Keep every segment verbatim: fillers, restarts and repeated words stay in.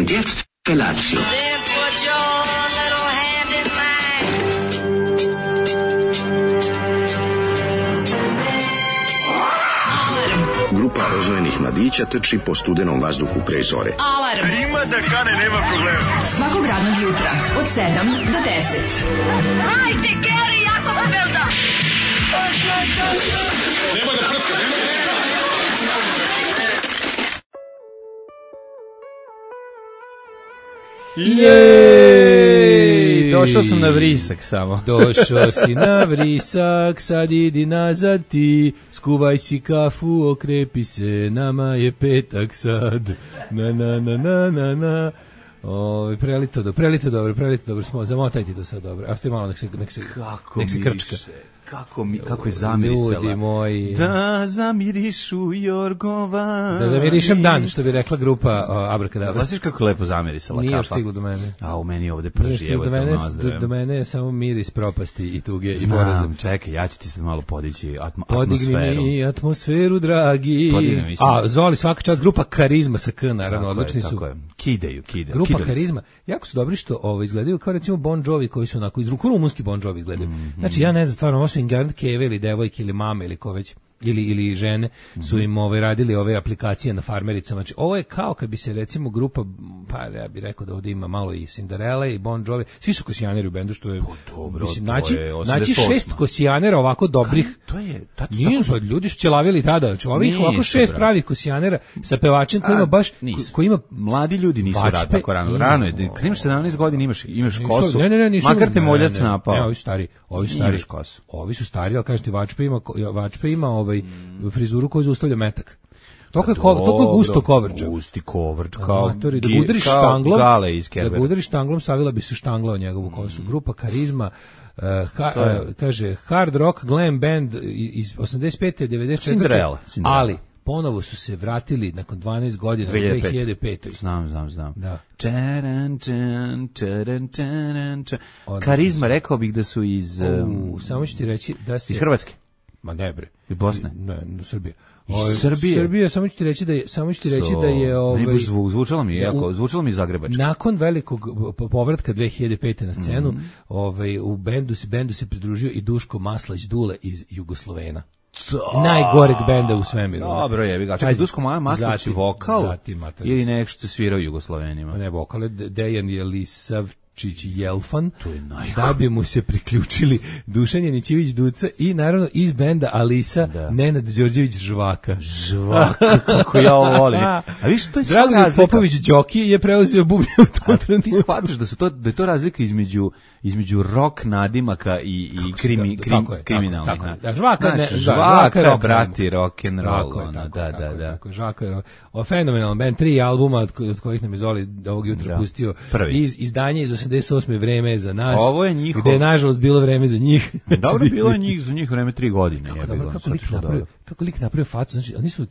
Und jetzt Felatio. Then put your little hand in mine. Grupa rozvojenih mladića trči po studenom vazduhu pre zore. Alarm. Ima da kane, nema problema. Svakog radnog jutra od sedam do deset. Hajde, Geri, jako se velda. Nema da prska, nema da prska. Jej! Došao sam na vrisak samo. Došao si na vrisak, sad idi nazad ti, skuvaj si kafu, okrepi se, nama je petak sad. Na na na na na na. O, prelito dobro, prelito dobro, prelito dobro smo, zamotajte to sad dobro. A ste malo nek se nek se Kako nek se krčka. Kako mi kako je zamirisala. Ljudi moji. Da zamirišu Jorgova. Da zamirišem dan, što bi rekla grupa uh, Abrakadabra. Znaš kako lepo zamirisala Nije kafa. još stiglo do mene. A u meni ovde Nije prži, stiglo evo do te mene, nozdravim. do, do mene je samo miris propasti i tuge i poraza. Znam, čekaj, ja ću ti sad malo podići atmo, Podigni atmosferu. mi atmosferu, dragi. Podigni mi, A, Zoli, svaka čast, grupa Karizma sa K, naravno, Tako je, odlični su. tako je. Kidaju, kidaju. Grupa kidalice. Karizma, jako su dobri što ovo izgledaju kao recimo Bon Jovi koji su onako iz ruku rumunski Bon Jovi izgledaju. Mm-hmm. Znači ja ne znam stvarno, ovo su Ingard Keve ili devojke ili mame ili ko već ili ili žene su im ove radili ove aplikacije na farmericama. Znači ovo je kao kad bi se recimo grupa, pa ja bih rekao da ovdje ima malo i Cinderella i Bon Jovi, svi su kosijaneri u bendu što je dobro, mislim to naći je osamdeset naći osma. šest kosijanera ovako dobrih. To je tačno. Nije, pa ljudi su ćelavili tada, znači ovih Nisu, ovako šest brate. pravih kosijanera sa pevačem koji ima baš nisu. koji ima Mladi ljudi nisu Vačpe rad tako rano. i- Rano je, kad imaš sedamnaest godina imaš imaš kosu. Ne, ne, ne, nisu. Makar te ne, moljac ne, ne, napao. Ne, ovi su stari, ovi su stari. Imaš kosu. Ovi su stari, al kažete Vačpe ima ko- Vačpe ima ovaj frizuru koju zaustavlja metak. Toliko je ko- toliko je gusto kovrđa. Gusti kovrđ kao Amatori, da gi- ga udariš kao štanglom, Gale iz da Kerbera. ga udariš štanglom, savila bi se štangla u njegovu kosu. Grupa Karizma, uh, ha, To je- uh, kaže, hard rock glam band iz osamdeset pete devedeset četvrte Cinderella, Cinderella. ali ponovo su se vratili nakon dvanaest godina u dve hiljade pete. dve hiljade pete. Znam, znam, znam. Da. Čaran, čan, čaran, čaran, čan. Odlično Karizma, su. rekao bih da su iz, um, U, samo ću ti reći da se iz Hrvatske. Ma ne bre. Iz Bosne? Ne, ne, Srbije. Iz Ovaj, Srbije? Srbije, samo ću ti reći da je, samo ću ti reći da je ovaj Meni baš zvu- zvučalo mi je jako, u- zvučalo mi je zagrebački. nakon velikog po- povratka dve hiljade pete na scenu, Mhm. ovaj u bendu se bendu se pridružio i Duško Maslać Dule iz Jugoslovena. Najgoreg benda u svemiru. Dobro, jebi ga. Čekaj, Pazi, Duško Maslać zatim- vokal zatim Mataris. ili nešto svirao Jugoslovenima? Ne, vokale Dejan Jelisavčić Jelfan, To je najgore. da bi mu se priključili Dušan Janićević Duca i naravno iz benda Alisa Da. Nenad Đorđević Žvaka. Žvaka, kako ja ovo volim. A viš, to je sva Dragoljub razlika. Popović Đoki je preuzeo bubnje u tom Ti trenutku. shvataš da su to da je to razlika između između rock nadimaka i i krimi, da, krim, tako je, kriminalnih. tako je, na- tako je. Da, Žvaka ne- Znaš, da, žvaka, Žvaka je rock brati rock and roll, Tako je, ono, tako da, je, da, tako je, da. tako je. Žaka je o fenomenalan band, tri albuma od, ko- od kojih nam je Zoli ovog jutra Da. pustio. Prvi. Iz izdanje iz osamdeset osme vreme je za nas. Ovo je njihov- Gde je nažalost bilo vreme za njih. Dobro bilo je njih za njih vreme tri godine, je Dobro, bilo. kako lik napravio, kako lik napravio facu, znači oni su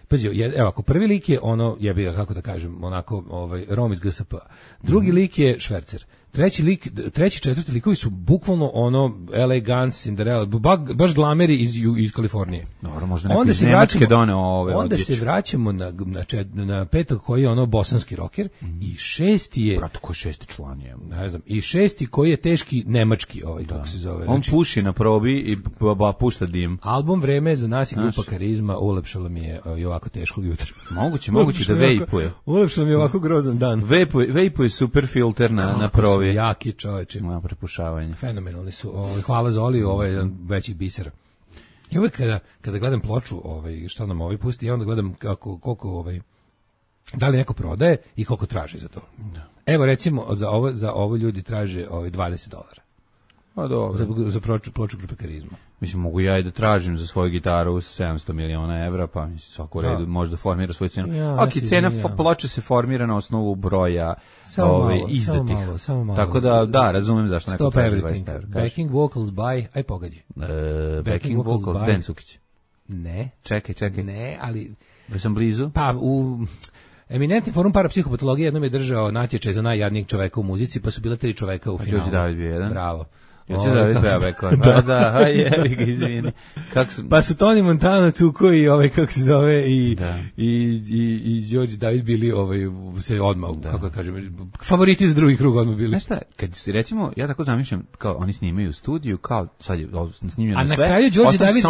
pazi, je- evo ako prvi lik je ono jebi ga kako da kažem, onako ovaj Rom iz G S P. Drugi Mhm. lik je švercer. Treći lik, treći, četvrti likovi su bukvalno ono L A Guns, Cinderella, ba, baš glameri iz ju- iz Kalifornije. Dobro, možda neko Onda iz se Nemačke vraćamo, doneo ove onda odjeće. se vraćamo na na, čet, na petog koji je ono bosanski rocker i šesti je Brat, ko šesti član je. ne znam, i šesti koji je teški nemački ovaj kako se zove. On Znači, puši na probi i ba, ba, pušta dim. album Vreme za nas i grupa Znaš. Karizma ulepšala mi je i ovako teškog jutra. Moguće, moguće da vejpuje. Ulepšala mi je ovako grozan dan. Vejpuje, vejpuje super filter na, na Kako su probi. jaki čoveče. Na prepušavanje. Fenomenalni su. Ovaj, hvala Zoli, ovo je jedan veći biser. I uvek kada, kada gledam ploču, ovaj, šta nam ovaj pusti, ja onda gledam kako, koliko, ovaj, da li neko prodaje i koliko traži za to. Evo recimo, za ovo, za ovo ljudi traže ovaj, dvadeset dolara. Pa dobro. Za, za ploču, ploču grupe Karizma. Mislim, mogu ja i da tražim za svoju gitaru sedamsto miliona evra, pa mislim, svako u redu može da formira svoju cenu. Ja, ok, ti cena ja. fo- ploče se formira na osnovu broja Samo ove, malo, izdatih. samo malo, samo malo. Tako da, da, razumem zašto neko Stop traži everything. dvadeset evra. Kaži. Backing vocals by, aj pogađi. E, backing vocals, by- Dan Cukić. Ne, Čekaj, čekaj. ne, ali Da sam blizu. pa u Eminentni forum parapsihopatologije jednom je držao natječaj za najjadnijeg čoveka u muzici, pa su bila tri čoveka u A finalu. Đorđe David bio jedan? Bravo. Ja ću da vidim Bekor. Pa da, aj jebi ga, izvini. Kako su... Pa su Toni Montana, Cuko i ovaj, kako se zove, i, da. i, i, i Đorđe David bili ovaj, se odmah, da. kako kažem, favoriti za drugi krug odmah bili. Znaš šta, kad si recimo, ja tako zamišljam, kao oni snimaju u studiju, kao sad je snimljeno sve. A na kraju Đorđe David,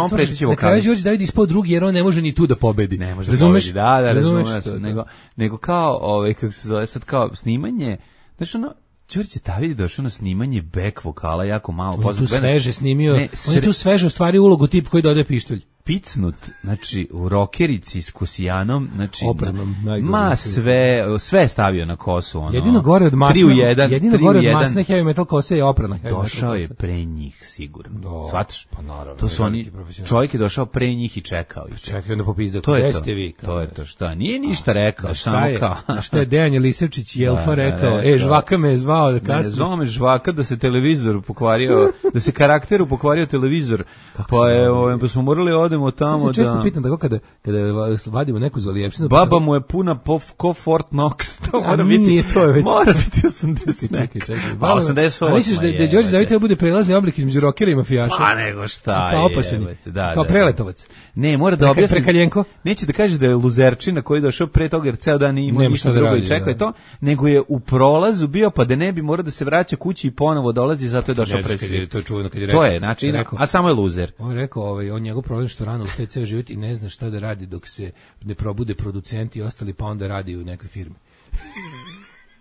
na kraju Đorđe David ispao drugi jer on ne može ni tu da pobedi. Ne može da pobedi, da, da, razumeš. Nego, nego kao, ovaj, kako se zove, sad kao snimanje, znaš ono, Đorđe David došao na snimanje back vokala jako malo. On je tu sveže snimio, ne, sre... on je tu sveže u stvari ulogu tip koji dodaje pištolj. Picnut, znači u rokerici s Kosijanom, znači Opremom, ma sve, sve stavio na kosu, ono. Jedino gore od masne, jedino gore od masne heavy metal kose je oprana. Došao je pre njih sigurno. Do, Shvataš? Pa naravno. To su oni, čovjek je došao pre njih i čekao ih. Čekao da popizda. To je to. Vi, to je to, šta? Nije ništa rekao, samo kao. Šta je Dejan Jelisevčić Jelfa rekao? E, Žvaka me je zvao da kasnije. Zvao me Žvaka da se televizor pokvario, da se karakteru pokvario televizor. Pa je, pa smo morali odemo tamo da. Često pitam tako kada kada vadimo neku zalijepšinu. Baba mu je puna pof, ko Fort Knox. To mora biti. Nije to je već. Mora biti osamdeset. Čekaj, čekaj. Pa osamdeset osam. A misliš da da Đorđe David bude prelazni oblik između rokera i mafijaša? Pa nego šta je. Kao opasan. Da, kao preletovac. Ne, mora da objasni. Prekaljenko. Neće da kaže da je luzerčina koji je došao pre toga jer ceo dan nije imao ništa drugo i čekao je to, nego je u prolazu bio pa da ne bi mora da se vraća kući i ponovo dolazi zato je došao pre svih. To je čuveno kad je rekao. To je, znači, a samo je luzer. On je rekao, ovaj, on njegov problem što rano ustaje ceo život i ne zna šta da radi dok se ne probude producenti i ostali, pa onda radi u nekoj firmi.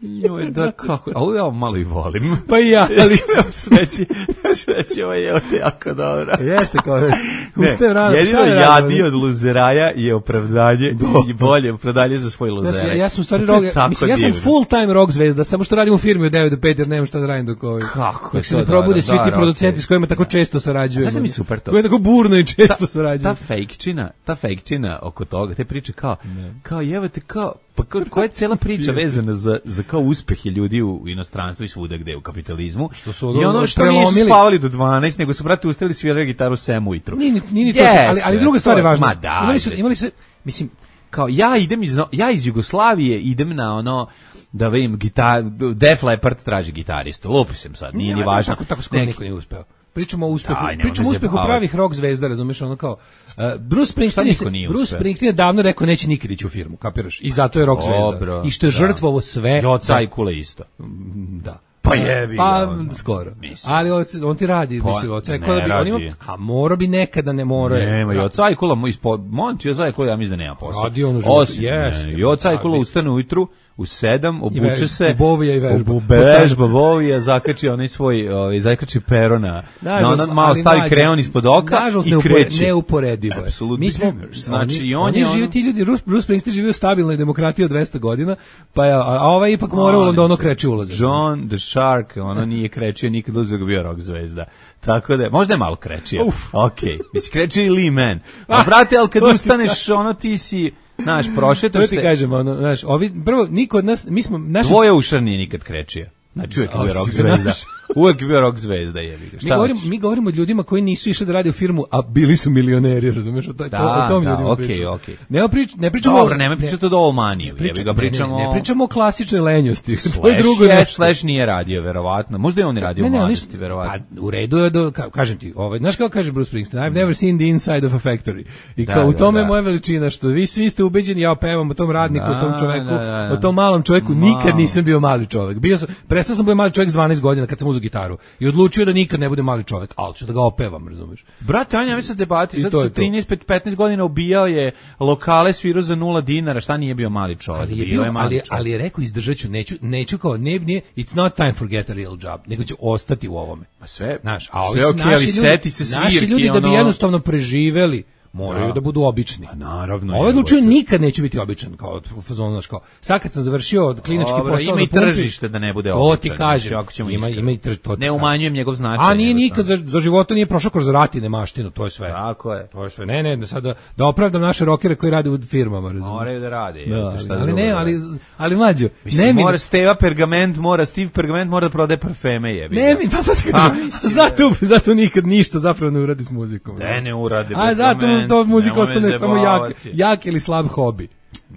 Joj, da kako, a ovo ja malo i volim. Pa i ja, ali sveći, sveći, ovo je ovdje jako dobro. Jeste, kao, ustaje rano. Jedino jadnije od luzeraja je opravdanje i bolje opravdanje za svoj luzeraj. Znači, ja sam u stvari rog, mislim, ja sam full time rock zvezda, samo što radim u firmi od devet do pet jer nemam šta da radim dok ovaj. Kako dok se ne probude svi ti producenti s kojima tako često sarađujem. Znaš mi super to. Koji tako burno i često sarađujem. Ta fejkčina, ta fejkčina oko toga, te priče kao, kao jevate, kao, pa koja je cela priča vezana za, za kao uspehe ljudi u inostranstvu i svuda gde u kapitalizmu. Što su i ono što nisu spavali do dvanaest, nego su, brate, ustali svirali gitaru sedam ujutru. Nije ni ni to, ali, ali druga stvar je važna. Ma da, imali su, imali su, mislim, kao ja idem iz, ja iz Jugoslavije idem na ono, da vidim, gitar, Def Leppard traži gitaristu. Lupusem sad, nije ni važno. Tako, tako skoro niko nije uspeo. Pričamo o uspehu, Daj, pričamo o uspehu pravih rock zvezda, razumeš, ono kao uh, Bruce Springsteen, se, Bruce Springsteen je davno rekao neće nikad ići u firmu, kapiraš? I zato je rock zvezda. I što je žrtvovo sve. Joca i Kule isto. Da. Pa jebi. Pa ono, skoro. Mislim. Ali on, on ti radi, pa, mislim, Joca i Kula bi on ima, a mora bi nekada ne mora. Nema, Joca i Kula mu ispod Monti, Joca i Kula ja mislim da nema posla. Radi on Osim, Joca i Kula ustane ujutru u sedam, obuče se, ubovija i vežba. Vežba, bovija, zakači onaj svoj, ovaj, zakači pero na, na ono malo stavi kreon ispod oka i kreće. Neuporedivo je. Mi smo, znači, i on je ono... Živi, ti ljudi, Bruce Springsteen živi u stabilnoj demokratiji od dvesta godina, pa je, a, a ovaj ipak morao da ono kreće ulaze. John the Shark, ono nije krećio nikad uzeo bio rock zvezda. Tako da, možda je malo krećio. Okej, misli krećio i Lee Man. A brate, ali kad ustaneš, ono ti si... Naš prošetaš se. To ti kažem, ono, znaš, ovi prvo niko od nas, mi smo naši Dvoje ušar nije nikad krečio. Znači uvijek je bio rock zvezda. Uvijek je bio rock zvezda, jebi ga. Mi govorimo, mi govorimo o ljudima koji nisu išli da rade u firmu, a bili su milioneri, razumeš? O, to, da, o tom da, ljudima okay, pričamo. Okay. Ne, prič, ne pričamo... Dobro, nema pričati o All Money, jebi ga, pričamo... Ne, ne, ne pričamo o klasičnoj lenjosti. Slash, to je drugo je, Slash nije radio, verovatno. Možda je on radio u mladosti, verovatno. Pa, u redu je, do, ka, kažem ti, ovaj, znaš kao kaže Bruce Springsteen, I've never seen the inside of a factory. I kao, da, u tome da, da. Moja veličina, što vi svi ste ubeđeni, ja pevam o tom radniku, da, o tom čoveku, da, da, da. O tom malom čoveku, Mal. Nikad nisam bio mali čovek. Bio sam, prestao sam bio mali čovek s dvanaest godina kad sam uzeo gitaru i odlučio da nikad ne bude mali čovek, ali ću da ga opevam, razumeš? Brate, Anja, mi sad debati, sad sa trinaest petnaest godina ubijao je lokale, svirao za nula dinara, šta nije bio mali čovek? Ali je, bio, bio ali, ali je rekao, izdržaću, neću, neću kao, ne, nije, it's not time for get a real job, nego ću ostati u ovome. Pa sve, naš, a sve okej, okay, ali seti se svirke, naši ljudi ono... da bi jednostavno preživeli, moraju da, da budu obični. Pa naravno. Ovaj odlučio nikad neću biti običan kao u fazonu, znaš, kao. Sad kad sam završio klinički Dobra, posao, ima i tržište da ne bude običan. To ti kažem. Ima ima i tržište. Ne umanjujem njegov značaj. A nije nikad za, za života nije prošao kroz rat i nemaštinu, to je sve. Tako je. To je sve. Ne, ne, sad da, da opravdam naše rokere koji rade u firmama, razumiješ. Moraju da rade, da, šta ali ne, ali ali mlađo. Ne mi mora Steva Pergament, mora Steve Pergament mora da prodaje parfeme, jebi. Ne mi, pa to ti kažem. Zato zato nikad ništa zapravo ne uradi s muzikom. Ne, ne uradi. A zato to muzika ostane samo jak, jak ili slab hobi.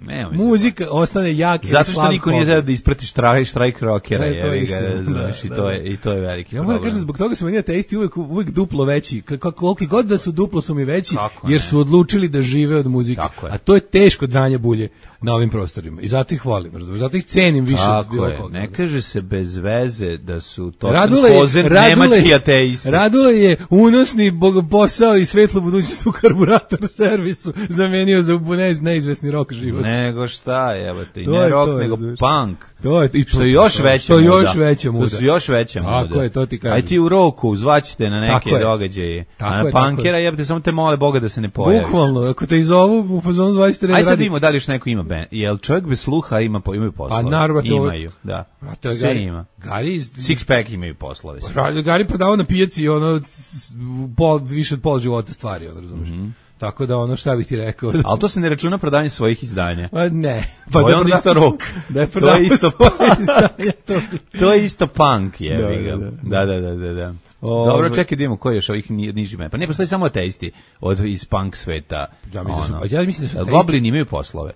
Ne, mislim, Muzika ostane jak. zato što niko nije da isprati štrajk, štrajk rockera, E, to je je, istina, ga, znaš, da, i, da, to da. je, i to je veliki Ja problem. moram kažem, zbog toga su meni ateisti uvek, uvek duplo veći. Kako, koliki god da su duplo su mi veći, Kako jer ne? su odlučili da žive od muzike. Tako je. A to je teško dranje bulje na ovim prostorima. I zato ih volim, razumiješ? Zato ih cenim više od Tako bilo je, koga. ne kaže se bez veze da su to Radule je, kozen Radule, nemački ateisti. Radule je unosni bog, posao i svetlu budućnost u karburator servisu zamenio za ne, neizvesni rok život. Nego šta, evo te, i To ne je rock, to, nego razumeš. punk. To je, i Što je još veća to je muda. još veća muda. To su još veća muda. Tako je, to ti kažem. Aj ti u roku zvaćete na neke Tako je. događaje. Tako A na je, tako punkera je. jebate samo te mole Boga da se ne pojavi. Bukvalno, ako te izovu u fazonu zvajste red Aj sad radi. vidimo da li još neko ima band. Jel čovjek bez sluha ima, po, imaju poslove? Pa naravno, to- Imaju, da. To je Sve Gari, ima. Gari iz... Six pack imaju poslove. sve. Ra- Gari prodavao na pijaci ono s- pol, više od pola života stvari, ono, razumiješ. Mhm. Tako da ono, šta bih ti rekao? Ali to se ne računa prodanje svojih izdanja. Pa ne. To je da onda isto prodavao- rock. Da je To je prodavao isto svoje izdanje, to bi- To je isto punk, jebi Da, ga. da, Da, da, da, da, da. Ove- Dobro, čekaj da vidimo koji je još ovih ni- niži men. Pa ne postoji samo ateisti od iz punk sveta. Ja mislim da su- Ono. ja mislim da su Jel ateisti- Goblini imaju poslove.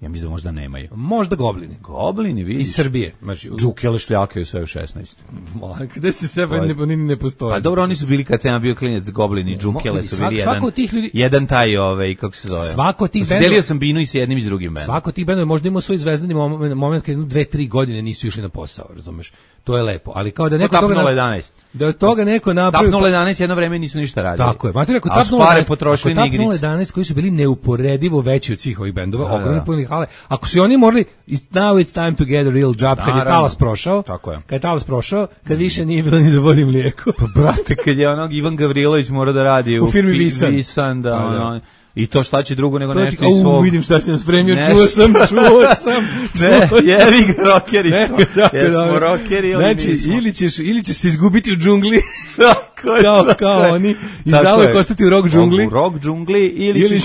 Ja mislim da možda nemaju. Možda goblini. Goblini, vidiš. Iz Srbije. Znači, u- Džukele šljakaju sve u šesnaest. Ma, gde se sebe ne, oni ne postoje. Pa dobro, oni su bili kad sam ja bio klinec, Goblini, Džukele su svak- bili svako jedan, od tih ljudi- jedan taj, ovaj, kako se zove. Svako od tih Znači, bendova- delio sam binu i s jednim i s drugim bendom. Svako ti bendova možda ima svoj zvezdani moment, moment kad jedno dve, tri godine nisu išli na posao, razumeš? To je lepo, ali kao da neko Tap toga nula na- jedanaest. da od toga neko napravi Tap nula jedanaest jedno vreme nisu ništa radili. Tako je. Mati rekao A Tap su pare nula jedanaest potrošili na ako Tap nula igrice. jedanaest koji su bili neuporedivo veći od svih ovih bendova, Da, ogromni da. puni hale. Ako su i oni morali it- now it's time to get a real job, kad je Naravno. talas prošao, Tako je. kad je talas prošao, kad više nije bilo ni za vodu i mlijeko. Brate, kad je onog Ivan Gavrilović mora da radi u, U firmi fi- Visan. Visan, da, Pa, da. ono, i to šta će drugo nego To ti- nešto iz au, svog... vidim šta si nam spremio, Nešto. čuo sam, čuo sam. Ne, čuo sam. jevi ga, rockeri Ne, smo. tako je, Jesmo dobro. rockeri ili Znači, nismo? ili ćeš, ili ćeš se izgubiti u džungli, Tako je, kao, tako kao je. oni, i Tako zauvek je. ostati u rock džungli. U rock džungli ili, Ili- ćeš...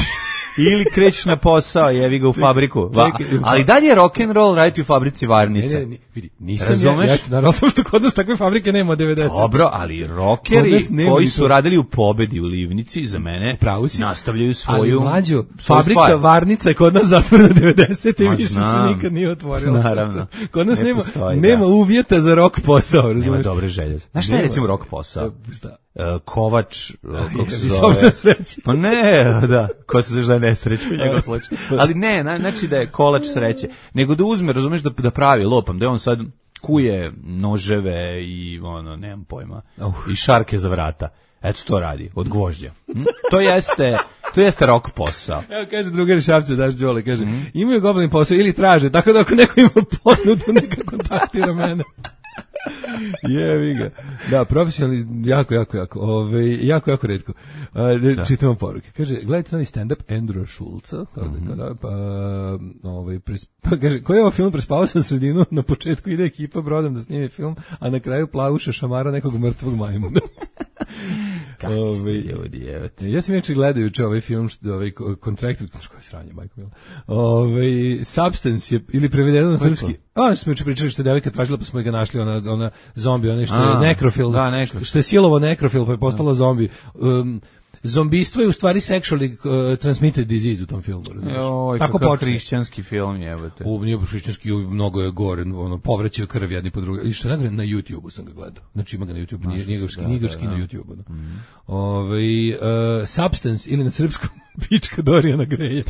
ili krećeš na posao, jevi ga u fabriku. Va, čekaj, ali dalje je rock and roll raditi u fabrici Ne, varnice. ne, ne, vidi, nisam Razumeš? ja, ja naravno samo što kod nas takve fabrike nema od devedeset. Dobro, ali Kod rockeri nas nema koji ni su to. radili u Pobedi u Livnici, za mene, Pravo si. nastavljaju svoju... Ali mlađo, svoju fabrika stvar. varnica je kod nas zatvorena devedesete i Ma, više se znam. nikad nije otvorila. Naravno. Kod nas Ne nema, postoji, nema da. uvjeta za rock posao, Nema razumiješ? dobre želje. Znaš šta je Nema. recimo rock posao? Šta? E, Kovač, e, kako se jebi, zove? sopstvena sreća. Pa ne, da, ko se zove da je nesreća u njegovom slučaju. Ali ne, na- znači da je kolač sreće. Nego da uzme, razumeš, da, da pravi lopam, da je on sad kuje noževe i ono, nemam pojma, i šarke za vrata. Eto to radi, od gvožđa. Hm? To jeste, to jeste rock posao. Evo kaže drugar Šapce, daš Đole, kaže, Mhm. imaju goblin posao ili traže, tako da ako neko ima ponudu, neka kontaktira mene. Jevi ga. Da, profesionalni, jako, jako, jako, ove, jako, jako redko. Uh, čitamo poruke. Kaže, gledajte novi stand-up Andrew Schulza, kao da, kao da, pa, ovaj, pres, pa kaže, koji je ovo film, prespavao sam sredinu, na početku ide ekipa brodom da snimi film, a na kraju plavuše šamara nekog mrtvog majmuna. Kakvi ste ljudi, evo te. Ja sam inače gledajući ovaj film, što, ovaj Contracted, što je sranje, majko mila. Ovaj Substance je, ili prevedeno na srpski. A, smo juče pričali što je devojka tražila, pa smo ga našli, ona, ona zombi, ona što je A, nekrofil, da, nekrofil. što je silovo nekrofil, pa je postala zombi. Um, Zombistvo je u stvari sexually uh, transmitted disease u tom filmu, razumiješ? Joj, Tako kakav počne. hrišćanski film je, evo te. U nije baš hrišćanski, mnogo je gore, ono povraćaju krv jedni po drugom. I što je na YouTubeu sam ga gledao. Znači ima ga na YouTubeu, nije nije ga da, nije ga da, ski na da. YouTubeu. Mm. Ovaj uh, Substance ili na srpskom pička Dorijana Greja.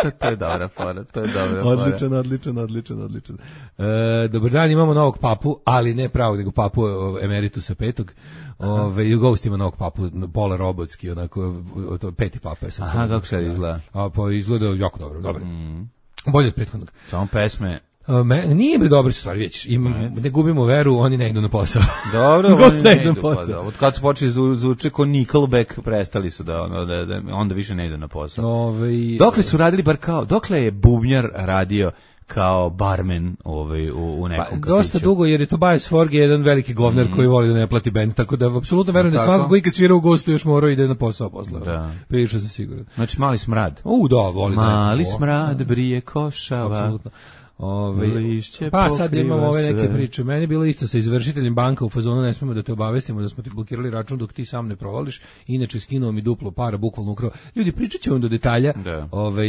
to, to je dobra fora, to je dobra fora. Odličan, odličan, odličan, odličan. E, dobar dan, imamo novog papu, ali ne pravog, nego papu o, emeritusa petog. Ove, i Ghost ima novog papu, pola robotski, onako, o, to, peti papa je sam. Aha, kako sad izgleda? A, pa izgleda jako dobro, dobro. Mm. Bolje od prethodnog. Samo pesme. A, me, nije bre dobri su stvari, već. Ima, ne gubimo veru, oni ne idu na posao. Dobro, Ghost oni ne ne idu idu na pa posao. da. Od kad su počeli zvu, zvuče ko Nickelback, prestali su da, ono, da, da, onda više ne idu na posao. Ove, Dokle su radili bar kao, dokle je bubnjar radio kao barmen ovaj, u, u nekom Pa, kafiću? dosta dugo, jer je Tobias Forge jedan veliki govnar mm. koji voli da ne plati bend, tako da apsolutno verujem da Tako? svako koji kad svira u gostu još morao ide na posao posle. Da. Prilično sam siguran. Znači, mali smrad. U, da, voli da Mali neko- smrad brije košava. Apsolutno. Ove, Lišće pa sad pokriva imamo ove neke sve. priče. Meni je bilo isto sa izvršiteljem banka u fazonu, ne smemo da te obavestimo da smo ti blokirali račun dok ti sam ne provališ, inače skinuo mi duplo para, bukvalno ukrao. Ljudi, pričat ću vam do detalja. Da. Ovaj,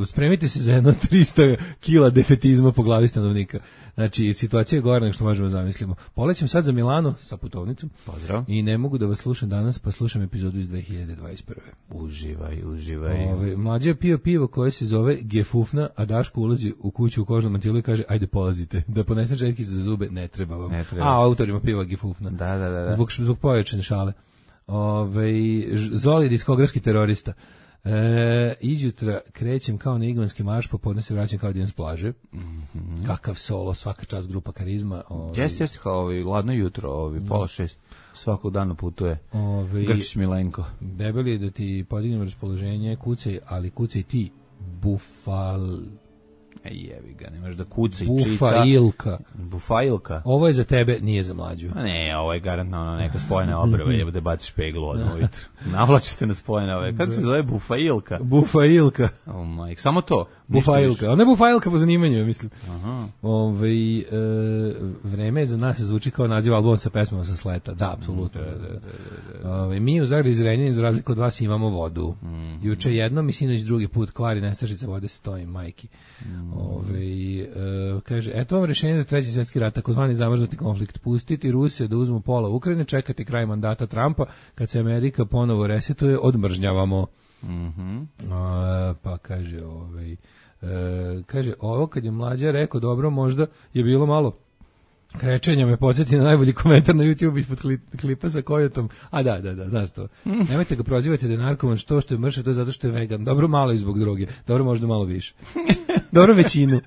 spremite se za jedno trista kila defetizma po glavi stanovnika. Znači, situacija je gore nego što možemo zamislimo. Polećem sad za Milano sa putovnicom. Pozdrav. I ne mogu da vas slušam danas, pa slušam epizodu iz dve hiljade dvadeset prve. Uživaj, uživaj. Ove, mlađe je pio pivo koje se zove Gefufna, a Daško ulazi u kuću u kožnom mantilu i kaže, ajde polazite, da ponesem četkice za zube, ne treba vam. Ne treba. A, autorima piva Gefufna. Da, da, da. da. Zbog, zbog pojačane šale. Ove, Zoli, diskografski terorista. E, izjutra krećem kao na igmanski marš, popodne se vraćam kao dijan s plaže. Mm-hmm. Kakav solo, svaka čast, grupa Karizma. Ovaj, Jeste, jeste kao ovi, ladno jutro, ovi, pola šest, svakog dana putuje. Ovaj, Grčić Milenko. Debeli da ti podignem raspoloženje, kucaj, ali kucaj ti, bufal... E, jevi ga, nemaš da kuca i čita. Bufailka. Bufailka. Ovo je za tebe, nije za mlađu. A ne, ovo je garantno ono, neka spojena obrva, jebo da baciš peglu odmah ujutru. Navlačite na spojene ove. Kako se zove? Bufailka? Bufailka. Oh majk, samo to. Bufailka. Ona je bufailka po zanimanju, ja mislim. Aha. Ove, e, vreme za nas se zvuči kao naziv albuma sa pesmama sa sleta. Da, apsolutno. Da, da, da, da. Ove, mi u Zagrebu iz Renjanina, za razliku od vas, imamo vodu. Mm. Juče jednom i sinoć drugi put kvari nestašica vode, stoji majki. Mm. Ove, e, kaže, eto vam rešenje za treći svjetski rat, takozvani zamrznuti konflikt. Pustiti Rusije da uzmu pola Ukrajine, čekati kraj mandata Trumpa, kad se Amerika ponovo resetuje, odmržnjavamo. Mm-hmm. A, pa kaže, ovaj, e, kaže, ovo kad je mlađa rekao, dobro, možda je bilo malo krečenja, me podsjeti na najbolji komentar na YouTube ispod klipa sa Kojotom. A da, da, da, znaš to. Nemojte ga prozivati da je narkoman, što što je mrše, to je zato što je vegan. Dobro malo i zbog droge, dobro možda malo više. Dobro većinu.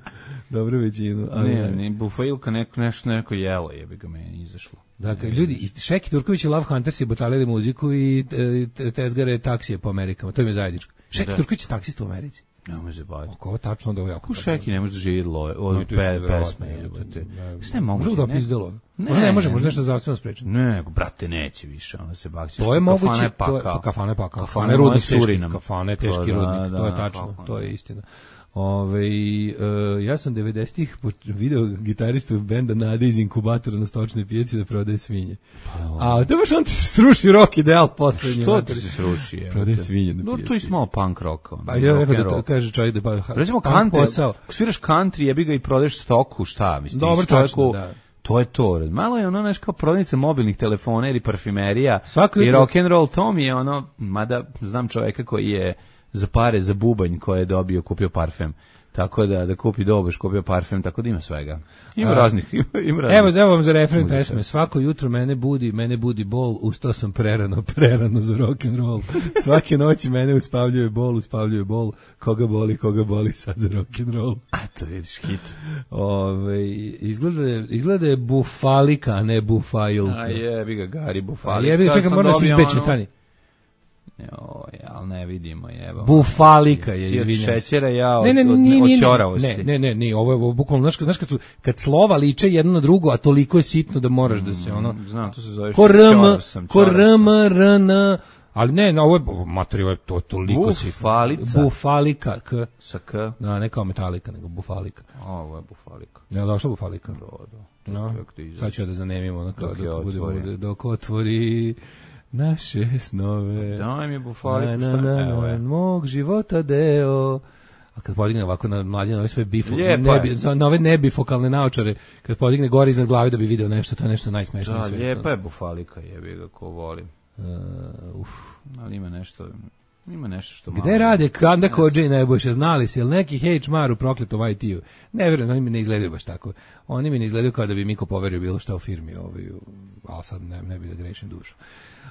Dobro većinu. Ali ne, ne, bufailka neko, nešto neko jelo, jebi ga meni izašlo. Dakle, ljudi, i Šeki Turković i Love Hunters je batalili muziku i e, tezgare taksije po Amerikama, to im je zajedničko. Šeki da. Turković je taksist u Americi. Ne može baviti. Oko ovo tačno da ovo jako. U Šeki ne može da živi od no, pe, pesme. Sve moguće. Možda da pizdelo. Možda ne može, možda nešto zdravstveno sprečeno. Ne, nego, brate, neće više, ona se bakće. To je moguće, kafane pa kao. Kafane rudnik teški, kafane teški rudnik, to je tačno, to je istina. Ove, uh, ja sam devedesetih video gitaristu benda Nade iz inkubatora na stočnoj pijaci da prodaje svinje. A to baš on ti se sruši rock ideal poslednji. Što ti se sruši? Prodaje svinje na no, pijaci. To je malo punk rock. Pa ja rekao da to kaže čovjek da pa recimo country, ako sviraš country, jebi ga i prodaješ stoku, šta mislim? Dobro, čovjeku, da. To je to. Malo je ono nešto kao prodavnica mobilnih telefona ili parfimerija Svako i rock and roll. To mi je ono, mada znam čovjeka koji je za pare za bubanj koje je dobio, kupio parfem. Tako da da kupi dobeš, kupio parfem, tako da ima svega. Ima A, raznih, ima, ima raznih. Evo, evo vam za refren pesme. Svako jutro mene budi, mene budi bol, ustao sam prerano, prerano za rock and roll. Svake noći mene uspavljuje bol, uspavljuje bol. Koga boli, koga boli sad za rock and roll. A to vidiš hit. Ove, izgleda je, izgleda je bufalika, a ne bufailka. A jebi ga, Gari, bufalika. Jebi ga, čekaj, moram se izbeći, ono... stani. Joj, ali ne vidimo, jeba. Bufalika je, izvinjam. Od šećera, ja od, ne, ne, od, ne, od ćoravosti. Ne, ne, ne, ne, ovo je bukvalno, znaš, znaš kad, su, kad slova liče jedno na drugo, a toliko je sitno da moraš da se ono... Znam, to se zove čorav sam. Korm, rn, ali ne, no, ovo je, materi, ovo je to toliko sitno. Bufalica. Bufalika, k. Sa k. Da, ne kao metalika, nego bufalika. Ovo je bufalika. Ne, došla bufalika. Da, da. No, sad ću ja da zanemimo, ono, dok, dok, budemo, dok otvori... naše snove. Daj mi bufaliku, šta? Na, na, na, na, mog života deo. A kad podigne ovako na mlađe, na ove sve bifo, nebi, na ove nebifokalne naočare, kad podigne gore iznad glave da bi video nešto, to je nešto najsmešnije. Da, lijepa je bufalika, jebi ga, ko volim. Uh, uf. Ali ima nešto... Ima nešto što gde malo... rade Kanda Kodža i Nebojša, znali se, jel neki H R u prokletom I T-u? Ne vjerujem, oni mi ne izgledaju baš tako. Oni mi ne izgledaju kao da bi Miko poverio bilo šta u firmi, ovaj, ali sad ne, ne bi da grešim dušu.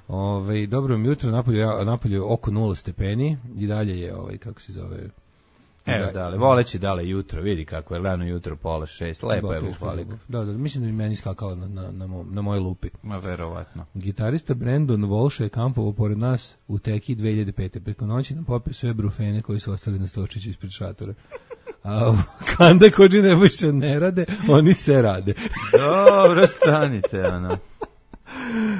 Ove, dobro mi jutro, napolju, napolju oko nula stepeni i dalje je, ovaj, kako se zove... Evo dale, voleći dale jutro, vidi kako je rano jutro, pola šest, lepo je bufalika. Da, da, mislim da mi meni skakala na, na, na, mo, na mojoj lupi. Ma verovatno. Gitarista Brandon Walsh je kampovo pored nas u Teki dve hiljade pete. Preko noći nam popio sve brufene koji su ostali na stočiću ispred šatora. A Kanda Kodži Nebojša ne rade, oni se rade. Dobro, stanite, ono.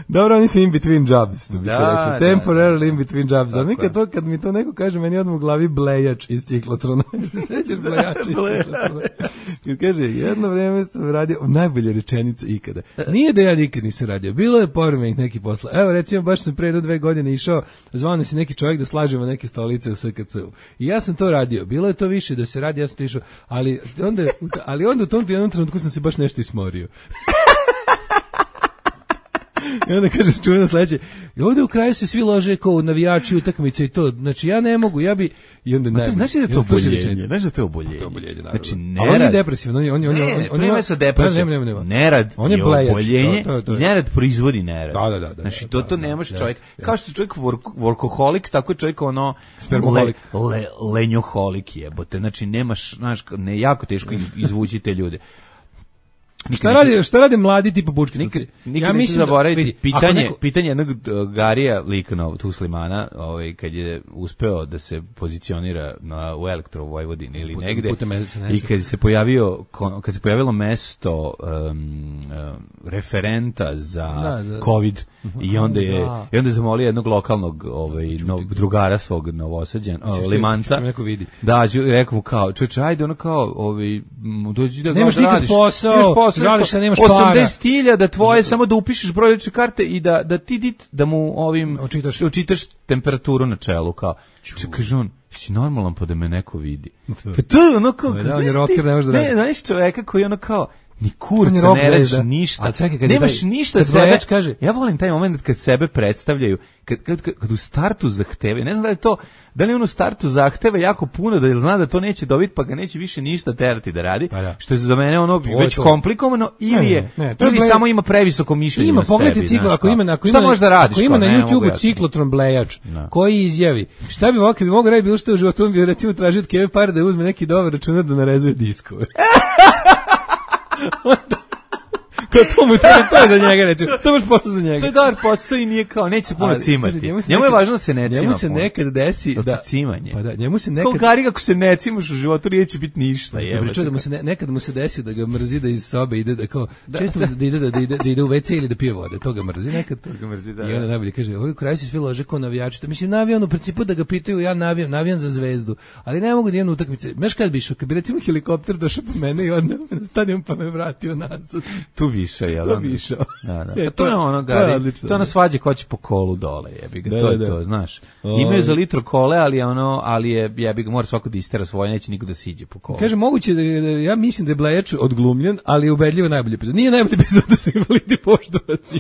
Dobro, oni su in between jobs, što bi Da, se rekao. da, Temporarily da. in between jobs. A mi Tako je. kad, to, kad mi to neko kaže, meni odmah u glavi blejač iz ciklotrona. Se sećaš blejača iz ciklotrona? Kad kaže, jedno vreme sam radio, najbolja rečenica ikada. Nije da ja nikad nisam radio, bilo je povremenih neki posla. Evo, recimo, baš sam pre do dve godine išao, zvao nas je neki čovjek da slažemo neke stolice u S K C-u. I ja sam to radio, bilo je to više da se radi, ja sam to išao, ali onda, ali onda u tom jednom trenutku sam se baš nešto ismorio. I onda kaže čujeno sledeće, ovde u kraju se svi lože kao navijači utakmice i to, znači ja ne mogu, ja bi i onda ne. Znaš da je to oboljenje, znaš da je to oboljenje. To oboljenje, Znači nerad. On je depresivan, on je on je on je Ne, on to nema sa depresijom. nema, nema. Nerad On je je blejač, oboljenje to, to, to je. i nerad proizvodi nerad. Da, da, da, da, Znači da, to da, to da, ne može da, čovjek, jeste, kao što je čovjek work, workoholik, tako je čovjek ono Spermoholik. le, le, lenjoholik jebote. Znači nemaš, znaš, ne jako teško izvući te ljude. Šta radi, šta rade mladi tipa Bučki? Nikad, nikad ja neću mislim da- zaboraviti vidi, ako pitanje, neko- pitanje jednog uh, Garija Likana, tu Slimana, ovaj, kad je uspeo da se pozicionira na, u Elektro u Vojvodini ili Putem- negde putem S N S-a. i kad se pojavio kon- kad se pojavilo mesto um, uh, referenta za, Da, za- COVID i onda je Da. i onda je zamolio jednog lokalnog ovaj no, drugara svog Novosađana, Hoćeš ti- Limanca, hoćeš da me neko vidi. da, ću- rekao mu kao čoveče, ajde ono kao ovaj m, dođi da Nemaš da nikad radiš. posao, Nemaš posao, radiš, nešto- a nemaš para. osamdeset hiljada tvoje, samo da upišeš broj lične karte i da da ti dit, da mu ovim Očitaš. očitaš temperaturu na čelu kao. Če kaže on, si normalan pa da me neko vidi. Pa to je ono kao, Da, znaš on je ti- rocker, ne može da Ne, radi. znaš čoveka koji je ono kao ni On je kurca, rock ne radiš zvezda. ništa. Ali čekaj, kad je nemaš taj- ništa kad sebe. Blajač kaže- Ja volim taj moment kad sebe predstavljaju, kad, kad, kad, kad u startu zahtevaju, ne znam da li je to, da li on u startu zahteva jako puno, da zna da to neće dobiti, pa ga neće više ništa terati da radi, Pa da. što je za mene ono je već to. komplikovano, ili Ne, je, ne, ne, to je ili Blajač- samo ima previsoko mišljenje Ima, o pogledajte sebi, ciklo, znaš, ako kao. ima, ako Šta ima, možeš da radiš? ako ima kao, na ne mogu YouTubeu ja. ciklotron blejač, Da. koji izjavi, šta bi ovako, bi mogo raditi bilo što u životu, on bi recimo tražio od Keve pare da uzme neki dobar računar da narezuje diskove. Kao to mu to, to je za njega, recimo, to baš posao za To je njega. dobar posao i nije kao, neće se puno Ali, cimati. kaže, Njemu, se je nekad- važno da se ne cima Njemu se puno. nekad desi To da... je cimanje. Pa da, njemu se Kao nekad... Gari, ako se ne cimaš u životu, neće biti ništa. Dobro, jebote. čuo da mu se ne, nekad mu se desi da ga mrzi da iz sobe ide da kao često da ide da, da ide da ide u ve ce ili da pije vode, to ga mrzi nekad. ga mrzi, da, I onda da. najbolje kaže, ovaj kraj se svi lože kao navijači. To mislim navijam u principu da ga pitaju, ja navijam, navijam za Zvezdu, ali ne mogu da idem na utakmice. Znaš kad bi išao, kad bi recimo helikopter došao po mene i odneo me na stadion pa me vratio nazad. Tu više, jel? To onda? bi išao. Da, da. E, Pa to to je- je ono, to je Gari, odlično, to je ono da. svađe ko će po kolu dole, jebi ga, Da, to da, je da. to, znaš. Oj. Imaju za litro kole, ali je ono, ali je, jebi ga, mora svako da istera svoje, neće niko da siđe po kolu. Kaže moguće da, da ja mislim da je Blejač odglumljen, ali je ubedljivo najbolji epizod. Nije najbolji epizod da su invalidi poštovaci.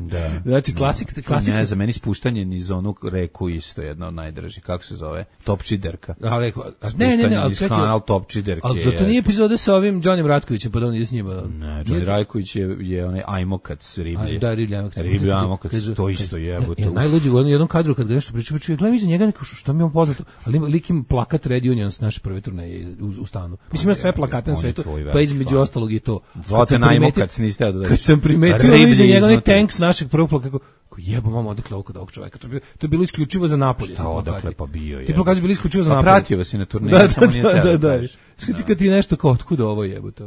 Da. Znači klasik, klasik. Ne, za meni spuštanje niz onu reku isto jedno od najdražih, kako se zove? Topčiderka. A, rekao, a, ne, ne, ne, ali niz čekaj, kanal Topčiderke. ali zato nije epizode sa ovim Johnnym Ratkovićem, pa da on ide s njima. Ne, Johnny Rajković je, je onaj ajmokac riblje. Aj, da, riblje ajmokac. Riblje ajmokac, Kaže- to isto jebote. Ja, najluđi u jednom kadru kad ga nešto priča, priča, gledam iza njega neko što, što mi je poznato, ali ima lik ima plakat Red Union s naše prve turneje u, u stanu. Mislim, ima sve plakate na on je svetu, tvoj pa veliki između fan. ostalog i to. Kad Zvate sam najmokac, niste ja da Kad sam primetio ono riblje iza njega onaj iznutra. tank s našeg prvog plakata, kako, kako jebo mama, odakle ovo kod ovog čoveka. To je bilo, to je bilo isključivo za Napolje. Šta odakle pa bio je? Ti plakati su bili isključivo za Pa Napolje. pratio vas i na turneji, Da, samo da, nije da, teo da, da da. kažeš. Skati kad ti nešto kao otkud ovo jebote.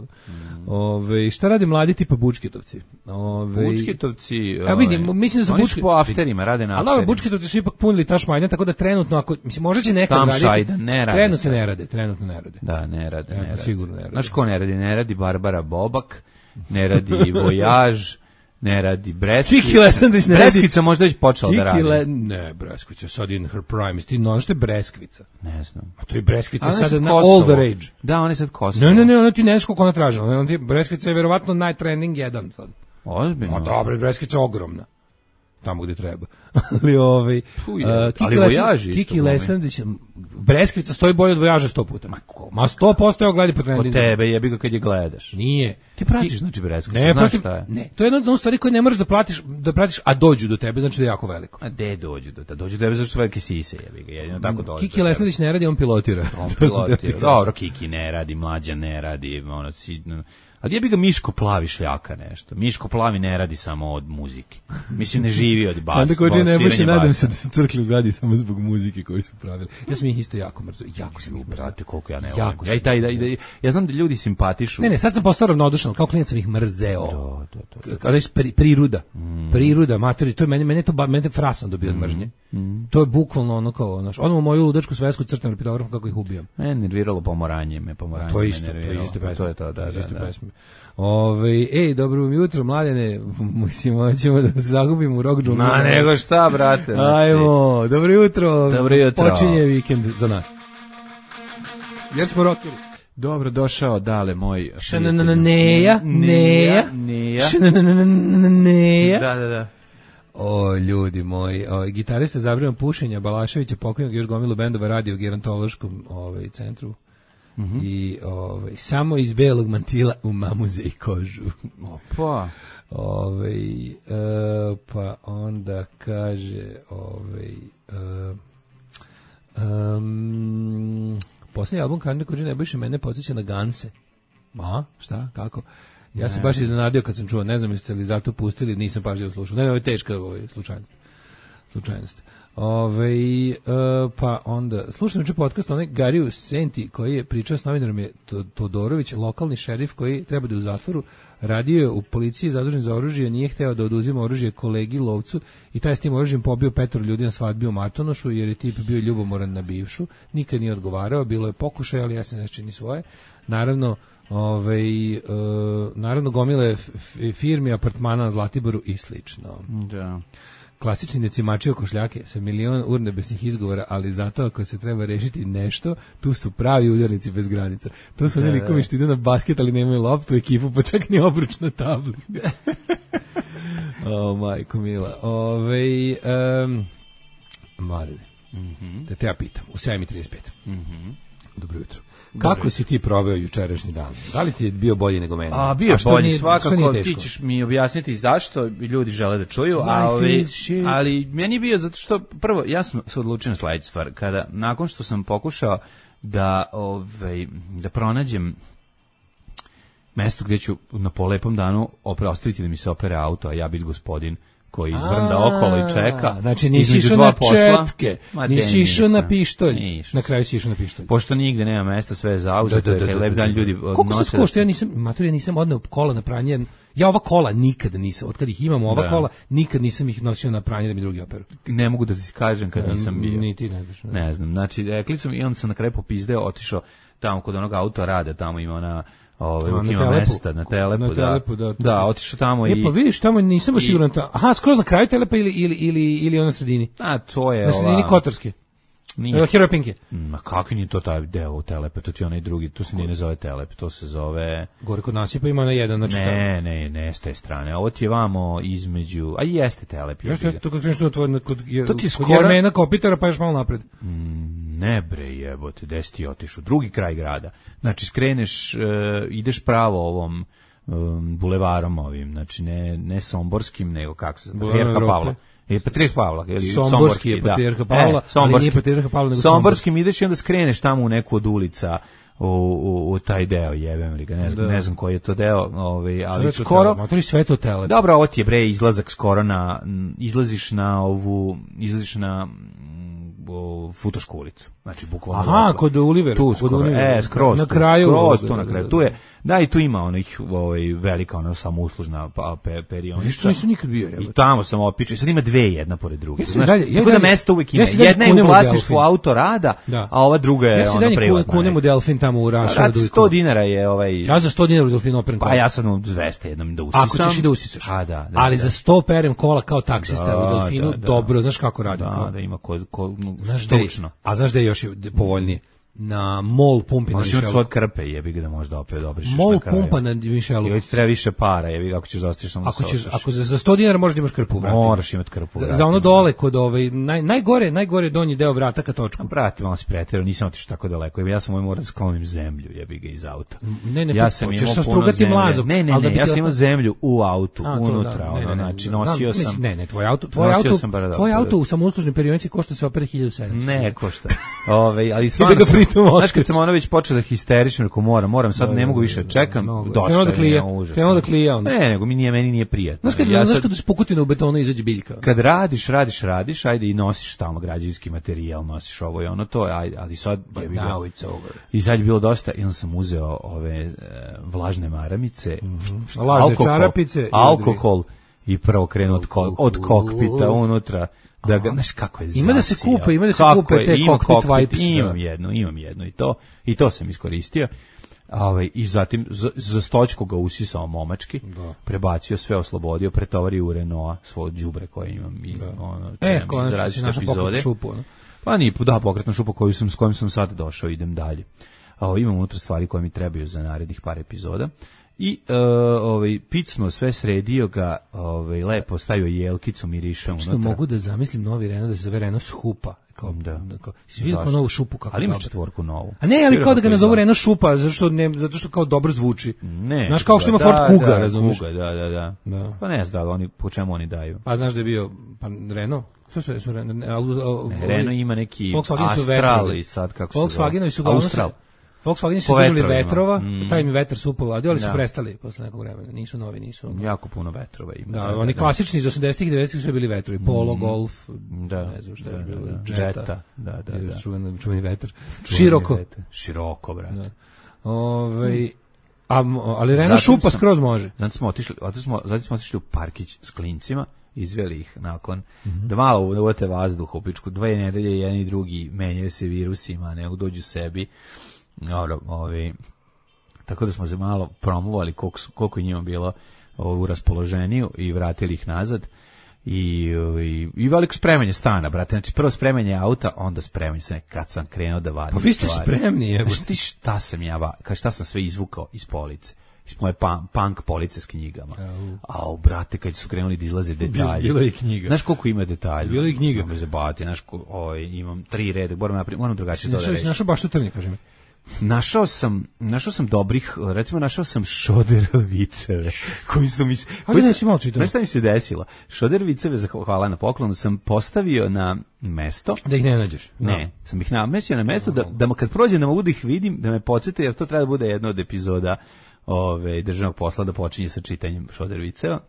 Ove, šta rade mladi tipa Bučketovci? Ove, Bučketovci, A vidim, ovaj, mislim da su oni Bučke- po afterima, rade na Ali ove afterima. Bučketovci su ipak punili ta šmajdan, tako da trenutno, ako, mislim, možda će nekad Tam raditi. šajda, ne rade Trenutno sad. ne rade, trenutno ne rade. Da, ne rade, ne Ja, rade. sigurno ne rade. Znaš ko ne radi? Ne radi Barbara Bobak, ne radi Vojaž, ne radi Breskica. Kiki Lesandrić ne radi. Breskica možda već počela da Kiki radi. Le... Ne, Breskvica, sad in her prime. Ti no, što je Breskvica? Ne znam. A to je Breskvica Ona je sada sad na Kosovo. all the rage. Da, on je sad Kosovo. Ne, ne, ne, ona ti ne znaš koliko ona tražila. Ona ti Breskvica je verovatno najtrending jedan sad. Ozbiljno. A dobro, Breskvica je ogromna. Tamo gde treba. Ali ovaj Tu je. uh, Kiki Ali Lesan- Vojaž isto Kiki glumi. Lesandić, Breskvica stoji bolje od Vojaža sto puta. Ma, ko- ma sto posto je ogledi po Kod trendingu. tebe jebi ga kad je gledaš. Nije. Ti pratiš, Ki- znači, Breskicu, Ne, znaš pratim, šta je. ne, to je jedna od stvari koje ne moraš da platiš, da pratiš, a dođu do tebe, znači da je jako veliko. A gde dođu do tebe? Dođu do tebe zašto su velike sise, jebi ga. Jedino tako dođu. Kiki Lesandić ne radi, on pilotira. On pilotira. Dobro, Kiki ne radi, Mlađa ne radi, ono, si, ali jebi ga Miško Plavi šljaka nešto. Miško Plavi ne radi samo od muzike. Mislim, ne živi od basa. Onda ko Kaže Nebojša, sviranje nadam basa. se da su crkli u gradi samo zbog muzike koju su pravili. Ja sam ih isto jako mrzo, jako sam ih mrzo. Brate, koliko ja ne Jako volim. sam Ja, i taj, da, ih i da, ja znam da ljudi simpatišu. Ne, ne, sad sam postao ravnodušan, kao klinac sam ih mrzeo. To, to, to. Kada je pri, priruda. Mm. Priruda, matori, to je meni, meni je to ba, meni je frasan dobio od mržnje. Mm. To je bukvalno ono kao, ono, ono u moju ludačku svesku crtam repitografom kako ih ubijam. Me nerviralo pomoranje, me pomoranje. To je isto, me to je nerviralo. isto pesma. To je to, da, To je da, isto da. pesma. Ove, ej, dobro jutro, mladene, mislim, ćemo da se zagubimo u rock džunglu. Ma nego šta, brate. Znači, Ajmo, dobro jutro. Dobro jutro. Počinje vikend za nas. Jer smo rockeri. dobro došao, dale moj. Šanananeja, neja, neja. šanananeja. Da, da, da. O, ljudi moji, o, gitarista zabrano pušenja Balaševića, pokojnog još gomilu bendova radi u gerontološkom ovaj, centru. Mm-hmm. I ovaj, samo iz belog mantila u mamuze i kožu. Opa. Ovaj, e, pa onda kaže ovaj, e, um, posljednji album Karne Kođe Nebojše mene podsjeća na Ganse. A, šta, kako? Ja ne. sam baš iznenadio kad sam čuo, ne znam jeste li zato pustili, nisam pažljivo slušao. Ne, ne, ovo je teška ovaj, slučajnost. slučajnost. Ove, e, pa onda, slušam juče podcast onaj Gariju Senti koji je pričao s novinarom je Todorović, lokalni šerif koji treba da je u zatvoru, radio je u policiji zadužen za oružje, nije hteo da oduzima oružje kolegi lovcu i taj s tim oružjem pobio petoro ljudi na svadbi u Martonošu jer je tip bio ljubomoran na bivšu, nikad nije odgovarao, bilo je pokušaj, ali ja se ne čini svoje. Naravno, ovaj e, naravno gomile firmi, apartmana na Zlatiboru i slično. Da. Klasični decimači košljake sa milion urnebesnih izgovora, ali zato ako se treba rešiti nešto, tu su pravi udarnici bez granica. To su oni likovi što idu na basket, ali nemaju loptu, ekipu, pa čak ni obruč na tabli. O, majko mila. Ove, um, Marine, mm-hmm. da te ja pitam, u sedam i trideset pet. Mm-hmm. Dobro jutro. Kako Dobre. si ti proveo jučerašnji dan? Da li ti je bio bolji nego meni? A, bio je bolji, svakako. Ti ćeš mi objasniti zašto ljudi žele da čuju, a ovi, ali meni je bio zato što, prvo, ja sam se odlučio na sledeću stvar. Kada, nakon što sam pokušao da, ovaj, da pronađem mesto gdje ću na polepom danu ostaviti da mi se opere auto, a ja biti gospodin koji izvrnda okolo i čeka. Znači nisi išao na četke, nisi išao na pištolj. Na kraju si išao na pištolj. Pošto nigde nema mesta, sve je zauzeto, jer lep dan ljudi nose. Koliko se košta? Ja nisam, mater, ja nisam odneo kola na pranje. Ja ova kola nikada nisam, od kad ih imamo ova da. kola, nikad nisam ih nosio na pranje da mi drugi operu. Ne mogu da ti kažem kad nisam bio. Ni ti ne znaš. Ne. ne znam, znači, rekli sam i onda sam na kraju popizdeo, otišao tamo kod onog auto rade, tamo ima ona Ove, na ima mesta na Telepu, na telepu da, da, da otišao tamo e, i... pa vidiš, tamo nisam baš siguran, ta, aha, skroz na kraju Telepa ili, ili, ili, ili na sredini? A, to je na sredini ova... Kotorske. Nije. Heroj Pinke. Ma kakvi nije to taj deo u Telepe, to ti onaj drugi, to se nije ne zove Telep, to se zove... Gore kod nasipa ima na jedan, znači... Ne, ne, ne, s te strane, ovo ti je vamo između, a jeste Telep. Jeste, jeste, to kad kažeš to tvoj, kod, to ti kod skoro... Jermena Kopitara, pa još malo napred. Mm, ne bre jebote, gde si ti otišao, drugi kraj grada. Znači skreneš, uh, ideš pravo ovom um, bulevarom ovim, znači ne, ne Somborskim, nego kako se zove, Patrijarha Pavla. Je Patrijarh Pavla, ili Somborski, Somborski je Patrijarha da. Pavla, e, ali nije Patrijarha Pavla, nego Somborskim ideš i onda skreneš tamo u neku od ulica u, u, u taj deo, jebem li ga, ne znam, da. ne znam koji je to deo, ovaj, ali sve skoro... Motori sve to tele. Dobro, ovo ti je bre izlazak skoro na, izlaziš na ovu, izlaziš na o, Futošku ulicu. Znači, bukvalno. Aha, kod Oliver. Tu skoro, e, skroz, na kraju. Skroz, tu na kraju. Tu je, da, i tu ima onih, ovaj, velika, ona samouslužna pa, pe, perionica. Što nisu nikad bio, jebate. I tamo sam opičio. Sad ima dve jedna pored druge. Ja Znaš, dalje, ja tako da mesta uvek ima. Ja jedna je u vlasništvu Autorada, da. A ova druga je ja ona privatna. Ja si dalje kunem u Delfin tamo u Raša. sto dinara je ovaj... Ja za sto dinara u Delfin operem kola. Pa ja sam u dvesta jednom da usisam. Ako ćeš i da usisaš. A, da, da, ali da. za sto perem kola kao taksista da, u Delfinu, da, da. dobro, znaš kako radim. Da, da ima ko, ko, znaš stručno. A znaš da je još povoljnije? Na mol pumpi na Mišelu. Možeš imati krpe, jebi ga da možda opet obrišeš mol na kraju. Mol pumpa na Mišelu. Ili ti treba više para, jebi ga ako ćeš zaostiš samo ako ćeš, ako za, za sto dinara možeš da imaš krpu u vratima. Moraš imati krpu u vratima. Za, za ono dole kod ovaj, naj, najgore, najgore donji deo vrata ka točku. A brate, malo si pretjerao, nisam otišao tako daleko. Ja sam ovaj morao da sklonim zemlju, jebi ga iz auta. Ne, ne, ja sam imao puno zemlje. Mlazom, ne, ne, ne, ja sam imao zemlju u autu, a, unutra, da, ono, ne, ne, znači, ne, nosio sam... sam... Ne, ne, tvoj auto, tvoj auto, tvoj auto u samouslužnoj perionici košta se opere hiljadu sedamsto. Ne, košta. Ove, ali stvarno sam tu Moskvić. Znaš, kad sam ono već počeo da histerično, rekao moram, moram, sad ne mogu više, čekam, dosta Krenuo da je, klija, nema, užasno. krenuo da klija onda. Ne, nego mi nije, meni nije prijatno. Znaš kad, Ja znaš sad- kad iz Pukutina u betonu izađe biljka? kad radiš, radiš, radiš, ajde i nosiš stalno građevinski materijal, nosiš ovo i ono to, ajde, ali sad je bilo. Now it's over. I sad je bilo dosta, i onda sam uzeo ove e, vlažne maramice, Lažne čarapice i alkohol i prvo krenu od, ko, od kokpita unutra. Da ga, znaš kako je Ima da se zasija. kupe, ima da se Kako kupe je, te ima cockpit wipes, Imam da. jednu, imam jednu i to, i to sam iskoristio. Ovaj, i zatim za, za stočku ga usisao momački, Da. prebacio sve, oslobodio, pretovario u Renault svoje đubre koje imam i ono, E, treba mi za konačno si različite našao epizode. pokretnu šupu. ono. Pa nije, da, pokretna šupa koju sam, s kojom sam sad došao, idem dalje. A, imam unutra stvari koje mi trebaju za narednih par epizoda. I uh, ovaj, picno sve sredio ga, ovaj, lepo stavio jelkicu, miriša unutra. Što mogu da zamislim novi Renault da se zove Renault Šupa. Kao, Da. kao, si vidio kao Zašto? novu šupu kako Ali imaš dobro. četvorku novu. A ne, ali kao da ga Vjerojatno nazovu izgleda. Renault Šupa, zato što, ne, zato što kao dobro zvuči. Ne. Znaš, kao što ima da, Ford Kuga, da, razumiješ? Kuga, da, da, da. Da. Pa ne znam da li oni, po čemu oni daju. Pa znaš da je bio pa Renault? Što su, su Renault? Ne, au- au- Ne, ovi- Renault ima neki Volkswageni su Astral vetrovi. i sad kako se Volkswagenovi su uglavnom Austral. se- Volkswageni su Po držali vetrovima. vetrova, Mm. taj mi vetar su upoladio, ali su Da. prestali posle nekog vremena. Nisu novi, nisu. ono. Jako puno vetrova ima. Da, oni klasični iz osamdesetih i devedesetih su sve bili vetrovi. Polo, Golf, Da, ne znam šta je da, bilo, da, da. Jetta. Jetta, da, da, da. Čuveni, čuveni vetar. Čuveni Široko. vetar. Široko, brate. Ove, a, mo- ali Renault Zatim Šupa sam- skroz može. Zato smo otišli, zato smo, zato smo otišli u parkić s klincima, izveli ih nakon da malo uvete vazduh u pičku, dve nedelje jedan i drugi menjaju se virusima, ne dođu sebi. Dobro, ovi, tako da smo se malo promovali koliko, su- koliko je njima bilo u raspoloženiju i vratili ih nazad. I, i, i veliko spremanje stana, brate. Znači, prvo spremanje auta, onda spremanje se kad sam krenuo da vadim. Pa vi ste stvari. spremni, jebote. Znaš ti šta sam ja, va- ka šta sam sve izvukao iz police? Iz moje pa, punk police s knjigama. Au, brate, kad su krenuli da izlaze detalji. Bilo je i knjiga. Znaš koliko ima detalja? Bilo je i knjiga. Imam zabavati, znaš, ko- ovaj, imam tri reda, moram, napraviti, moram drugačije to da Našao si rešim. našao baš tu trnje, kaži mi. Našao sam, našao sam dobrih, recimo našao sam šoder viceve, koji su mi se... koji ne su- si malo čitao. Znaš šta mi se desilo? Šoder viceve, zah- hvala na poklonu, sam postavio na mesto, Da ih ne nađeš. ne, sam ih namestio na mesto da, da kad prođem da mogu da ih vidim, da me podsjete, jer to treba da bude jedna od epizoda ove, državnog posla da počinje sa čitanjem šoder viceva.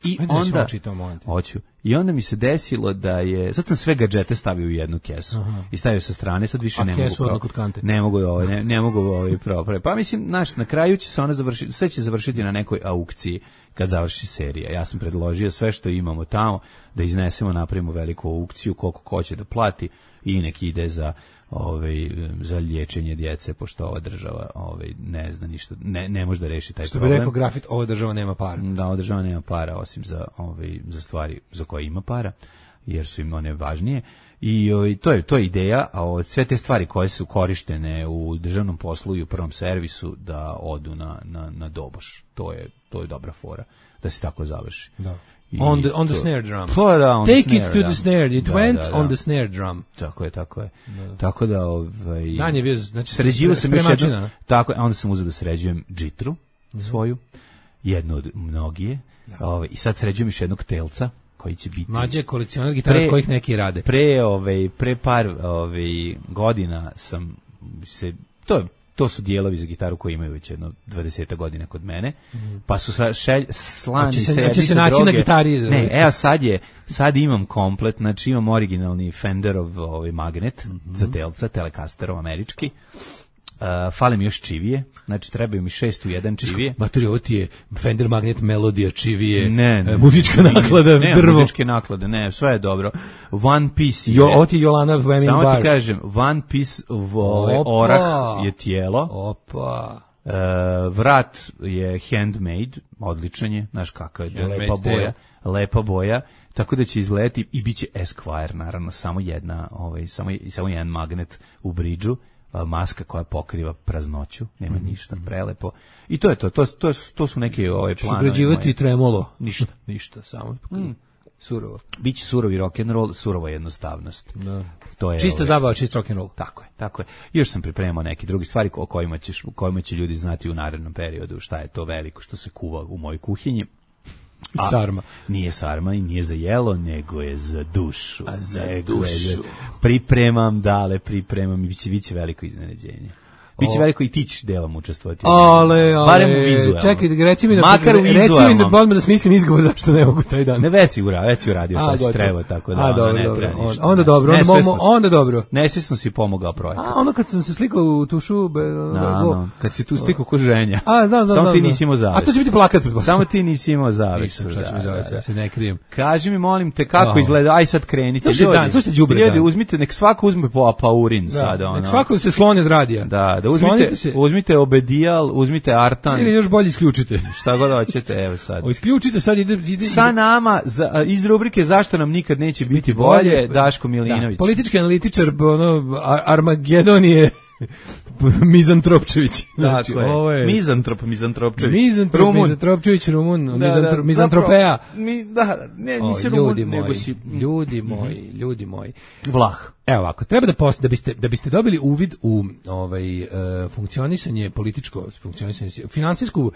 I Ajde, da si onda malo čitao, molim te. hoću. I onda mi se desilo da je, sad sam sve gadžete stavio u jednu kesu i stavio sa strane, sad više A ne kesu mogu. pro- odmah kod kante. Ne mogu ovaj, ne, ne mogu ovaj pro. Pa mislim, znaš, na kraju će se ona završiti, sve će završiti na nekoj aukciji kad završi serija. Ja sam predložio sve što imamo tamo da iznesemo, napravimo veliku aukciju, koliko ko će da plati i nek ide za ovaj za liječenje djece, pošto ova država ovaj ne zna ništa, ne ne može da reši taj Što bi problem. rekao grafit, ova država nema para. Da, ova država nema para osim za ovaj za stvari za koje ima para, jer su im one važnije. I ovaj, to je to je ideja, a od sve te stvari koje su korištene u državnom poslu i u prvom servisu da odu na na na doboš. To je to je dobra fora da se tako završi. Da. I On the, on the to- snare drum. Pa da, on the Take it snare, to da. the snare. It Da, went da, da. on the snare drum. Tako je, tako je. Tako da ovaj Dan je bio, znači, sređivao sam još spremačina, jednu, a? tako, a onda sam uzeo da sređujem džitru Mhm. svoju, jednu od mnogije. Ovaj i sad sređujem još jednog telca koji će biti Mlađe je kolekcionar gitara Pre- od kojih neki rade. pre ovaj pre par ovaj godina sam se to je to su dijelovi za gitaru koji imaju već jedno dvadeset godina kod mene, pa su sa šelj, slani Hoće se- se, hoće jedni se sa naći na druge. gitari. Ne, evo sad je, sad imam komplet, znači imam originalni Fenderov ovaj magnet za telca, Telecasterov američki. Uh, fale mi još čivije, znači trebaju mi šest u jedan čivije. Maturi, ovo ti je Fender Magnet Melodija, čivije, Ne, ne, e, muzička ne, naklada, ne, drvo. muzičke naklade, ne, sve je dobro. One Piece je, Jo, ovo ti je Jolana Wemming samo Bar. ti kažem, One Piece ovaj, Opa. orah je tijelo, Opa. uh, vrat je handmade, odličan je, znaš kakav je, Handmade lepa style. boja, lepa boja, tako da će izgledati i bit će Esquire, naravno, samo jedna, ovaj, samo, samo jedan magnet u bridžu, a, maska koja pokriva praznoću, nema Mhm. ništa, prelepo. I to je to, to, to, to su neke ove Ćeš planovi ugrađivati moje. tremolo. Ništa. Ništa, samo surovo. Biće surovi rock'n'roll, surova jednostavnost. Da. To je Čista ovaj, zabava, čist rock and roll. Tako je, tako je. Još sam pripremao neke druge stvari o kojima, ćeš, o kojima će ljudi znati u narednom periodu šta je to veliko što se kuva u mojoj kuhinji. A, sarma. Nije sarma i nije za jelo, nego je za dušu. A za nego dušu. Je, pripremam, dale, pripremam i biće, biće veliko iznenađenje. Biće veliko i ti ćeš delom učestvovati. Ale, ale, barem u vizualno. Čekaj, reci mi da, makar u reci mi da, odmah da smislim izgovor zašto ne mogu taj dan. Ne, već si uradio, već si uradio šta si trebao, tako da a, ono, dobro, ne dobro. treba ništa. Onda dobro, onda, Nesvesno momo, onda dobro. Nesvesno si pomogao projekat. A ono kad sam se slikao u tušu... Be, no, no, kad si tu slikao ko ženja. A, znam, znam, Samo znam, ti znam. nisi imao zavesu. A to će biti plakat. Samo ti nisi imao zavesu. Nisam, šta će mi da, zavesu, da, ja se ne krijem. Kaži mi, molim te, kako Oh. izgleda, aj sad krenite. Slušaj ljudi, dan, slušajte đubre ljudi, dan. uzmite, nek svako uzme po paurin Da, sada. Ono. nek svako se sloni od radija. Da, da Slonite uzmite, se. uzmite obedijal, uzmite artan. Ili još bolje isključite. Šta god hoćete, evo sad. O, isključite sad, ide... ide Sa nama, za, iz rubrike Zašto nam nikad neće biti bolje, Daško Milinović. Da, politički analitičar, ono, Ar Armagedon je Mizantropčević. Znači, Tako je. ovo je... Mizantrop, Mizantropčević. Mizantrop, Rumun. Mizantropčević, Rumun, Da, Mizantro, da, Mizantropeja. zapravo, Mi, da, ne, O, nisi ljudi Rumun, moji, nego si... ljudi moji, ljudi moji. Vlah. Evo ovako, treba da post, da biste da biste dobili uvid u ovaj uh, funkcionisanje političko funkcionisanje finansijsku uh,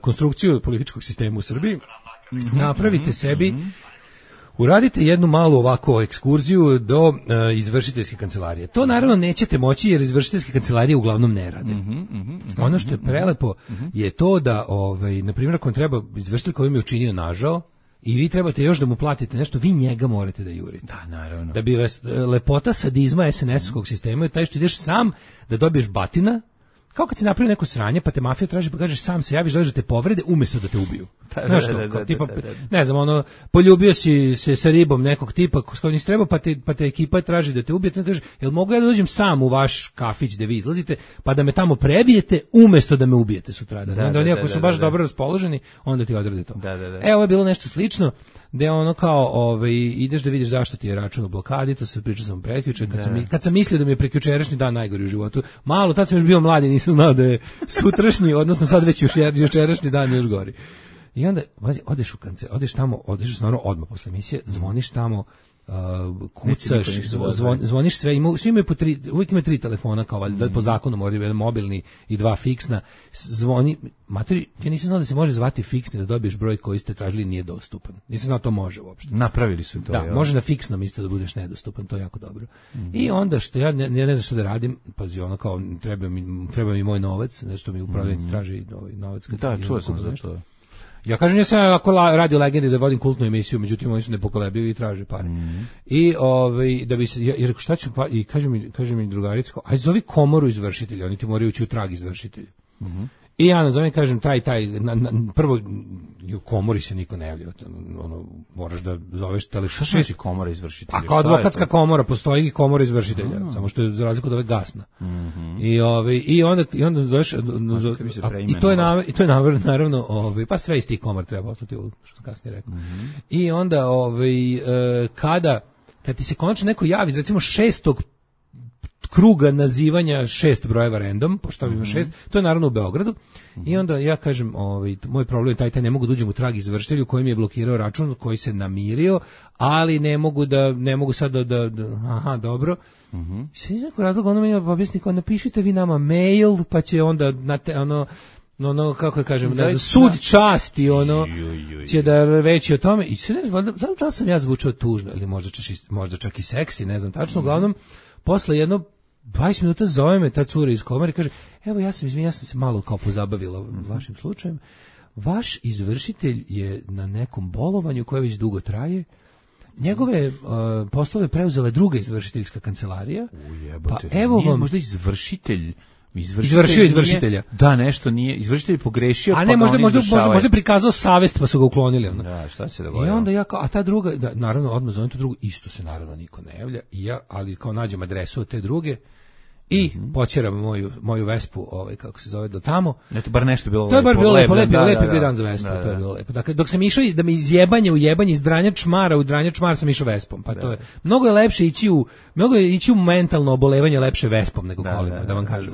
konstrukciju političkog sistema u Srbiji. Mm-hmm, napravite mm-hmm, sebi mm-hmm. Uradite jednu malu ovako ekskurziju do uh, izvršiteljske kancelarije. To naravno nećete moći jer izvršiteljske kancelarije uglavnom ne rade. Mm-hmm, mm-hmm, ono što je prelepo mm-hmm. je to da ovaj na primjer ako vam treba izvršitelj koji mi je učinio nažao i vi trebate još da mu platite nešto, vi njega morate da jurite. Da, naravno. Da bi vas lepota sadizma es en es-ovskog sistema je taj što ideš sam da dobiješ batina, kao kad si napravio neko sranje, pa te mafija traži, pa kažeš sam se javiš, dođeš da te povrede, umesto da te ubiju. Da, Znaš da, što, da, kao da, tipa, da, da. ne znam, ono, poljubio si se sa ribom nekog tipa s kojim nisi trebao, pa te, pa te ekipa traži da te ubije, te kaže, jel mogu ja da dođem sam u vaš kafić gde vi izlazite, pa da me tamo prebijete, umesto da me ubijete sutradan. Da, onda da, oni da, ako su da, baš da. dobro raspoloženi, onda ti odrade to. Da, da, da. E, ovo je bilo nešto slično, gde ono kao, ovaj, ideš da vidiš zašto ti je račun u blokadi, to se pričao sam prekjuče, kad, sam, kad sam mislio da mi je prekjučerašnji dan najgori u životu, malo, tad sam još bio mladi, nisam znao da je sutrašnji, odnosno sad već jučerašnji dan još gori. I onda odeš u kance, odeš tamo, odeš stvarno odmah posle emisije, zvoniš tamo, uh, kucaš, zvon, zvoniš sve, ima, svi imaju po tri, uvijek imaju tri telefona, kao valjda, mm. po zakonu moraju jedan mobilni i dva fiksna, zvoni, materi, ja nisam znao da se može zvati fiksni, da dobiješ broj koji ste tražili nije dostupan. Nisam znao da to može uopšte. Napravili su to. Da, jel? može na fiksnom isto da budeš nedostupan, to je jako dobro. Mm. I onda što ja ne, ja ne znam što da radim, pazi, ono kao, treba mi, treba mi moj novac, nešto mi upravljenici mm. traži ovaj novac. Da, čuo sam za to. Ja kažem, ja sam ako radio legendi da vodim kultnu emisiju, međutim oni su nepokolebljivi i traže pare. Mm. I ovaj da bi se ja, jer šta ću pa i kaže mi kaže mi drugarica, aj zovi komoru izvršitelja, oni ti moraju ući u trag izvršitelja. Mhm. I ja nazovem kažem taj taj na, na, prvo u komori se niko ne javlja, ono moraš da zoveš telefon. Šta znači komora izvršitelja? A kao advokatska komora postoji i komora izvršitelja, mm. samo što je za razliku od ove gasna. Mm-hmm. I ovaj i onda i onda zoveš i to je na, i to je naravno ovaj pa sve iz tih komora treba poslati, što sam kasnije rekao. Mm-hmm. I onda ovaj e, kada kad ti se konačno neko javi, recimo šestog kruga nazivanja šest brojeva random, pošto ima šest, to je naravno u Beogradu. Mm-hmm. I onda ja kažem, ovaj, moj problem je taj, taj ne mogu da uđem u trag izvršitelju koji mi je blokirao račun, koji se namirio, ali ne mogu da, ne mogu sad da, da, da aha, dobro. Mm-hmm. Sve iz nekog razloga ono mi je objasniko, napišite vi nama mail, pa će onda, na te, ono, ono, kako da kažem, ne znam, sud časti, ono, će da reći o tome, i sve ne znam, da, da li sam ja zvučao tužno, ili možda čak, možda čak i seksi, ne znam, tačno, uglavnom, posle jedno dvadeset minuta zove me ta cura iz komore i kaže, evo ja sam izvinjam, ja sam se malo kao pozabavila mm-hmm. vašim slučajem, vaš izvršitelj je na nekom bolovanju koje već dugo traje, njegove uh, poslove preuzela druga izvršiteljska kancelarija, Ujebote, pa evo nije vam... možda izvršitelj Izvršitelj izvršio izvršitelja. Nije, da, nešto nije, izvršitelj pogrešio, a ne, pa možda, možda, možda, možda prikazao savest pa su ga uklonili. Onda. Da, šta se dogodilo? I onda ja kao, a ta druga, da, naravno, odmah zovem tu drugu, isto se naravno niko ne javlja, i ja, ali kao nađem adresu od te druge, i mm-hmm. počeram moju, moju Vespu, ovaj, kako se zove, do tamo. Eto, bar nešto bilo lepo. To je bar bilo lepo, lepo, da, lepo da, bio da, dan za Vespu, da, da. to je bilo lepo. Dakle, dok sam išao da mi iz jebanja u jebanje, iz dranja čmara u dranja čmara sam išao Vespom, pa da. To je, mnogo je lepše ići u, mnogo je ići u mentalno obolevanje lepše Vespom nego da, kolima, da, da vam kažem.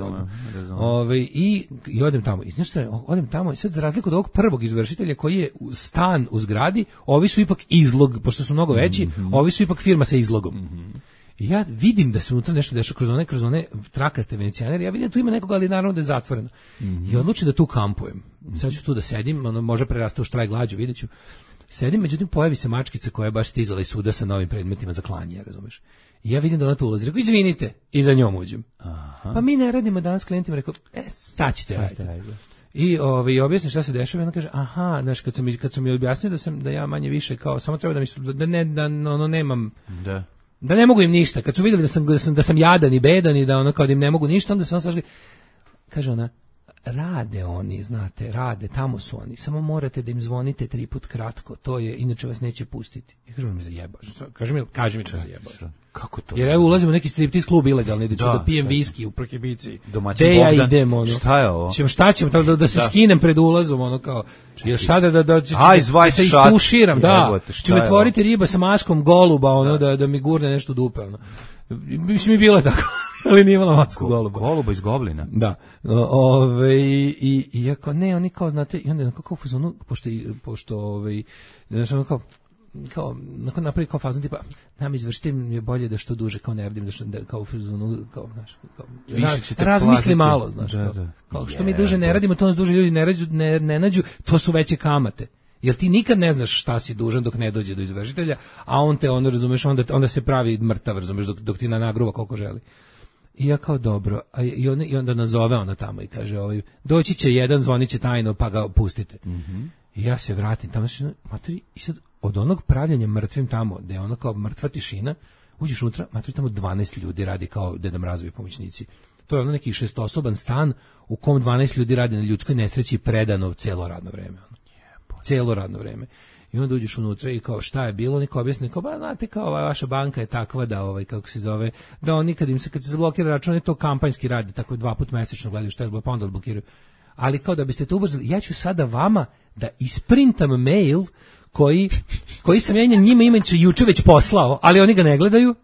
Ove, i, i odem tamo, i znaš šta, odem tamo, i sad za razliku od ovog prvog izvršitelja koji je stan u zgradi, ovi su ipak izlog, pošto su mnogo veći, mm-hmm. ovi su ipak firma sa izlogom. Mm-hmm. I ja vidim da se unutra nešto dešava kroz one, kroz one trakaste venecijanere, ja vidim da tu ima nekoga, ali naravno da je zatvoreno. Mm-hmm. I odlučim da tu kampujem. Sad ću tu da sedim, ono može prerasti u štrajk glađu, vidjet ću. Sedim, međutim pojavi se mačkica koja je baš stizala iz suda sa novim predmetima za klanje, razumeš? I ja vidim da ona tu ulazi, rekao, izvinite, i za njom uđem. Aha. Pa mi ne radimo danas s klijentima, rekao, e, sad ćete raditi. I ovaj objasni šta se dešava, i ona kaže, aha, znaš, kad sam mi kad sam mi objasnio da sam da ja manje više kao samo treba da mi da ne da ono nemam da da ne mogu im ništa. Kad su videli da sam da sam, da sam jadan i bedan i da ono kao da im ne mogu ništa, onda su on saželi. Kaže ona, rade oni, znate, rade, tamo su oni. Samo morate da im zvonite tri put kratko. To je, inače vas neće pustiti. I kaže mi zajebaš. Kaže mi, kaže mi da zajebaš. Kako to? Jer evo ulazimo u neki striptiz klub ilegalni, da ću da, da pijem viski u Prokibici. Domaćin Bogdan. Ja idem, ono. Šta je ovo? Ćemo, šta ćemo, da, da se da. skinem pred ulazom, ono kao, još sada da, da, da, Aj, da, da se istuširam, da. Jebote, ću me tvoriti riba sa maskom goluba, ono, da, da, da mi gurne nešto dupe, ono. Mislim mi bilo tako, ali nije imala masku Go, goluba. Goluba iz Goblina. Da. Ove, i, i ako ne, oni kao, znate, i onda kako u fazonu, pošto, pošto ovaj, znaš, ono kao, kao, nakon napravi kao fazon tipa, nam izvršitelj je bolje da što duže, kao ne radim, da što, da, kao u fazonu, kao, znaš, kao, raz, razmisli malo, znaš, da, kao, da. kao, što mi duže ne radimo, to nas duže ljudi ne, rađu, ne, ne nađu, to su veće kamate. Jer ti nikad ne znaš šta si dužan dok ne dođe do izvršitelja, a on te, ono, razumeš, onda, onda se pravi mrtav, razumeš, dok, dok ti na nagruva koliko želi. I ja kao dobro, a i, on, i onda nazove ona tamo i kaže, ovaj, doći će jedan, zvonit će tajno, pa ga pustite. Mm-hmm. I ja se vratim tamo, materi, i sad od onog pravljanja mrtvim tamo, da je ono kao mrtva tišina, uđeš unutra, materi, tamo dvanaest ljudi radi kao Deda Mrazovi pomoćnici. To je ono neki šestoosoban stan u kom dvanaest ljudi radi na ljudskoj nesreći predano celo radno vreme. Ono. Celo radno vreme. I onda uđeš unutra i kao šta je bilo, niko objasni, kao ba znate kao ova vaša banka je takva da ovaj kako se zove, da oni kad im se kad se zablokira račun je to kampanjski radi, tako dva puta mesečno gledaju šta je bilo, pa onda odblokiraju. Ali kao da biste to ubrzali, ja ću sada vama da isprintam mail koji koji sam ja njima imajući juče već poslao, ali oni ga ne gledaju.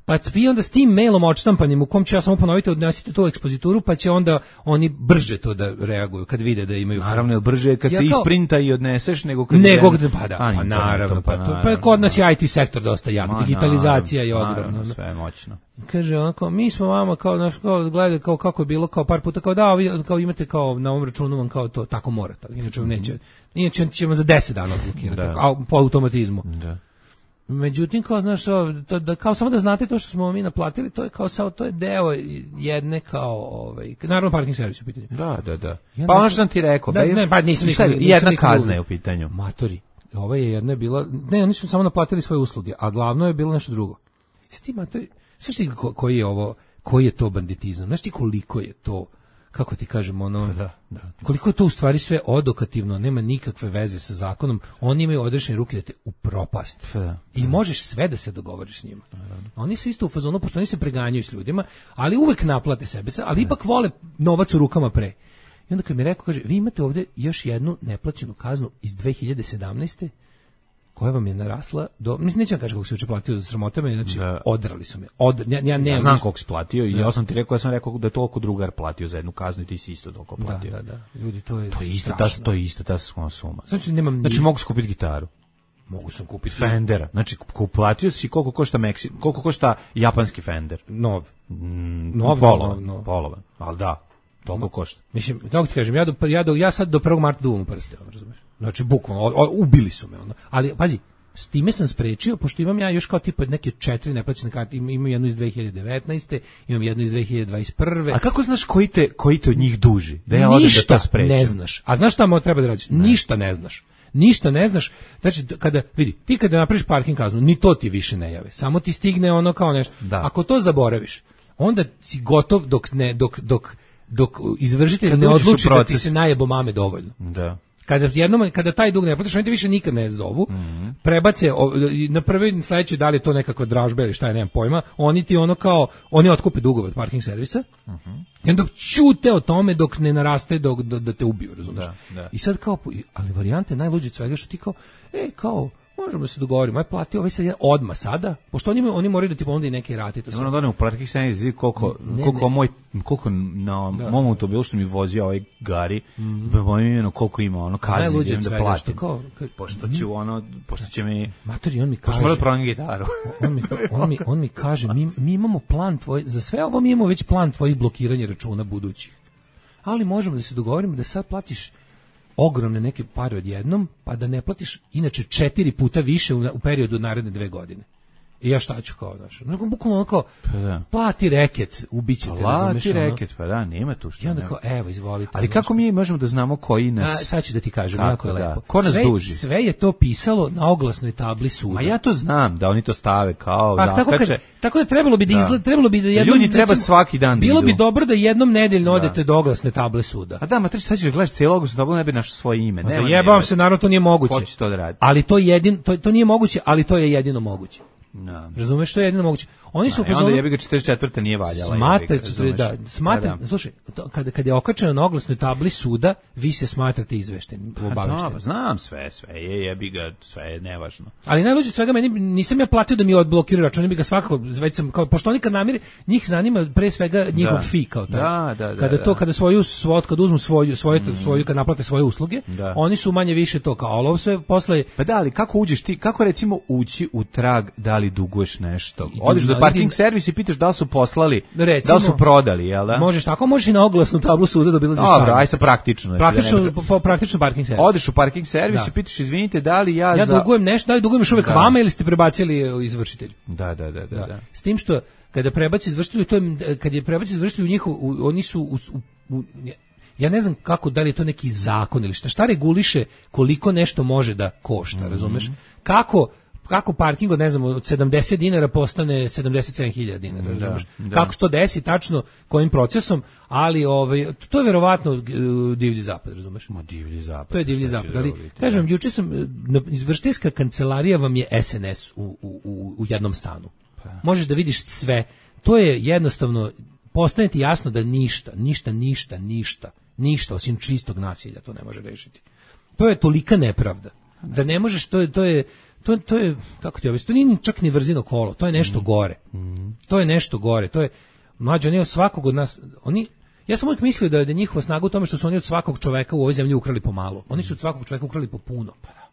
Pa vi onda s tim mailom odštampanim u kom ću ja samo ponoviti odnesite to u ekspozituru, pa će onda oni brže to da reaguju kad vide da imaju. Naravno, je brže kad ja se kao, isprinta i odneseš nego kad nego je, pa da, pa naravno, pa, to, pa kod nas je I T sektor dosta jak, ma, digitalizacija naravno, je ogromna. Sve je moćno. Kaže onako, mi smo vama kao naš kao gledali kao kako je bilo kao par puta kao da vi kao imate kao na ovom računu vam kao to tako morate, inače vam neće. Inače ćemo za deset dana blokirati, a po automatizmu. Da. Međutim, kao, znaš, to, da, kao samo da znate to što smo mi naplatili, to je kao sao, to je deo jedne kao, ovaj, naravno parking servis u pitanju. Da, da, da. Pa ono što sam ti rekao, da, ne, pa nisam nikad, nisam jedna nikad kazna je u pitanju. Matori, ova je jedna bila, ne, oni su samo naplatili svoje usluge, a glavno je bilo nešto drugo. Sve ti matori, sve ti ko, koji je ovo, koji je to banditizam, znaš ti koliko je to, kako ti kažemo, ono, da, da. Koliko je to u stvari sve odokativno, nema nikakve veze sa zakonom, oni imaju odrešene ruke da te upropast. Da, i da. Možeš sve da se dogovoriš s njima. Da, da. Oni su isto u fazonu, pošto oni se preganjaju s ljudima, ali uvek naplate sebe, ali ipak vole novac u rukama pre. I onda kad mi rekao, kaže, vi imate ovde još jednu neplaćenu kaznu iz dve hiljade sedamnaeste koja vam je narasla do, mislim, neću vam kaži kako se uče platio za sramotama, znači da. Odrali su me. Od, ja, ja, ne, ja znam koliko si platio i da. Ja sam ti rekao, ja sam rekao da je toliko drugar platio za jednu kaznu i ti si isto toliko platio. Da, da, da. Ljudi, to je to je isto ta, to je isto ta suma. Znači, nemam znači mogu skupiti gitaru. Mogu sam kupiti Fendera. Znači, platio si koliko košta Meksi, koliko košta japanski Fender. Nov. Mm, nov, polovan, nov, nov. Polovan. Ali da, toliko košta. Mislim, kako ti kažem, ja, do, ja, do, ja sad do prvog marta duvam u prste, razumiješ? Znači, bukvalno, ubili su me. Ono. Ali, pazi, s time sam sprečio, pošto imam ja još kao tipa neke četiri neplaćene karte, imam jednu iz dve hiljade devetnaeste, imam jednu iz dve hiljade dvadeset prve. A kako znaš koji te, koji te od njih duži? Da ja odem da to sprečim. Ne znaš. A znaš šta mo treba da radiš? Ne. Ništa ne znaš. Ništa ne znaš. Znači, kada, vidi, ti kada napraviš parking kaznu, ni to ti više ne jave. Samo ti stigne ono kao nešto. Da. Ako to zaboraviš, onda si gotov dok ne, dok, dok, dok izvršitelj kad ne odluči da ti se najebo mame dovoljno. Da. Kada jednom kada taj dug ne platiš, oni te više nikad ne zovu. Mm-hmm. Prebace o, na prvi sledeći da li je to nekakva dražba ili šta je, nemam pojma. Oni ti ono kao oni otkupe dugove od parking servisa. Mm-hmm. I onda ćute o tome dok ne naraste dok da, da te ubiju, razumiješ? Da, da. I sad kao ali varijante najluđe od svega što ti kao ej kao možemo da se dogovorimo, aj plati ovaj sad odmah sada, pošto oni, oni moraju da ti ponude i neke rate. To ono da ne uplatiti sedamdeset koliko, ne, koliko, ne. Moj, koliko na da. mom automobilu što mi vozio ovaj Gari, mm. mojim koliko ima, ono kazni, idem da platim. Kao, ka, pošto ću ono, pošto će mi... Matori, on mi kaže... Pošto mora da prodam gitaru. on, mi, on, mi, on mi kaže, mi, mi imamo plan tvoj, za sve ovo mi imamo već plan tvojih blokiranja računa budućih. Ali možemo da se dogovorimo da sad platiš ogromne neke pare odjednom, pa da ne platiš inače četiri puta više u, u periodu naredne dve godine. I ja šta ću kao, znaš, bukvalno kao, pa da. plati reket, ubićete, razumeš. Plati reket, pa da, nema tu što. I onda kao, evo, izvolite. Ali kako mi možemo da znamo koji nas... A, sad ću da ti kažem, kako, jako je da. lepo. Ko nas sve, duži? Sve je to pisalo na oglasnoj tabli suda. Ma ja to znam, da oni to stave kao pa, zakače. Tako, kad, tako da trebalo bi da, da. izgled, trebalo bi da jednom... Ljudi treba recimo, svaki dan bilo da bi dobro da jednom nedeljno da. odete do oglasne table suda. A da, ma treći sad ćeš gledaš cijelu oglasnu tablu, ne bi našao svoje ime. Zajebam se, naravno to nije moguće. Ko će to da radi? Ali to, jedin, to, to nije moguće, ali to je jedino moguće. No. Razumeš što je jedino moguće. Oni su no, onda jebi ga četrdeset četvrta nije valjala. Smatrate da, smatram, da. Slušaj, to, kada kad je okačeno na oglasnoj tabli suda, vi se smatrate izveštenim, obaveštenim. No, znam sve, sve je jebi ga, sve je nevažno. Ali najluđe od svega meni nisam ja platio da mi odblokiraju račun, oni bi ga svakako već sam kao pošto oni kad namire, njih zanima pre svega njihov da. fee kao taj. Da, da, da, kada da. to kada svoju svot kad uzmu svoju svoju mm. svoju kad naplate svoje usluge, da. oni su manje više to kao ali ovo sve posle. Pa da, ali kako uđeš ti, kako recimo ući u trag da li duguješ nešto? Odeš do parking servisa i pitaš da li su poslali, recimo, da li su prodali, jel da? Možeš tako, možeš i na oglasnu tablu suda da obilaziš stvar. Dobro, aj sa praktično. Znači praktično, da po, praktično parking servis. Odeš u parking servis da. i pitaš, izvinite, da li ja, ja za... Ja dugujem nešto, da li dugujem još uvek da. vama ili ste prebacili izvršitelju? Da, da, da, da, da. S tim što, kada prebaci izvršitelju, to je, kad je prebaci izvršitelju njihov, u, oni su... U, u, u, ja ne znam kako, da li je to neki zakon ili šta, šta reguliše koliko nešto može da košta, mm-hmm. razumeš? Kako... kako parking od, ne znam, od sedamdeset dinara postane sedamdeset sedam hiljada dinara, da, da. Kako se to desi tačno, kojim procesom, ali ovaj, to je verovatno uh, divlji zapad, razumeš? Ma divlji zapad. To je divlji zapad, ali kažem, juče sam, izvršiteljska kancelarija vam je S N S u, u, u jednom stanu. Pa. Možeš da vidiš sve, to je jednostavno, postane ti jasno da ništa, ništa, ništa, ništa, ništa, osim čistog nasilja to ne može rešiti. To je tolika nepravda, da ne možeš, to je, to je To, to je, kako ti objasniti, to nije čak ni vrzino kolo, to je nešto mm. gore. Mm. To je nešto gore, to je, mlađe, oni od svakog od nas, oni, ja sam uvijek mislio da je njihova snaga u tome što su oni od svakog čoveka u ovoj zemlji ukrali po malo. Oni su od svakog čoveka ukrali po puno. Pa da.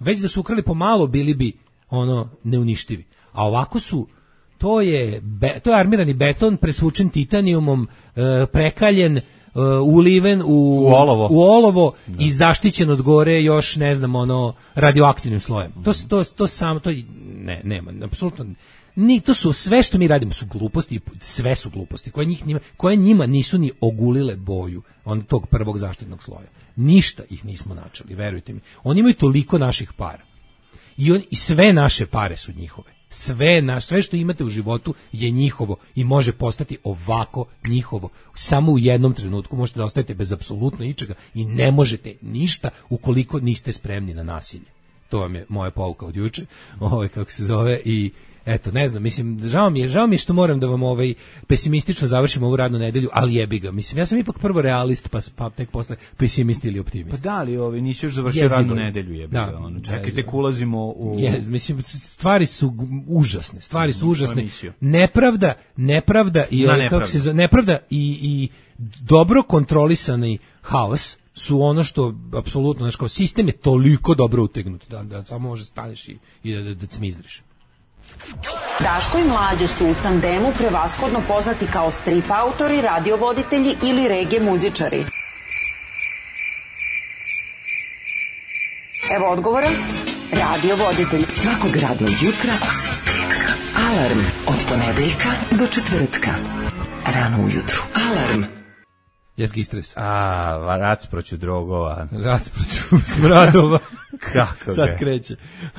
Već da su ukrali po malo, bili bi, ono, neuništivi. A ovako su, to je, be, to je armirani beton, presvučen titanijumom, e, prekaljen, Uh, uliven u, u olovo, u olovo i zaštićen od gore još ne znam ono radioaktivnim slojem. Mm. To to to samo to ne nema apsolutno ni to su sve što mi radimo su gluposti, sve su gluposti koje njih njima, koje njima nisu ni ogulile boju on tog prvog zaštitnog sloja. Ništa ih nismo načeli, verujte mi. Oni imaju toliko naših para. I on i sve naše pare su njihove. Sve, naš, sve što imate u životu je njihovo i može postati ovako njihovo. Samo u jednom trenutku možete da ostajete bez apsolutno ničega i ne možete ništa ukoliko niste spremni na nasilje. To vam je moja pouka od juče, ovaj, kako se zove, i eto, ne znam, mislim, žao mi je, žao mi je što moram da vam ovaj pesimistično završim ovu radnu nedelju, ali jebi ga. Mislim, ja sam ipak prvo realist, pa, pa tek posle pesimist ili optimist. Pa da li, ovi, nisi još završio jezivo radnu nedelju, jebi ga. Da, ono, čekaj, tek ulazimo u... Je, mislim, stvari su užasne, stvari su užasne. Nepravda, nepravda i, ovaj, kako se zove, nepravda i, i dobro kontrolisani haos su ono što apsolutno, znači, kao sistem je toliko dobro utegnut da, da samo može staneš i, i da, da, da cmizdriš. Daško i Mlađa su u tandemu prevashodno poznati kao strip autori, radiovoditelji ili reggae muzičari. Evo odgovora. Radiovoditelj. Svakog radnog jutra alarm od ponedeljka do četvrtka. Rano ujutru. Alarm. Jeski stres. A, rac proću drogova. Rac proću smradova. Kako sad ga, kreće.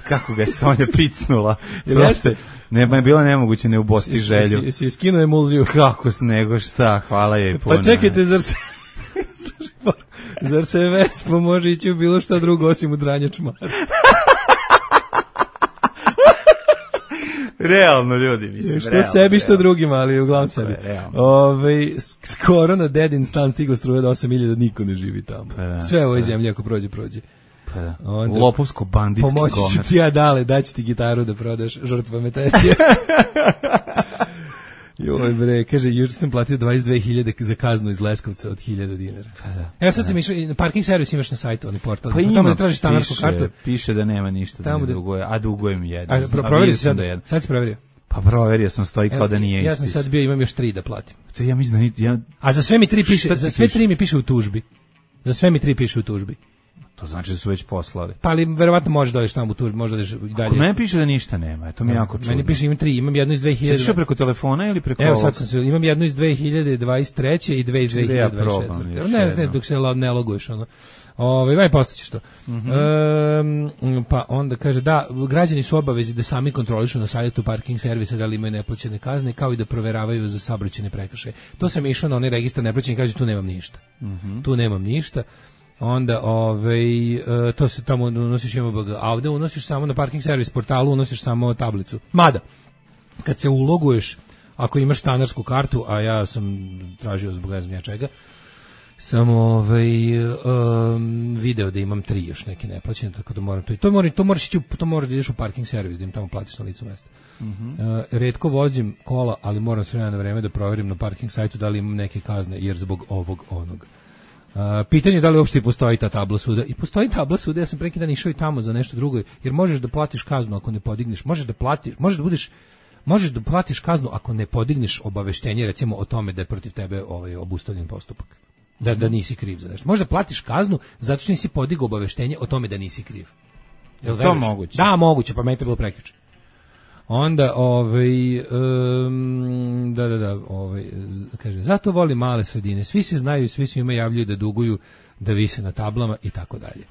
Kako ga je Sonja picnula. Jeste? Nema je bilo nemoguće ne ubosti želju. Jesi je skinuo emulziju. Kako nego šta, hvala je puno. Pa čekajte, zar se... zar se Vespa može ići u bilo šta drugo osim u dranje čmara? Realno, ljudi, mislim. Što realno, sebi, što realno. drugima, ali uglavnom sebi. Ove, skoro na dedin stan stigla struja do osam hiljada, niko ne živi tamo. Pa da, sve ovoj zemlji ako prođe, prođe. Pa da. Onda, lopovsko-banditski pomoći ću govnar. ti ja dale, daći ti gitaru da prodaš žrtvama Tesije. Joj bre, kaže, juče sam platio dvadeset dve hiljade za kaznu iz Leskovca od hiljadu dinara. Pa da. Evo sad sam išao, na parking servis imaš na sajtu, onaj portal. Pa ima, tamo da tražiš stanarsku piše, kartu. Piše da nema ništa, Tamo da da- ne duguje, a dugujem jedno. A, pro, provjerio si sad, da sad si provjerio. Pa proverio sam, stoji kao da nije Ja isti. sam sad bio, imam još tri da platim. To ja mislim da ni- ja, A za sve mi tri piše, Šta ti za sve piše? tri mi piše u tužbi. Za sve mi tri piše u tužbi. to znači da su već poslali. Pa ali verovatno možeš da odeš tamo u tužbi, možda odeš i dalje. Kod mene piše da ništa nema, to mi je jako čudno. Meni piše imam tri, imam jednu iz dve Sad hiljade. išao preko telefona ili preko Evo ovog? sad sam se, imam jednu iz dve hiljade dvadeset treće i dve iz Čekaj da ja dve hiljade dvadeset probam četvrte. još Ne, ne, jednom. dok se lo- ne loguješ ono. Ovaj vaj postaćeš to. Mhm. Ehm, pa onda kaže da građani su obavezi da sami kontrolišu na sajtu parking servisa da li imaju neplaćene kazne, kao i da proveravaju za saobraćajne prekršaje. To sam išao na onaj registar neplaćenih, kaže tu nemam ništa. Mhm. Tu nemam ništa. Onda ovaj e, to se tamo unosiš M B G, a ovde unosiš samo na parking servis portalu, unosiš samo tablicu. Mada kad se uloguješ, ako imaš stanarsku kartu, a ja sam tražio zbog ne znam ja čega, sam ovaj um, video da imam tri još neke neplaćene, tako da moram to i to moram to moraš ići u- to moraš da ideš u parking servis da im tamo platiš na licu mesta. Mhm. Uh, retko vozim kola, ali moram s vremena na vreme da proverim na parking sajtu da li imam neke kazne, jer zbog ovog onog. Uh, pitanje je da li uopšte postoji ta tabla suda. I postoji tabla suda, ja sam pre neki dan išao i tamo za nešto drugo, jer možeš da platiš kaznu ako ne podigneš, možeš da platiš, možeš da budeš možeš da platiš kaznu ako ne podigneš obaveštenje recimo o tome da je protiv tebe ovaj obustavljen postupak. Da da nisi kriv za nešto. Možda platiš kaznu zato što nisi podigao obaveštenje o tome da nisi kriv. Jel to veruješ? moguće? Da, moguće, pa meni je to bilo prekjuče. Onda, ovaj, um, da, da, da, ovaj, z- kaže, zato volim male sredine, svi se znaju, svi svima javljaju da duguju, da vise na tablama i tako dalje.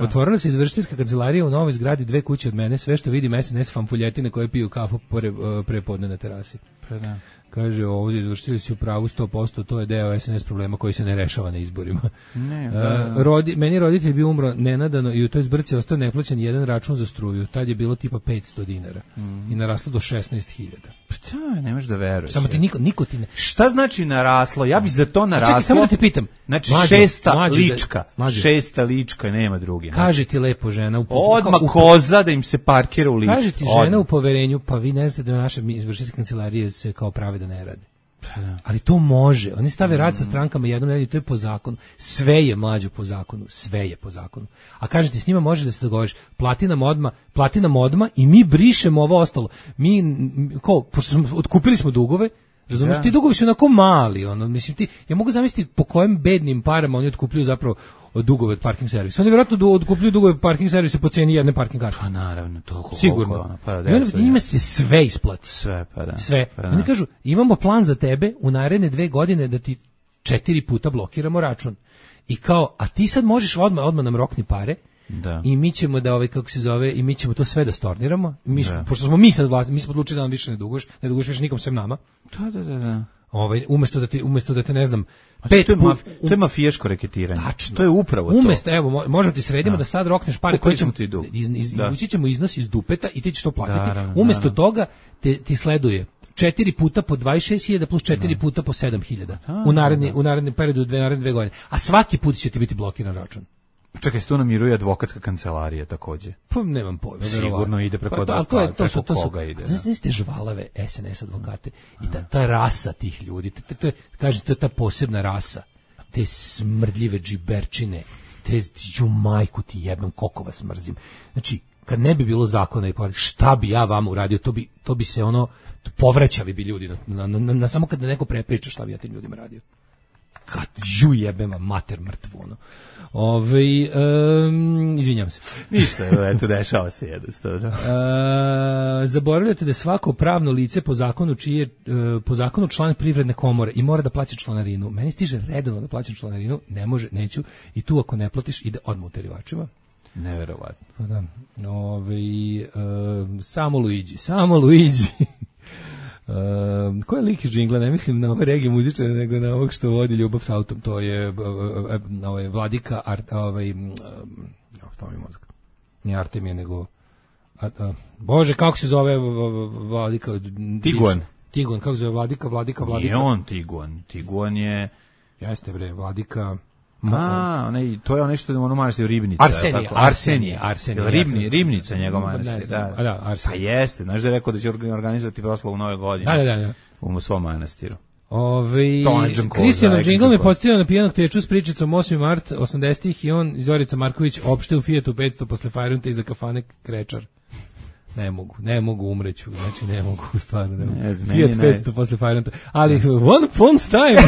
Otvorila se izvršiteljska kancelarija u novoj zgradi dve kuće od mene, sve što vidim S N S fanfuljetine koje piju kafu pre, pre podne na terasi. Pa da. Kaže, ovdje izvršitelji su u pravu sto posto, to je deo S N S problema koji se ne rešava na izborima. Ne, E, da. rodi, meni roditelj bio umro nenadano i u toj zbrci ostao neplaćen jedan račun za struju. Tad je bilo tipa petsto dinara i naraslo do šesnaest hiljada. Pa da, nemaš da veruješ. Samo ti niko, niko ti ne... Šta znači naraslo? Ja bi za to naraslo. Čekaj, samo da te pitam. Znači Mlađo, šesta mlađo da- lička. mlađo. Šesta lička, nema druge. Kaže ti lepo žena u Odmah u- koza da im se parkira u ličku. Kaže ti žena Odmah. u poverenju, pa vi ne znate da naše izvršiteljske kancelarije se kao prave da ne rade. Ali to može. Oni stave rad sa strankama jednom nedelju, to je po zakonu. Sve je mlađo po zakonu, sve je po zakonu. A kaže ti s njima može da se dogovoriš, plati nam odma, plati nam odma i mi brišemo ovo ostalo. Mi m, ko, pošto smo, otkupili smo dugove, razumiješ, Da. ti dugovi su onako mali, ono, mislim ti, ja mogu zamisliti po kojim bednim parama oni otkupljuju zapravo dugove od parking servisa. Oni vjerojatno du- otkupljuju dugove od parking servisa po cijeni jedne parking karte. Pa naravno, toliko. Sigurno. koliko ono, pa I da, onda sve, njima se sve isplati. sve, pa da. Sve. Pa da. Oni kažu, imamo plan za tebe u naredne dve godine da ti četiri puta blokiramo račun. I kao, a ti sad možeš odmah, odmah nam rokni pare Da. i mi ćemo da, ovaj, kako se zove, i mi ćemo to sve da storniramo. Mi smo, Da. pošto smo mi sad vlasti, mi smo odlučili da nam više ne duguješ, ne duguješ više nikom sem nama. Da, da, da, da. Ovaj, umesto da ti, umesto da te, ne znam, pet to je, put... maf, to je mafijaško reketiranje. Tačno. To je upravo to. Umesto, evo, mo- možemo ti sredimo da, sad rokneš pare Kupili koje ćemo smo ti dug. iz, iz, Da. izvući ćemo iznos iz dupeta i ti ćeš to platiti. Naravno, Umesto naravno. toga te, ti sleduje četiri puta po dvadeset šest hiljada plus četiri puta po sedam hiljada u naredni u narednom periodu dve naredne dve godine. A svaki put će ti biti blokiran račun. Čekaj, se tu namiruje advokatska kancelarija takođe. Pa nemam pojma. Sigurno verovatno. ide preko Pa to, ali to je, to su, preko to su, koga ide, to su te žvalave S N S advokate i ta, ta rasa tih ljudi, to, to, to, je, kažem, to je ta posebna rasa, te smrdljive džiberčine, te ću majku ti jebem, koliko vas mrzim. Znači, kad ne bi bilo zakona i poreda, šta bi ja vama uradio, to bi, to bi se ono, povraćali bi ljudi, na, na, na, na samo kad neko prepriča šta bi ja tim ljudima radio. Kad žu jebem vam mater mrtvu, ono. Ove, um, izvinjam se. Ništa, eto, dešava se jednostavno. E, zaboravljate da je svako pravno lice po zakonu čiji je e, po zakonu član privredne komore i mora da plaća članarinu. Meni stiže redovno da plaćam članarinu, ne može, neću, i tu ako ne platiš ide odmah u terivačima. Neverovatno. Pa da. Ove, e, samo Luigi, samo Luigi. Uh, ko je lik iz džingla, ne mislim na ove regije muzičare, nego na ovog što vodi ljubav s autom, to je uh, uh, ovaj Vladika Art, ovaj um, uh, mi mozak. Nije Artemije, nego a, a, Bože, kako se zove Vladika? Tiguan. Tiguan, kako se zove Vladika, Vladika, Vladika. Nije on Tiguan. Tiguan je... Jeste bre, Vladika. A, onaj, to je ono što ono manastir Ribnica. Arsenije, Arsenije, Arsenije. Ribni, Ribnica njegov manastir, da. A da, Arsenije. Pa jeste, znaš da je rekao da će organizovati proslavu Nove godine. Da, da, da. U svom manastiru. Ove, Kristijanov džingl me podsjetio na pijanog teču s pričicom osmi mart osamdesetih i on, Zorica Marković, opšte u Fiatu petsto posle Fajrunta iza kafane Krečar. Ne mogu, ne mogu umreću, znači ne mogu, stvarno ne mogu. Ne, Fiat petsto posle Fajrunta, ali one phone's time,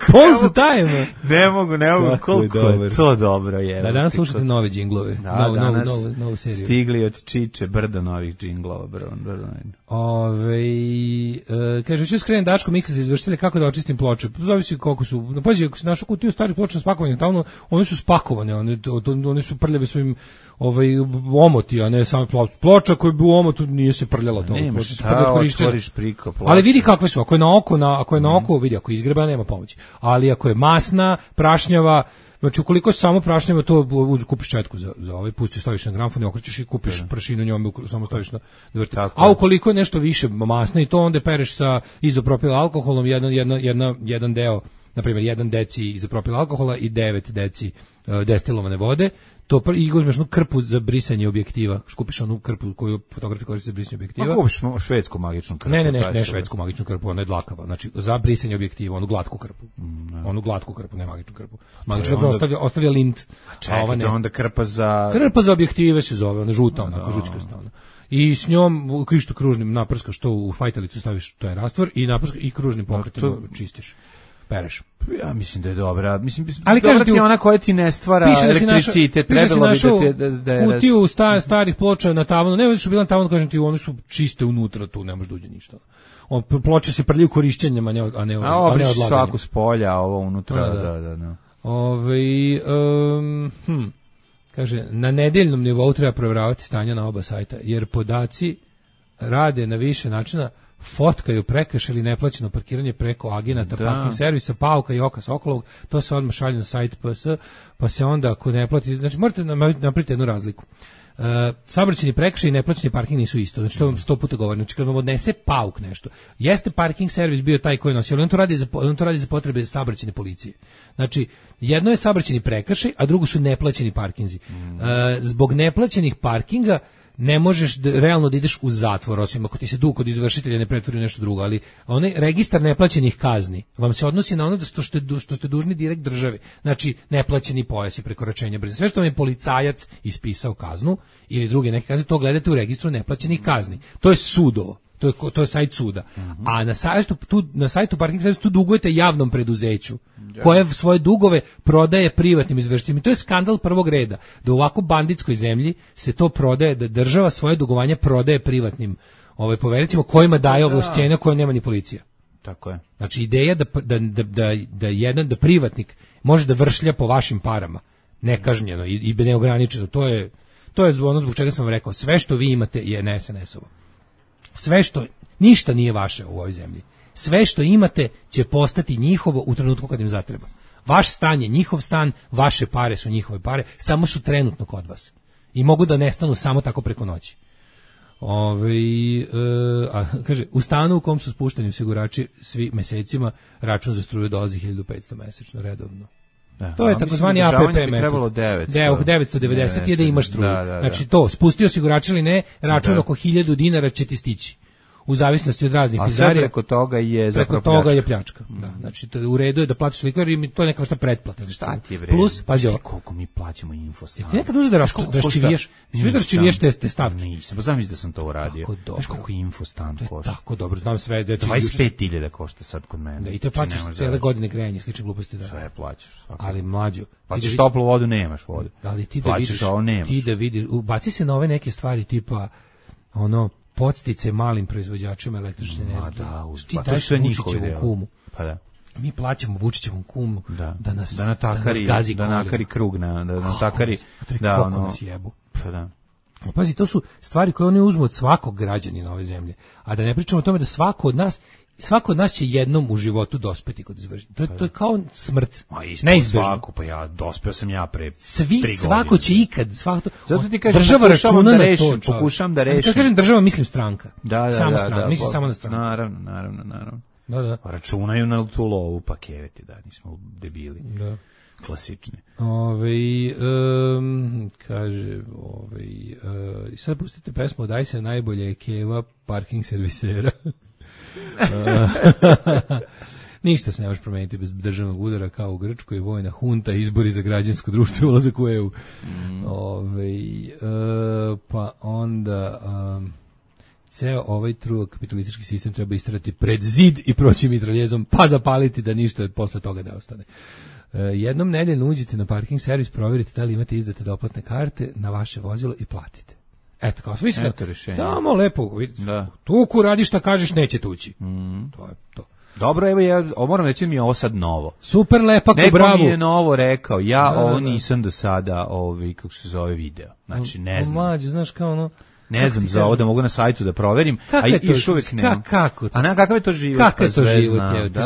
phone's time. Ne mogu, ne mogu, koliko je to dobro. Je, da, danas slušate nove džinglove, da, novu, danas novu, novu, novu seriju. Stigli od Čiče, brdo novih džinglova, brdo, brdo. Ove, e, kaže, ću skrenem Daško, misli se izvršitelje kako da očistim ploče. Zavisi koliko su, no, pazi, ako si našao kutiju starih ploča spakovanje, tamo, one su spakovane, one, one su prljave svojim ovaj omoti, a ne samo ploča koja bi u omotu nije se prljala to. Nema šta, otvoriš priko ploča. Ali vidi kakve su, ako je na oko, na, ako je na oko, vidi, ako je izgreba, nema pomoći. Ali ako je masna, prašnjava, znači ukoliko se samo prašnjava, to uz, kupiš četku za, za ovaj, pustiš, staviš na gramfon i okrećeš i kupiš prašinu njome, samo staviš na dvrti. A ukoliko je nešto više masno i to onda pereš sa izopropil alkoholom, jedan, jedna, jedna, jedan deo, na primjer, jedan deci izopropil alkohola i devet deci uh, destilovane vode, to i uzmeš onu krpu za brisanje objektiva, kupiš onu krpu koju fotografi koriste za brisanje objektiva. A kupiš švedsku magičnu krpu? Ne, ne, ne, ne švedsku magičnu krpu, ona je dlakava, znači za brisanje objektiva, onu glatku krpu. Mm, onu glatku krpu, ne magičnu krpu. Magična krpa ostavlja, ostavlja lint. Čekaj, a ova ne. Onda krpa za... Krpa za objektive se zove, ona žuta, onako, žučkasta ona. I s njom krišto kružnim naprskaš što u fajtalicu staviš, to je rastvor, i naprskaš i kružnim pokretima to... čistiš. Pereš. Ja mislim da je dobra. Mislim, ali dobra ti je ona koja ti ne stvara elektricitet. Trebalo bi da... da, da kutiju sta, starih ploča na tavanu. Ne, što bila na tavanu, kažem ti, oni su čiste unutra, tu ne može dođe ništa. On, ploče se prljaju korišćenjem, a ne, a ne, a a ne odlaganjem. Svaku s polja, a ovo unutra, da, da, da. da. Ove, um, hm, kaže, na nedeljnom nivou treba provjeravati stanja na oba sajta, jer podaci rade na više načina, fotkaju prekrš ili neplaćeno parkiranje preko agenata, da. Parking servisa, Pauka i Oka Sokolovog, to se odmah šalje na sajt P S, pa se onda ako ne plati, znači morate napraviti jednu razliku. Uh, saobraćajni prekršaj i neplaćeni parking nisu isto, znači to vam sto puta govorim, znači kad vam odnese Pauk nešto, jeste parking servis bio taj koji nosi, ali on to radi za, on to radi za potrebe saobraćajne policije. Znači, jedno je saobraćajni prekršaj, a drugo su neplaćeni parkinzi. Mm. Uh, zbog neplaćenih parkinga ne možeš da, realno da ideš u zatvor, osim ako ti se dug kod izvršitelja ne pretvori u nešto drugo, ali onaj registar neplaćenih kazni vam se odnosi na ono što ste, što ste dužni direkt državi, znači neplaćeni pojas i prekoračenje brzine. Sve što vam je policajac ispisao kaznu ili druge neke kazne, to gledate u registru neplaćenih kazni. To je sudovo. To je, to je sajt suda. Mm-hmm. A na sajtu, tu, na sajtu parking servisa tu dugujete javnom preduzeću koje svoje dugove prodaje privatnim izvršiteljima. To je skandal prvog reda. Da u ovako banditskoj zemlji se to prodaje, da država svoje dugovanje prodaje privatnim ovaj, povericima kojima daje ovlašćenja koje nema ni policija. Tako je. Znači ideja da, da, da, da, da jedan, da privatnik može da vršlja po vašim parama nekažnjeno i, i neograničeno. To je, to je ono zbog čega sam vam rekao. Sve što vi imate je ne S N S-ovo. Sve što, ništa nije vaše u ovoj zemlji. Sve što imate će postati njihovo u trenutku kad im zatreba. Vaš stan je njihov stan, vaše pare su njihove pare, samo su trenutno kod vas. I mogu da nestanu samo tako preko noći. Ove, e, a, kaže, u stanu u kom su spušteni osigurači svi mesecima, račun za struju dolazi hiljadu petsto mesečno, redovno. Da, to je takozvani A P P metod. devetsto devedeset je da imaš struju. Da, da, da. Znači to, spusti osigurač ili ne, račun da. Oko hiljadu dinara će ti stići. U zavisnosti od raznih pizarija. A sve preko toga je preko zapravo toga pljačka. je pljačka. Mm. Da, znači to, u redu je da platiš sliku jer to je neka vrsta pretplate. Šta ti je bre? Plus, pazi ovo. Koliko mi plaćamo infostan. Ti nekad uzeš da raščiviješ, svi da raščiviješ te, te stavke. Nisam, pa znam da sam to uradio. Znaš koliko infostan košta? Tako dobro, znam sve. Da dvadeset pet hiljada košta sad kod mene. Da, i te plaćaš cele godine grejanje, slične gluposti da. Sve plaćaš. Ali mlađo. Plaćaš toplu vodu, nemaš vodu. Ali ti da vidiš, ti da vidiš, ubaci se na ove neke stvari tipa ono podstice malim proizvođačima električne energije. Da, ti pa daješ Vučićevom kumu. Pa da. Mi plaćamo Vučićevom kumu da, da nas da natakari, da, nas gazi da nakari krug na da natakari da ono nas jebu. Pa da. A pazi, to su stvari koje oni uzmu od svakog građanina ove zemlje. A da ne pričamo o tome da svako od nas svako od nas će jednom u životu dospeti kod izvršenja. To, to je kao smrt. Neizbežno. Svako, pa ja dospeo sam ja pre Svi, svako će ikad. Svako, zato ti kažem, država računa da rešim, to. Pokušam da rešim. Kad kažem država, mislim stranka. Da, da, samo da, stranka. da, mislim da, samo na stranku. Naravno, naravno, naravno. Da, da. Računaju na tu lovu, pa keveti, da, nismo debili. Da. klasični. Ove, um, kaže, ove, uh, sad pustite pesmu Daj se najbolje je Keva, parking servisera. Ništa se ne može promeniti bez državnog udara kao u Grčkoj, vojna hunta, izbori za građansko društvo i ulazak u E U. Mm. Ove, uh, pa onda... Um, ceo ovaj truo kapitalistički sistem treba istrati pred zid i proći mitraljezom, pa zapaliti da ništa posle toga ne ostane. E, jednom nedeljno uđite na parking servis, provjerite da li imate izdate doplatne karte na vaše vozilo i platite. Eto, kao mislim da samo lepo, da. Tuku radi šta kažeš, neće tući. Mm. To je to. Dobro, evo ja moram reći mi je ovo sad novo. Super lepa ko bravo. Neko mi je novo rekao, ja da, ovo nisam do sada, ovi, kako se zove, video. Znači, ne znam. Mlađe, znaš kao ono... Ne znam za ovo da mogu na sajtu da proverim, a i još uvijek nemam. Kako to? A na kakav je to život? Kakav je to život?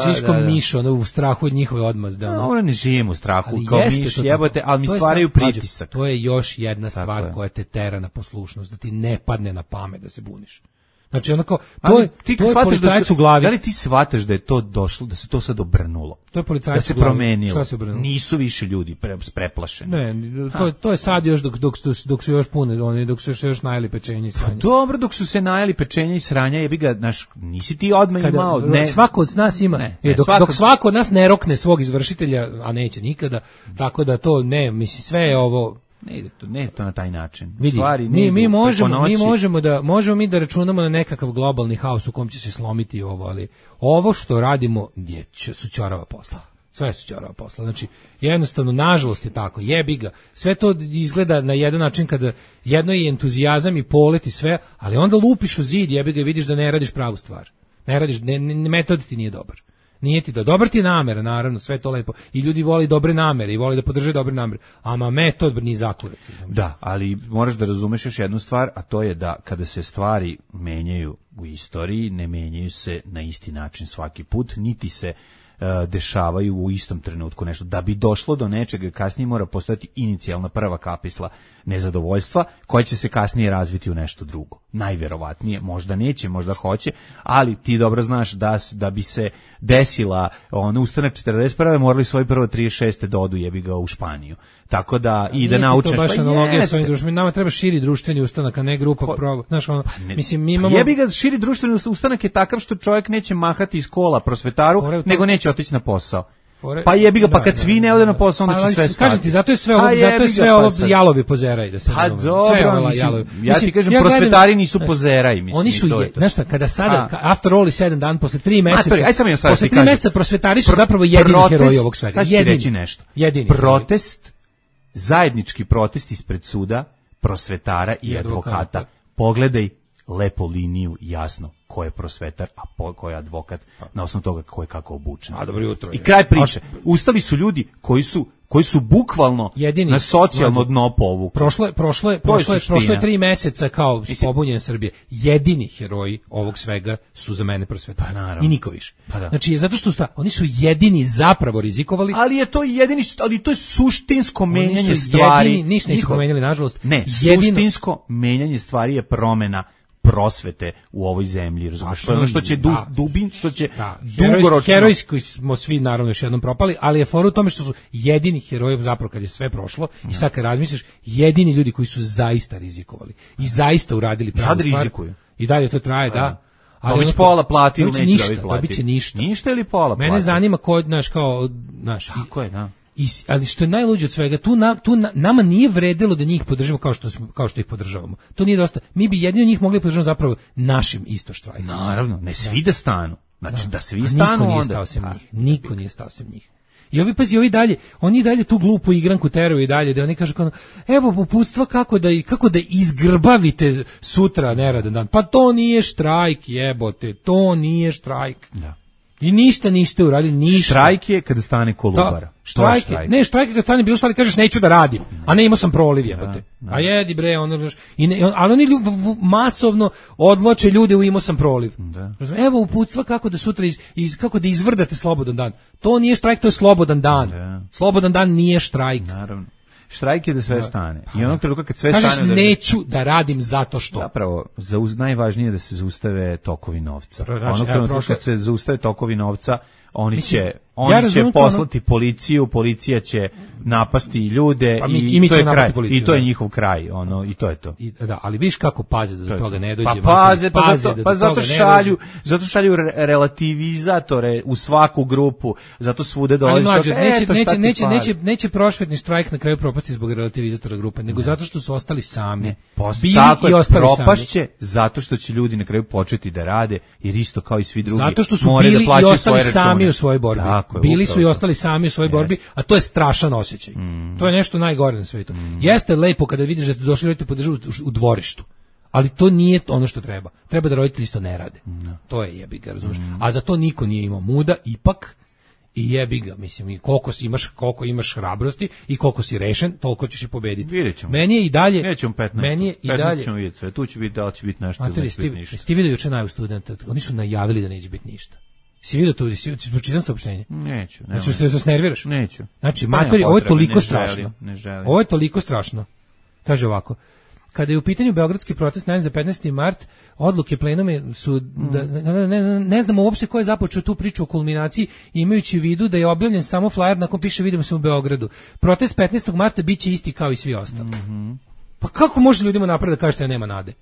Žiško miš, ono u strahu od njihove odmazde. No, ono ne živim u strahu, kao miš jebote, ali mi stvaraju pritisak. To je još jedna stvar koja te tera na poslušnost, da ti ne padne na pamet da se buniš. Znači onako, to je, ti to je policajac u glavi. Da li ti shvataš da je to došlo, da se to sad obrnulo? To je policajac da se u glavi. Promenilo. Šta se obrnulo? Nisu više ljudi pre, preplašeni. Ne, to, to je sad još dok, dok, dok su još pune, oni dok su još najeli pečenje i sranja. Pa dobro, dok su se najeli pečenje i sranja, jebi ga, znaš, nisi ti odmah Kada, imao. Ne, svako od nas ima, ne, ne, dok, svako, dok svako od nas ne rokne svog izvršitelja, a neće nikada, tako da to ne, misli, sve je ovo... Ne ide to, ne ide to na taj način. Vidi, Stvari, mi, mi, možemo, mi možemo da možemo mi da računamo na nekakav globalni haos u kom će se slomiti ovo, ali ovo što radimo je su ćorava posla. Sve su ćorava posla. Znači, jednostavno, nažalost je tako, jebi ga. Sve to izgleda na jedan način kada jedno je entuzijazam i polet i sve, ali onda lupiš u zid, jebi ga i vidiš da ne radiš pravu stvar. Ne radiš, ne, ne, metod ti nije dobar. Nije ti da, dobar ti je namera, naravno, sve to lepo. I ljudi vole dobre namere i vole da podrže dobre namere. Ama metod ni zakurac. Da, ali moraš da razumeš još jednu stvar, a to je da kada se stvari menjaju u istoriji, ne menjaju se na isti način svaki put, niti se uh, dešavaju u istom trenutku nešto. Da bi došlo do nečega, kasnije mora postojati inicijalna prva kapisla nezadovoljstva, koja će se kasnije razviti u nešto drugo. Najverovatnije, možda neće, možda hoće, ali ti dobro znaš da, da bi se desila on ustanak četrdeset prve morali svoje prvo trideset šeste da odu jebi ga u Španiju. Tako da i da naučiš to baš analogija sa ovim društvenim. Nama treba širi društveni ustanak, a ne grupa Ko, proba. Znaš, ono, pa ne, mislim mi imamo jebi ga širi društveni ustanak je takav što čovjek neće mahati iz kola prosvetaru, Fore, nego neće otići na posao. Fore, pa jebi ga, pa kad da, svi ne ode na posao, onda će sve stati. Kažem ti, zato je sve ovo, zato je sve ovo jalovi pozeraj, da se pa dobro, mislim, ja ti kažem, ja prosvetari nisu pozeraj, mislim. Oni su, je, znaš šta, kada sada, a. after all sedam dan, posle tri meseca, aj sam ja posle tri meseca prosvetari su zapravo jedini heroji ovog svega. Sad ću ti reći nešto. Protest, zajednički protest ispred suda, prosvetara i advokata. Pogledaj lepo liniju, jasno ko je prosvetar, a po, ko je advokat, na osnovu toga ko je kako obučen. A dobro jutro. I kraj priče. Ustali su ljudi koji su koji su bukvalno jedini, na socijalno mlađe, dno povukli. Prošlo je prošlo je prošlo je prošlo je tri meseca kao pobunjen Srbije. Jedini heroji ovog svega su za mene prosvetari. Pa, i niko više. Pa da. Znači zato što sta, oni su jedini zapravo rizikovali. Ali je to jedini, ali to je suštinsko menjanje stvari. Jedini, ništa nisu promenili nažalost. Ne, jedino, suštinsko menjanje stvari je promena prosvete u ovoj zemlji, razumiješ? Ono što će da, dubin, što će da, dugoročno... Herojski smo svi naravno još jednom propali, ali je fora u tome što su jedini heroji zapravo kad je sve prošlo ja. I sad kad razmisliš, jedini ljudi koji su zaista rizikovali i zaista uradili pravu stvar. Rizikuju. I dalje to traje, da. da. Ali već pola plati ili neće ništa, dobiti plati. Dobit će ništa. Ništa ili pola plati. Mene zanima ko, znaš, kao, znaš... Tako je, da. I, ali što je najluđe od svega, tu, na, tu na, nama nije vredilo da njih podržimo kao što, smo, kao što ih podržavamo. To nije dosta. Mi bi jedino njih mogli podržati zapravo našim isto štrajkom. Naravno, ne svi da stanu. Znači da, da svi stanu niko nije stao sem njih. Niko nije stao sem njih. I ovi, pazi, ovi dalje, oni dalje tu glupu igranku teraju i dalje, da oni kažu kao, evo uputstva kako da, kako da izgrbavite sutra neradan dan. Pa to nije štrajk, jebote, to nije štrajk. Da. I ništa niste uradili, ništa. Štrajk je kada stane Kolubara. Štrajk, štrajk. Ne, štrajk je kada stane bilo stvari, kažeš neću da radim, a ne imao sam proliv, jebote. A jedi bre, ono, i ne, ali oni masovno odvlače ljude u imao sam proliv. Da. Evo uputstva kako da sutra iz, iz, kako da izvrdate slobodan dan. To nije štrajk, to je slobodan dan. Da. Slobodan dan nije štrajk. Naravno. Štrajk je da sve stane. I onog trenutka kad sve kažeš, stane... Kažeš neću da radim zato što... Zapravo, zauz, najvažnije je da se zaustave tokovi novca. Onog trenutka kad se zaustave tokovi novca, oni Mislim, će ja oni će razumem to, poslati policiju, policija će napasti ljude Pa mi- i, i mi to ćemo je kraj, napasti policiju, i to je da. njihov kraj, ono i to je to. I, da, ali viš kako paze da do To je toga to. ne dođe. Pa mater, paze, pa paze zato, da do pa zato toga ne šalju, dođe. zato šalju re- relativizatore u svaku grupu, zato svude Ali dolazi mlađe, toga, neće, eto, neće, šta ti neće, fali. neće, neće prošvetni štrajk na kraju propasti zbog relativizatora grupe, nego zato što su ostali sami. Ne, post- Bili tako i je, ostali sami. propašće zato što će ljudi na kraju početi da rade, jer isto kao i svi drugi Zato što su moraju bili da plaćaju i ostali svoje sami račune. u svojoj borbi. Tako je, Bili su upravo i to. ostali sami u svojoj borbi, a to je strašan osjećaj. Mm. To je nešto najgore na svetu. Jeste lepo kada vidiš da ste došli roditelji podržu u, u dvorištu. Ali to nije ono što treba. Treba da roditelji isto ne rade. To je jebi ga, razumeš? Mm. A za to niko nije imao muda, ipak, i jebi ga, mislim, i koliko si imaš, koliko imaš hrabrosti i koliko si rešen, toliko ćeš i pobediti. Vidjet ćemo. Meni je i dalje, Nećemo petnaest. meni je i petnaest dalje, ćemo vidjeti sve. Tu će biti da li će biti nešto ili Matori, neće sti, biti ništa. sti vidio juče najavu studenta, oni su najavili da neće biti ništa. Si vidio to, si pročitan saopštenje? Neću. Znači što se nerviraš? Neću. Znači, Pa nema matori, ovo je potrebe, toliko ne strašno. želim, ne želim. Ovo je toliko strašno. Kaže ovako, kada je u pitanju beogradski protest najavljen za petnaesti mart, odluke plenume su, da, ne, ne, ne znamo uopšte ko je započeo tu priču o kulminaciji, imajući u vidu da je objavljen samo flyer na kom piše vidimo se u Beogradu. Protest petnaestog marta biće isti kao i svi ostali. Mhm. Pa kako može ljudima napred da kažete da nema nade?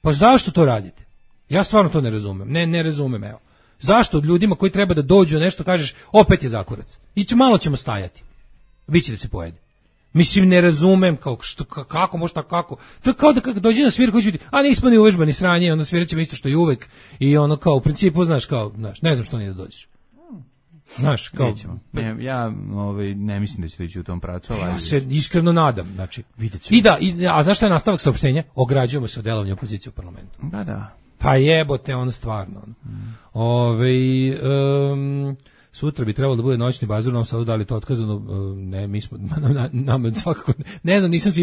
Pa zašto to radite? Ja stvarno to ne razumem. Ne, ne razumem, evo. Zašto od ljudima koji treba da dođu nešto kažeš opet je zakurac? I će, malo ćemo stajati. Biće da se pojede. Mislim, ne razumem kao, što, kako, možda kako. To je kao da kako dođe na svir koji će biti, a nismo ni uvežbani sranje, onda svirat ćemo isto što i uvek. I ono kao, u principu, znaš, kao, znaš, ne znam što nije da dođeš. Znaš, kao... Nećemo. Ne, ja ovaj, ne mislim da će to ići u tom pravcu. Ali... Ja se iskreno nadam, znači. Vidjet ćemo. I da, i, a zašto je nastavak saopštenja? Ograđujemo se od delovanja opozicije u parlamentu. Da, da. Pa jebote, ono stvarno. Mm. Ove, um, sutra bi trebalo da bude noćni bazar u Novom Sadu, da li to otkazano? Uh, ne, mi smo, nam, nam, svakako, ne znam, nisam se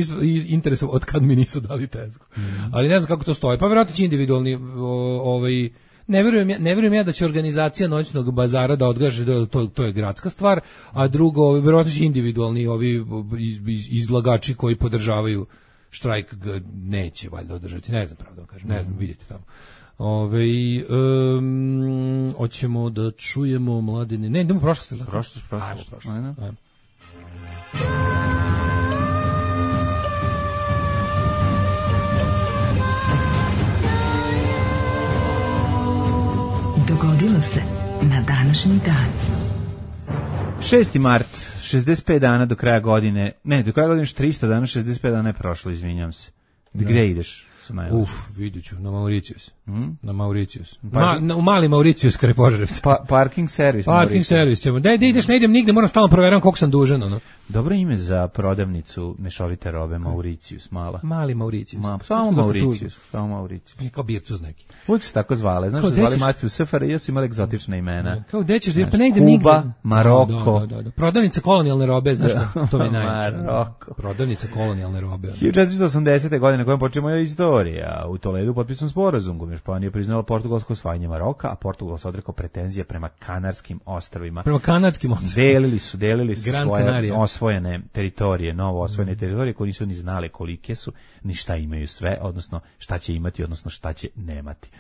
interesovao od kad mi nisu dali tezgu. Mm. Ali ne znam kako to stoji. Pa vjerojatno će individualni, ovaj, ne vjerujem, ja, ne vjerujem ja da će organizacija noćnog bazara da odgaže, da to, to je gradska stvar, a drugo, vjerojatno će individualni ovi iz, izlagači koji podržavaju štrajk neće valjda održati, ne znam pravo da kažem, ne znam, vidite tamo. Ove, um, hoćemo da čujemo mladine, ne, idemo prošlost. Prošlost, prošlost. Ajmo prošlost. Ajmo. Ajmo. Dogodilo se na današnji dan. šesti mart, šezdeset pet dana do kraja godine, ne, do kraja godine još trista dana, šezdeset pet dana je prošlo, izvinjam se. Gde ideš? Uf, vidjet ću, na Mauricius. Hmm? Na Mauricius. Pa, Ma, na, u mali Mauricius, kare Požarevca. Pa, parking servis. Parking servis ćemo. Da, da ideš, ne idem nigde, moram stalno provjeram koliko sam dužan, ono. Dobro ime za prodavnicu mešovite robe, Mauricius, mala. Mali Mauricius. Ma, samo Mauricius, samo Mauricius. Kao Bircuz neki. Uvijek se tako zvale, znaš Kao, da zvali ćeš... master u S F R I, su imali egzotična imena. Kao gde ćeš, jer pa ne idem Kuba, nigde. Maroko. Da, da, da, da. Prodavnica kolonijalne robe, znaš da, to mi je najjače. Maroko. Prodavnica kolonijalne robe. hiljadu četiristo osamdesete. godine kojem počne moja istorija. U Toledu potpisan sporazum kojim je Španija priznala portugalsko osvajanje Maroka, a Portugal se odrekao pretenzije prema Kanarskim ostrvima. Prema kanadskim ostrvima. Delili su, delili su Gran svoje Canaria. osvojene teritorije, novo osvojene teritorije koje nisu ni znale kolike su, ni šta imaju sve, odnosno šta će imati, odnosno šta će nemati.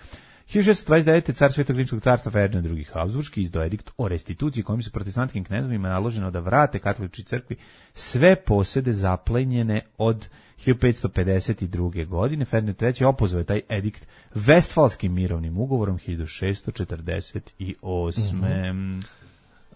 hiljadu šessto dvadeset devete. car Svetog rimskog carstva Ferdinand drugi. Habsburški izdao edikt o restituciji kojim su protestantskim knezovima naloženo da vrate katoličkoj crkvi sve posede zaplenjene od hiljadu petsto pedeset druge. godine. Ferdinand treći. opozvao je taj edikt Vestfalskim mirovnim ugovorom hiljadu šessto četrdeset osme. Mm-hmm.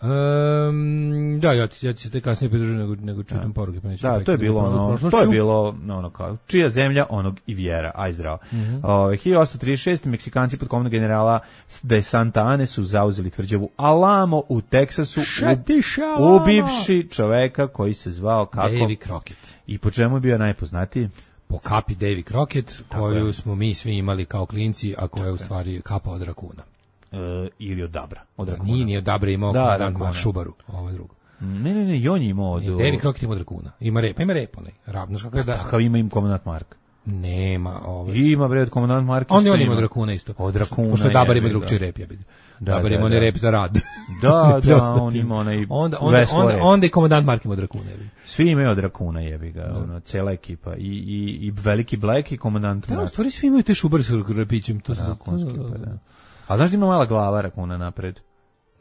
Um, da, ja ti, ja ti se te kasnije pridružujem nego, nego čitam poruke. Pa da, to je bilo ono, to je bilo ono kao, čija zemlja, onog i vjera, aj zdravo. Mm-hmm. O, hiljadu osamsto trideset šeste. Meksikanci pod komandom generala de Santa Ane su zauzeli tvrđavu Alamo u Teksasu, u, ubivši čoveka koji se zvao kako? Davy Crockett. I po čemu je bio najpoznatiji? Po kapi Davy Crockett, koju je. smo mi svi imali kao klinci, a koja je u stvari kapa od rakuna. Uh, ili od Dabra. Od rakuna. Nije, nije od Dabra imao da, komandant Šubaru, ovo je drugo. Ne, ne, ne, i on je imao od... Davy Crockett ima od rakuna. Ima rep, ima rep onaj. Ravno kako da... Takav ima im komandant Mark. Nema, ovaj. Ima bre od komandant Mark. On je on ima od rakuna isto. Od rakuna. Pošto Dabar ima drugčiji rep, ja bih. Da, Dabar da, ima onaj rep za rad. Da, da, on ima onaj onda, onda, onda, onda i komandant Mark ima od rakuna. Svi imaju od rakuna, jebi ga, ono, cijela ekipa. I, i, i veliki Black i komandant Mark. Da, u stvari svi imaju te šubarske repićem. To rakunski, pa da. A znaš da ima mala glava rakuna napred?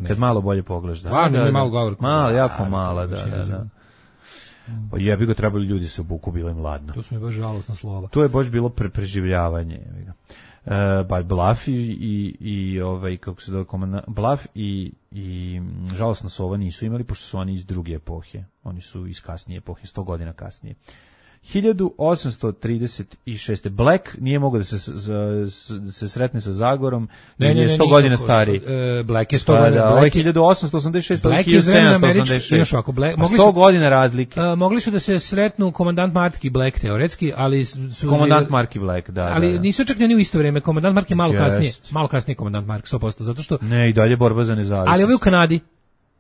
Kad malo bolje pogledaš. Da, Stvarno, da, ima da. malo govorku. Malo, jako Da, mala, to da, je da, jezivo. da. Pa jebi ga, trebali ljudi se obuku, bilo im ladno. To su mi baš žalosna slova. To je baš bilo pre preživljavanje. jebi ga. E, ba, Blaf i, i, i ovaj, kako se zove, komanda, Blaf i, i žalosna sova nisu imali, pošto su oni iz druge epohe. Oni su iz kasnije epohe, sto godina kasnije. hiljadu osamsto trideset šeste. Black nije mogao da se, da se sretne sa Zagorom, Ne, ne, je ne, sto nije godina tako. stariji. E, Black je sto Pa godina. da, ovo je Black je- hiljadu osamsto osamdeset šeste, ovo je Black je iz vremena hiljadu sedamsto američke- osamdeset inače šeste. ovako, Black- Pa mogli sto su- godina razlike. A, mogli su da se sretnu komandant Mark i Black teoretski, ali su Komandant Mark i Black, da, ali da, da. nisu čak ni u isto vrijeme. Komandant Mark je malo Jest. kasnije, malo kasnije komandant Mark sto posto, zato što Ne, i dalje borba za nezavisnost. ali ovo je u Kanadi.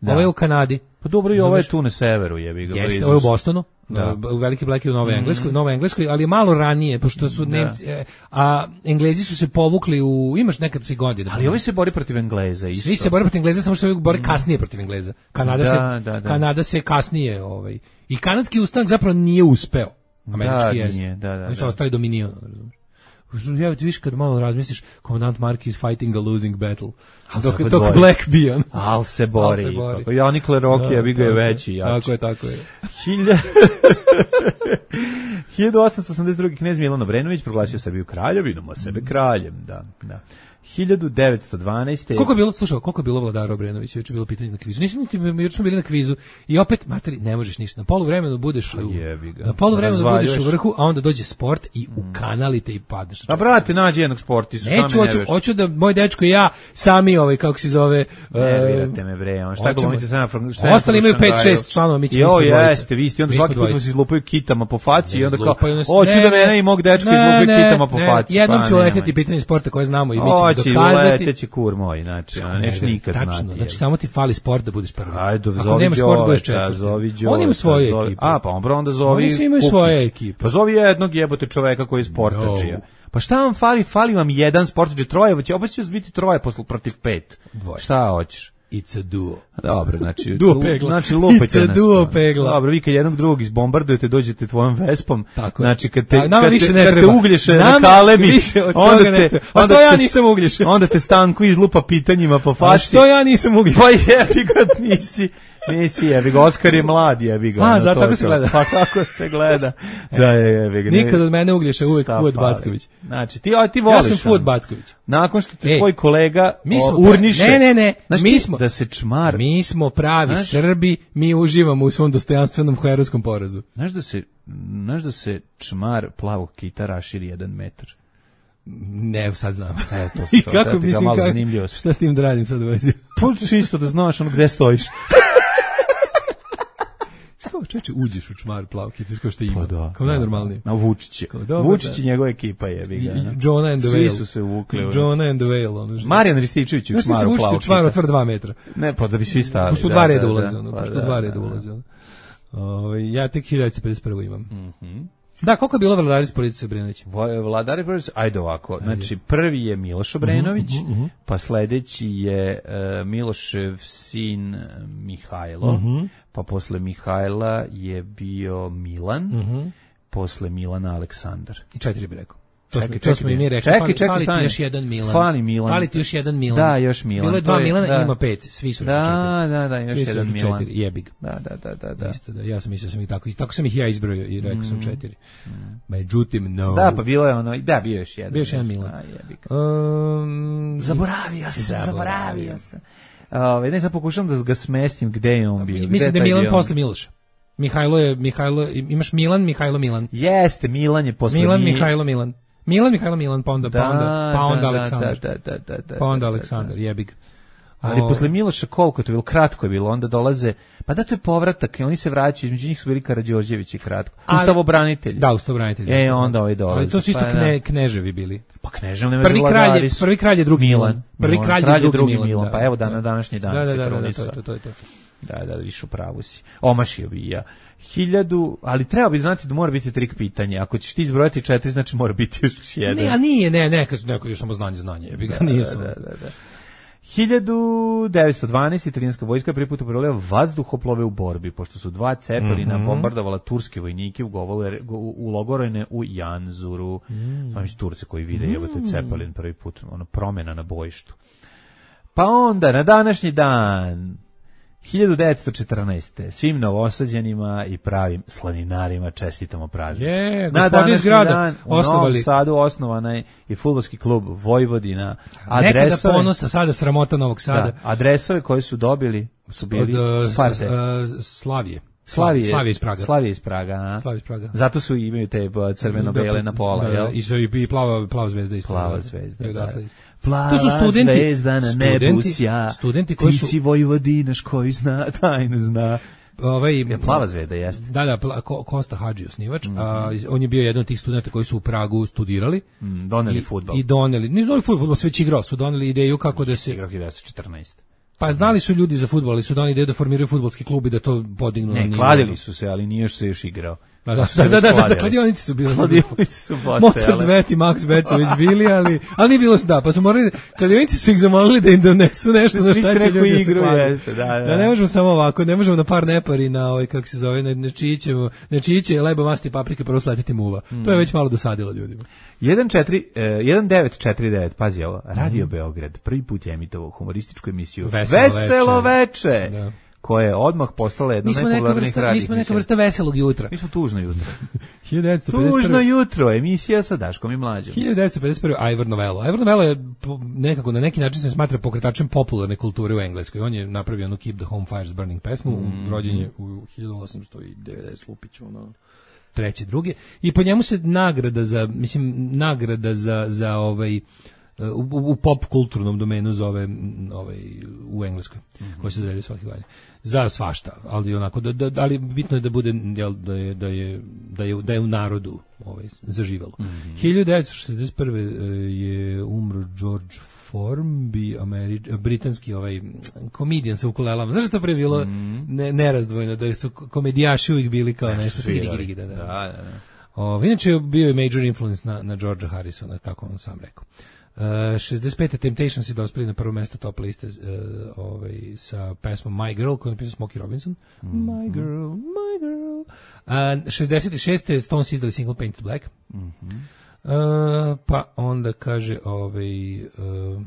Da. Ovo je u Kanadi. Pa dobro, i ovo je tu na severu, jebi ga. Jeste, blizu ovo je u su. Bostonu. Da. Da. Veliki Black je u Novoj Engleskoj, Novoj Engleskoj, ali je malo ranije, pošto su Nemci, e, a Englezi su se povukli u, imaš nekad si godina. Ali ovaj se bori protiv Engleza isto. Svi se bore protiv Engleza, samo što se ovi bore kasnije protiv Engleza. Kanada Da, se da, da. Kanada se kasnije, ovaj. I kanadski ustanak zapravo nije uspeo. Američki Da, jest. nije, da, da, Oni su da. ostali dominion, razumiješ. Ja ti viš kad malo razmisliš, komandant Mark is fighting a losing battle. Al Dok, se opet dok bori. Black bijan. Al se bori. Al se bori. Kako ja Nikole Rocky, ja bi ga je veći, jači. Tako je, tako je. Hilja... hiljadu osamsto osamdeset druge. knez Milan Obrenović proglasio Srbiju kraljevinom, a sebe kraljem, da, da. hiljadu devetsto dvanaeste. Koliko je bilo, slušaj, koliko je bilo Vladara Obrenovića, juče je bilo pitanje na kvizu. Nisam niti, juče smo bili na kvizu i opet, materi, ne možeš ništa. Na poluvremenu budeš u, jebi ga. na poluvremenu budeš u Razvaljuješ. vrhu, a onda dođe sport i ukanalite i padneš. A brate, nađi jednog sportistu, šta Neću, me hoću, nerviraš? hoću da moj dečko i ja sami, ovaj, kako se zove... Nervirate me bre, on šta hoćemo- glumite sad na Ostali imaju pet šest članova, mi ćemo Jo, ispod dvojice. jeste, vi ste, onda Mi smo svaki put dvojice. vas izlupaju kitama po faci i onda kao, Izlupaju nas- hoću ne, da ne, mene i mog dečka ne, izlupaju ne, kitama po ne, faci. Jednom pa ću nemoj. leteti pitanje sporta koje znamo i mi ćemo Hoće, dokazati. leteći kur moj, znači, a neš Ne, nikad tačno, znati. znači je. samo ti fali sport da budeš prvi. Ajde, Ako zovi nemaš sport, budeš Đoleta, četvrti. zovi Đoleta. On ima svoju zovi- ekipu. A, pa on onda zovi Oni svi imaju Kukić. svoje ekipe. Pa zovi jednog jebote čoveka koji je sportađija. No. Pa šta vam fali? Fali vam jedan sportađija, troje, će opet će biti troje posle protiv pet. Dvoje. Šta hoćeš? It's a duo. Dobro, znači, Duo pegla. znači lupajte It's a nas. duo to. pegla. Dobro, vi kad jednog drugog izbombardujete, dođete tvojom vespom, Tako je. znači kad te, A nama kad više te, ne kad te treba. uglješe na Nama kalebi, više od onda toga ne te, treba. A onda što ja te- nisam Uglješe? Onda te Stanku izlupa pitanjima po A faci. što ja nisam Uglješe? Pa jebi ga, nisi, nisi jebi ga, Oskar je mlad jebi ga. A, ono, zato to tako je se to. gleda. Pa tako se gleda. Da je jebi ga. ne- Nikad od mene Uglješa, uvek šta Fuad fali. Backović. Znači, ti, a, ti voliš. Ja sam Fuad ono. Backović. Nakon što te Ej, tvoj kolega mi smo o, pra- urniše. ne, ne, ne, Znaš mi ti, smo- da se čmar. Mi smo pravi Znaš- Srbi, mi uživamo u svom dostojanstvenom herojskom porazu. Znaš da se, znaš da se čmar plavog kita raširi jedan metar. Ne, sad znam. E, to se I to, kako, da ti ga mislim, malo kako, zanimljivo se. šta s tim da radim sad u vezi? Pa čisto da znaš ono gde stojiš. Kao, čeče, uđeš u čmar plav, kitaš kao što ima. Pa da. Kao najnormalnije. Na Vučić. je. Kao, dobro, Vučić da. i njegova ekipa je. I- i Jonah and the Svi Whale. su se uvukli. u- Jonah and the Whale, ono. Marijan Rističević u Znaš ti se čmaru učiš u plavog čmar kita. otvr dva metra. Ne, pa da bi svi stali. Pošto u da, dva da, reda da. ulazi, ono, Pa pošto da, u dva da, reda da. ulazi, ono. Ovaj, ja tek hiljadu devetsto pedeset prvi imam. Da, koliko je bilo vladari s Police Obrenović? Vo- Vladari Brojec, ajde ovako, znači prvi je Miloš Obrenović, pa sledeći je e, Milošev sin e, Mihajlo, pa posle Mihajla je bio Milan, posle Milana Aleksandar. I četiri bi rekao. To smo, Čekaj, to smo i mi čekaj, rekli. čekaj, Fali, čekaj, fali ti stani. još jedan Milan. Fali Milan. Fali ti još jedan Milan. Da, još Milan. Bilo je to dva Milana, da. ima pet. Svi su rekli Da, četiri. da, da, još Svi su jedan rekli Milan. četiri. Jebi ga. Da, da, da, da, da. Isto da, ja sam mislio sam i tako, i tako sam ih ja izbrojio i rekao sam četiri. Međutim, no. Da, pa bilo je ono, da, bio je još jedan. Bio je još jedan još. Milan. A, jebi ga. Um, Zaboravio sam, Zaboravio zaboravio sam. Ove, ne, sad pokušam da ga smestim gde je on bio. Mislim Gde da je taj Milan bio? posle Miloša. Mihajlo je, Mihajlo, imaš Milan, Mihajlo, Milan. Jeste, Milan je posle Milan, Mi- Mihajlo, Milan. Milan, Mihajlo, Milan, pa onda, pa Da, onda, pa onda da, Aleksandar. da, da, da, da, Pa onda da, da, Aleksandar, da. jebi ga. Ali O, posle Miloša koliko je to bilo? Kratko je bilo, onda dolaze, pa da to je povratak, i oni se vraćaju, između njih su bili Karađorđević i kratko. Ali- Ustavobranitelji. Da, ustavobranitelji. E, onda ovaj dolazi. Ali to su isto pa, kne, da. kneževi bili. Pa knežev nema Prvi kralj je, vladari su. prvi kralj je drugi Milan. Milan. Prvi Milan. kralj je Kralj je drugi, drugi Milan. Milan, da. pa evo dan na današnji dan da, se da, da, da, to, krunisao. je to, to, je to. Da, da, viš u pravu si. Omašio bi i ja. Hiljadu, ali treba bi znati da mora biti trik pitanje. Ako ćeš ti izbrojati četiri, znači mora biti još jedan. Ne, a nije, ne, ne, kad neko još samo znanje, znanje, jebi ga, nije da, samo. da, da, da. hiljadu devetsto dvanaeste. italijanska vojska prvi put upravljala vazduhoplove u borbi, pošto su dva Cepelina Mhm. bombardovala turske vojnike u, govole, u, u logorojne u Janzuru. Mm. Znači Turci koji vide, evo te Cepelin prvi put, ono promena na bojištu. Pa onda, na današnji dan, hiljadu devetsto četrnaeste. svim novosađanima i pravim slaninarima čestitamo praznik. Je, na gospodin iz grada dan u osnovali. Novom Sadu osnovan je i fudbalski klub Vojvodina. Nekada Adresove, ponosa, sada sramota Novog Sada. da, adresove koje su dobili su bili Od uh, Sparte. uh, Slavije. Slavije, Slavije iz Praga. Slavije iz Praga, a? Slavije iz Praga. Zato su imaju te uh, crveno-bele na pola, da, jel? I su i plava, plava zvezda isto. Plava zvezda, I odatle da. isto. Plava To su studenti, zvezda na nebu studenti, sja, studenti koji ti su, si Vojvodinaš koji zna, tajnu zna. ovaj, Je plava zvezda, jeste. Da, da, pla, Ko, Kosta Hadži osnivač, mm-hmm. a, on je bio jedan od tih studenta koji su u Pragu studirali. Mm, doneli i, fudbal. I doneli, nisu doneli fudbal, se već igrao, su doneli ideju kako da se... Igrao hiljadu devetsto četrnaeste. Pa znali su ljudi za fudbal, ali su doneli ideju da formiraju fudbalski klub i da to podignu na Ne, nivo. kladili su se, ali nije još se još igrao. Da, da, da, da, da, da, kladionici su bili. Kladionici su postojale. Mozart, Bet i Max Bet su već bili, ali, ali nije bilo, da, pa su morali, kladionici su ih zamolili da im donesu nešto za šta će ljudi da se klade. Da, da. Da, ne možemo samo ovako, ne možemo na par nepari, na ovaj, kako se zove, na čićevo, na čiće, leba, masti, paprike, prvo sletiti muva. Mm. To je već malo dosadilo ljudima. jedan devet četiri devet, pazi ovo, Radio mm. Beograd, prvi put je emitovao humorističku emisiju Veselo, Veselo veče, veče da. koja je odmah postala jedna od najpopularnijih radijih. Mi smo neka vrsta veselog jutra. Mi smo tužno jutro. hiljadu devetsto pedeset prve. Tužno jutro, emisija sa Daškom i Mlađom. hiljadu devetsto pedeset prve. Ivor Novello. Ivor Novello je nekako, na neki način se smatra pokretačem popularne kulture u Engleskoj. On je napravio onu Keep the Home Fires Burning pesmu, mm. rođen je u hiljadu osamsto devedeset Lupiću, ono, treće, druge. I po njemu se nagrada za, mislim, nagrada za, za ovaj, u, u pop kulturnom domenu zove ovaj, u Engleskoj, mm-hmm. koji se dodeljuje svaki godin. Za svašta, ali onako, da, da, ali bitno je da bude, jel, da je, da je, da je, da je u narodu ovaj, zaživalo. Mm-hmm. hiljadu devetsto šezdeset prve je umro George Formby, Ameri- britanski ovaj komedijan sa ukulelama. Znaš što to pre bilo mm-hmm. ne, nerazdvojno, da su komedijaši uvijek bili kao nešto. Nešto da, da. Da, da, da. O, inače bio je major influence na, na Georgea Harrisona, kako on sam rekao. Uh, šezdeset pete Temptations je dospeli na prvo mesto top liste uh, ovaj, sa pesmom My Girl koju je napisao Smokey Robinson. Mm-hmm. My Girl, My Girl. Uh, šezdeset šeste Stones izdali single Painted Black. Mm-hmm. Uh, pa onda kaže ovaj, uh,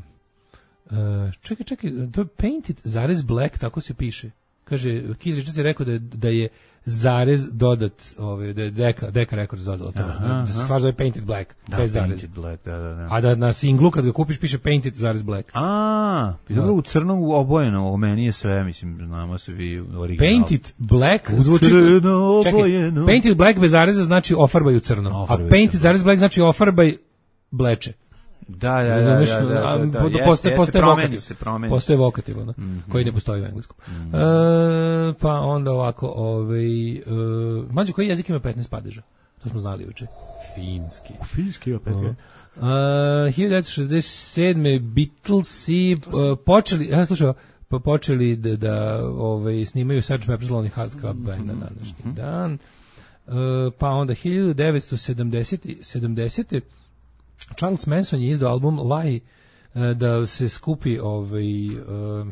uh, čekaj, čekaj, to je Painted zarez Black, tako se piše. Kaže, Keith Richards je rekao da, da je zarez dodat, ovaj, da je Deka, Deka Records dodala to. Aha, da se stvar zove Painted Black, da, bez zarez. Painted Black, da, da, da. A da na singlu kad ga kupiš piše Painted zarez Black. A, dobro, u crnom obojeno, o meni je sve, mislim, znamo se vi original. Painted Black zvuči... Čekaj, Painted Black bez zareza znači ofarbaj u crno, ofarbaj a Painted zarez Black znači ofarbaj bleče. Da, da, da, da, da, da, da, da postoje, postoje promeni se, promeni postoje vokativ, ono, mm-hmm. koji ne postoji u engleskom. Mm-hmm. E, pa onda ovako, ovaj, uh, mlađe, koji jezik ima petnaest padeža? To smo znali juče. Finski. Finski ima petnaest. Uh, hiljadu devetsto šezdeset sedme Beatlesi uh, počeli, ja slušao, pa počeli da, da ovaj, snimaju serge Pepper's Lonely Hearts Club Band na današnji mm-hmm. dan. Uh, pa onda hiljadu devetsto sedamdesete Charles Manson je izdao album Lie da se skupi ovaj uh,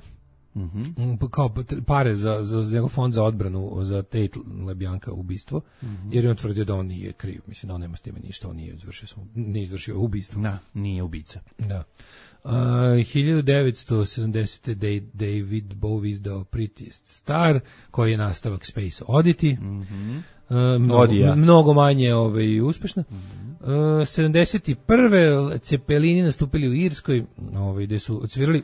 mm-hmm. kao pare za, za, za njegov fond za odbranu za Tate LeBianca ubistvo, mm-hmm. jer je on tvrdio da on nije kriv, mislim da on nema s time ništa, on nije izvršio, nije izvršio ubistvo. Da, nije ubica. Da. Uh, hiljadu devetsto sedamdesete David Bowie izdao Prettiest Star, koji je nastavak Space Oddity. Mhm. Uh, mnogo, mnogo manje ovaj, uspešno. Mm-hmm. Uh, sedamdeset prve Cepelini nastupili u Irskoj, ovaj, gde su odsvirali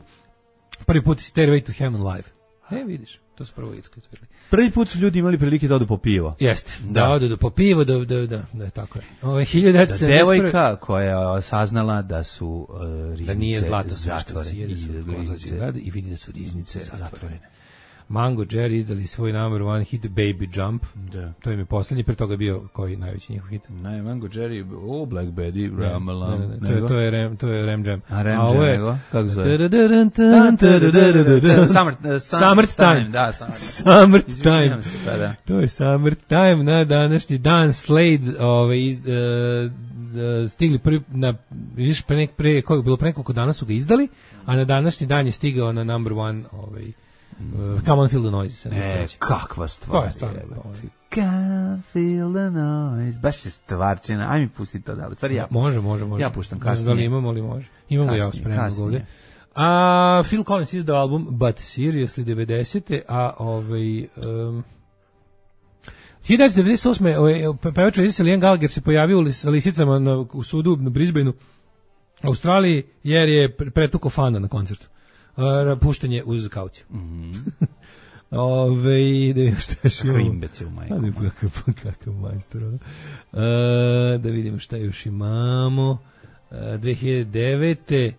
prvi put Stairway to Heaven live. E, vidiš, to su prvo u Irskoj odsvirali. Prvi put su ljudi imali prilike da odu po pivo. Jeste, da, da odu po pivo, da, da, da, da, tako je. Ove, hiljadu devetsto sedamdeset prve devojka koja je saznala da su uh, riznice da nije zlato zatvorene. I, i vidi da su riznice zatvorene. Mango Jerry izdali svoj number one hit Baby Jump. Da. To im je poslednji, pre toga bio koji najveći njihov hit. Ne, Mango Jerry, o Black Betty, Ramalam. Ne, ne, ne, to, je, to, je Ram, to je Ram Jam. A Ram Jam, nego? Kako zove? Summertime. Da, Summertime. To je Summertime na današnji dan. Slade ovaj, stigli prvi, na, vidiš, pre, nek, pre, koje bilo pre nekoliko dana su ga izdali, a na današnji dan je stigao na number one ovaj, Uh, Come on, feel the noise. E, kakva stvar. To je stvarno. Come feel the noise. Baš je stvarčina. Aj mi pusti to da li. Stvari ja. Može, može, može. Ja puštam kasnije. Da li imamo li može? Imamo ga ja spremno ovdje. A Phil Collins izdao album But Seriously devedesete. A ovaj... Um, hiljadu devetsto devedeset osme. Ovaj, pevač Liam Gallagher se pojavio sa lisicama na, u sudu na Brisbaneu, Australiji, jer je pretukao fana na koncertu. Uh, puštanje uz kauciju. Mm-hmm. Ove, da vidimo šta još imamo. Kako imbecil, majko. Kakav, kakav majstor. Uh, da vidimo šta još imamo. Uh, dve hiljade devete.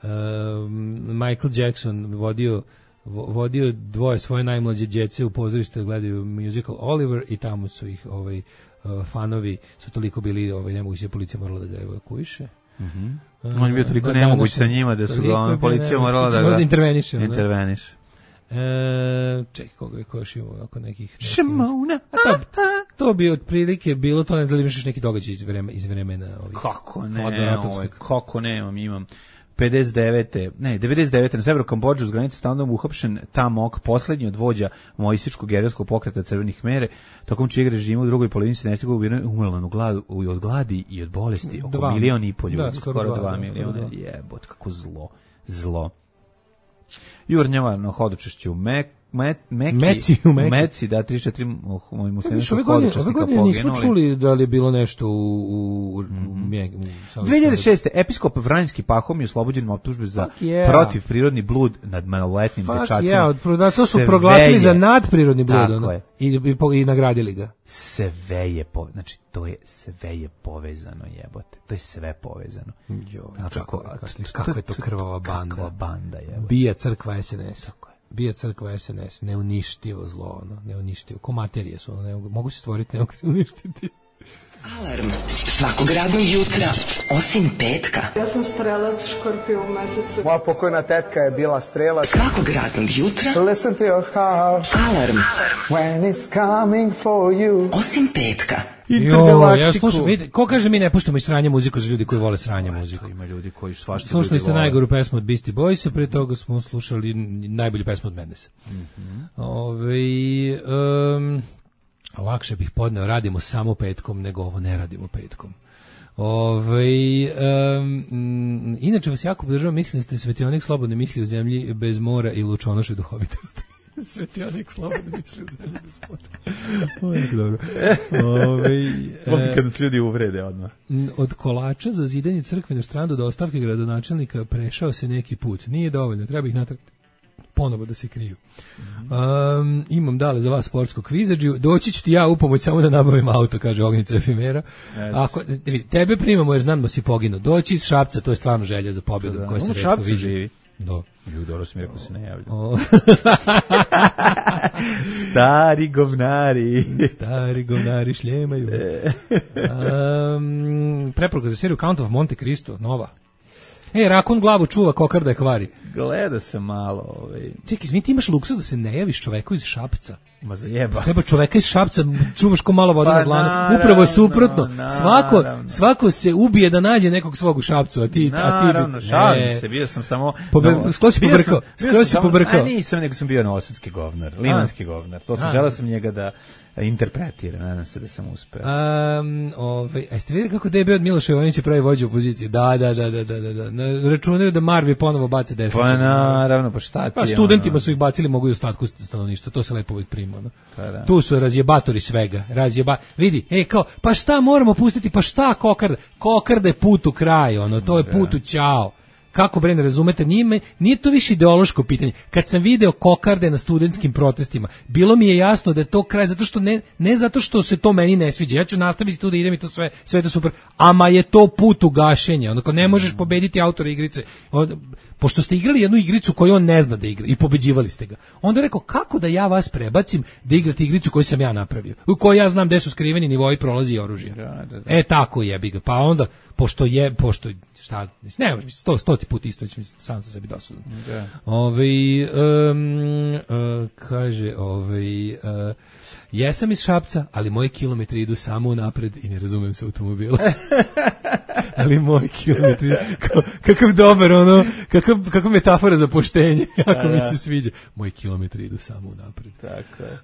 Uh, Michael Jackson vodio vodio dvoje svoje najmlađe djece u pozorište da gledaju musical Oliver i tamo su ih ovaj, uh, fanovi su toliko bili, ovaj, nemoguće, policija morala da ga evakuiše. Mm-hmm. On je bio toliko da, nemoguć sa njima da su ga policija morala da ga interveniše. interveniše. E, čekaj, koga je koš imao oko nekih... Šimona. To, to bi otprilike bilo, to ne znam da li imaš neki događaj iz, vreme, iz vremena ovih... Kako ne, ovaj, kako nemam, imam... pedeset devete ne, devedeset devete na severu Kambodže uz granice s Tajlandom uhapšen Tamok, poslednji od vođa mojsičkog gerilskog pokreta Crvenih mere, tokom čijeg režima u drugoj polovini sedamdesetih godina umrlo od gladi i od bolesti oko dva, milion i pol ljudi, da, skoro, skoro dva, dva miliona. Jebot, kako zlo, zlo. Jurnjava na hodočešću Mek, Met, Meki, Meci, u Meki. Meci, da, tri četiri mojih muslimanskog hodočešnika poginuli. Ove godine nismo čuli da li je bilo nešto u... u, mm-hmm. u dve hiljade šeste. Episkop Vranjski Pahom je oslobođen optužbe za yeah. protiv prirodni blud nad maloletnim dečacima. Yeah, da, to su sve proglasili je, za nadprirodni blud ono, i, i, i nagradili ga. Sve je povezano, znači to je sve je povezano, jebote. To je sve povezano. Jo, znači, kako, kako, kako je to krvava banda. Kakva banda, jebote. Bija crkva es en es. Tako je. Bija crkva es en es, neuništivo zlo, ono, neuništivo. Ko materije su, ono, ne, mogu se stvoriti, ne mogu se uništiti. Alarm svakog radnog jutra, osim petka. Ja sam strelac, škorpio u mesecu. Moja pokojna tetka je bila strelac. Svakog radnog jutra. Listen to your heart. Alarm. When it's coming for you. Osim petka. Jo, ja slušam, vidite, ko kaže mi ne puštamo i sranje muziku za ljudi koji vole sranje muziku? Ima ljudi koji svašta ljudi vole. Slušali ste najgoru pesmu od Beastie Boysa, pre toga smo slušali najbolju pesmu od Mendesa. Mm-hmm. Ove, um, lakše bih podneo, radimo samo petkom, nego ovo ne radimo petkom. Ove, um, inače vas jako podržavam, mislim da ste svetionik slobodne misli u zemlji bez mora i lučonoše duhovitosti. Svetionik slobodne misli u zemlji bez mora. Ovo je dobro. Ove, e, kad nas ljudi uvrede odmah. Od kolača za zidanje crkve na Štrandu do ostavke gradonačelnika prešao se neki put. Nije dovoljno, treba ih natrati ponovo da se kriju. Um, imam dale za vas sportsko kvizađu. Doći ću ti ja u pomoć samo da nabavim auto, kaže Ognica Efimera. Ako, tebe primamo jer znam da si poginuo. Doći iz Šapca, to je stvarno želja za pobjedu. Da, koja se u Šapcu vidi. Živi. Do. Dobro sam rekao se ne javlja. Stari govnari. Stari govnari šljemaju. Um, preporuka za seriju Count of Monte Cristo, nova. E, rakun glavu čuva, kokarda je kvari. Gleda se malo. Ovaj. Čekaj, izvini, ti imaš luksus da se ne javiš čoveku iz Šapca. Ma zajeba. Treba čoveka iz Šapca, čuvaš ko malo vode pa na dlanu. Upravo je suprotno. Naravno, svako, svako se ubije da nađe nekog svog u Šapcu, a ti... Naravno, a ti, šalim e, se, bio sam samo... Pobe, no, skoro si pobrkao. Skoro si pobrkao. A nisam, nego sam bio novosadski govnar, limanski govnar. To sam, želeo sam njega da interpretiram, nadam se da sam uspeo. Um, ovaj, a ste vidjeli kako D B od Miloša Jovanića pravi vođu opozicije? Da, da, da, da, da, da, da. Računaju da Marvi ponovo bace desničar. Pa naravno, pa šta ti? Pa studentima ono... su ih bacili, mogu i ostatku stanovništva, to se lepo uvijek prima. No? Pa da. Tu su razjebatori svega, razjeba. Vidi, ej, kao, pa šta moramo pustiti, pa šta kokarda? Kokarda je put u kraj, ono, to je put u ćao. Kako bre, ne razumete, nije, nije to više ideološko pitanje. Kad sam video kokarde na studentskim protestima, bilo mi je jasno da je to kraj, zato što ne, ne zato što se to meni ne sviđa, ja ću nastaviti tu da idem i to sve, sve je to super, ama je to put u gašenje, onako ne možeš pobediti autora igrice, od, pošto ste igrali jednu igricu koju on ne zna da igra i pobeđivali ste ga. Onda je rekao, kako da ja vas prebacim da igrate igricu koju sam ja napravio, u kojoj ja znam gde su skriveni nivoi prolazi i oružja. Da, da, da. E, tako jebi ga. Pa onda, pošto je, pošto, šta, ne, sto, stoti put isto, mislim, sam sam sebi dosadan. Da. Ove, um, uh, kaže, ove, uh, jesam iz Šapca, ali moji kilometri idu samo napred i ne razumem se automobila. ali moj kilometri, kao, kakav dobar, ono, kakav, kakav metafora za poštenje, jako mi se sviđa. Moji kilometri idu samo unapred. Tako je.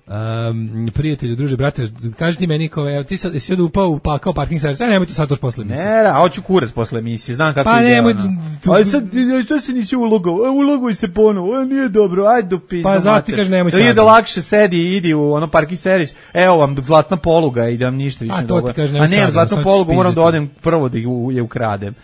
Um, prijatelju, druže, brate, kaži ti meni, kao, evo, ti sad, si od upao u pakao parking servis, aj nemoj to sad toš posle emisije. Ne, a hoću kurac posle emisije, znam kako pa ide. Nemoj, tu, ali sad, što se nisi ulogao? Uloguj se ponovo, nije dobro, ajde do pizda. Pa zato ti kažeš nemoj sad. Ili da lakše sedi i idi u ono parking servis, evo vam zlatna poluga i da vam ništa više a, ne dogodno. A nemam zlatnu polugu, moram da odem prvo da je ukradem.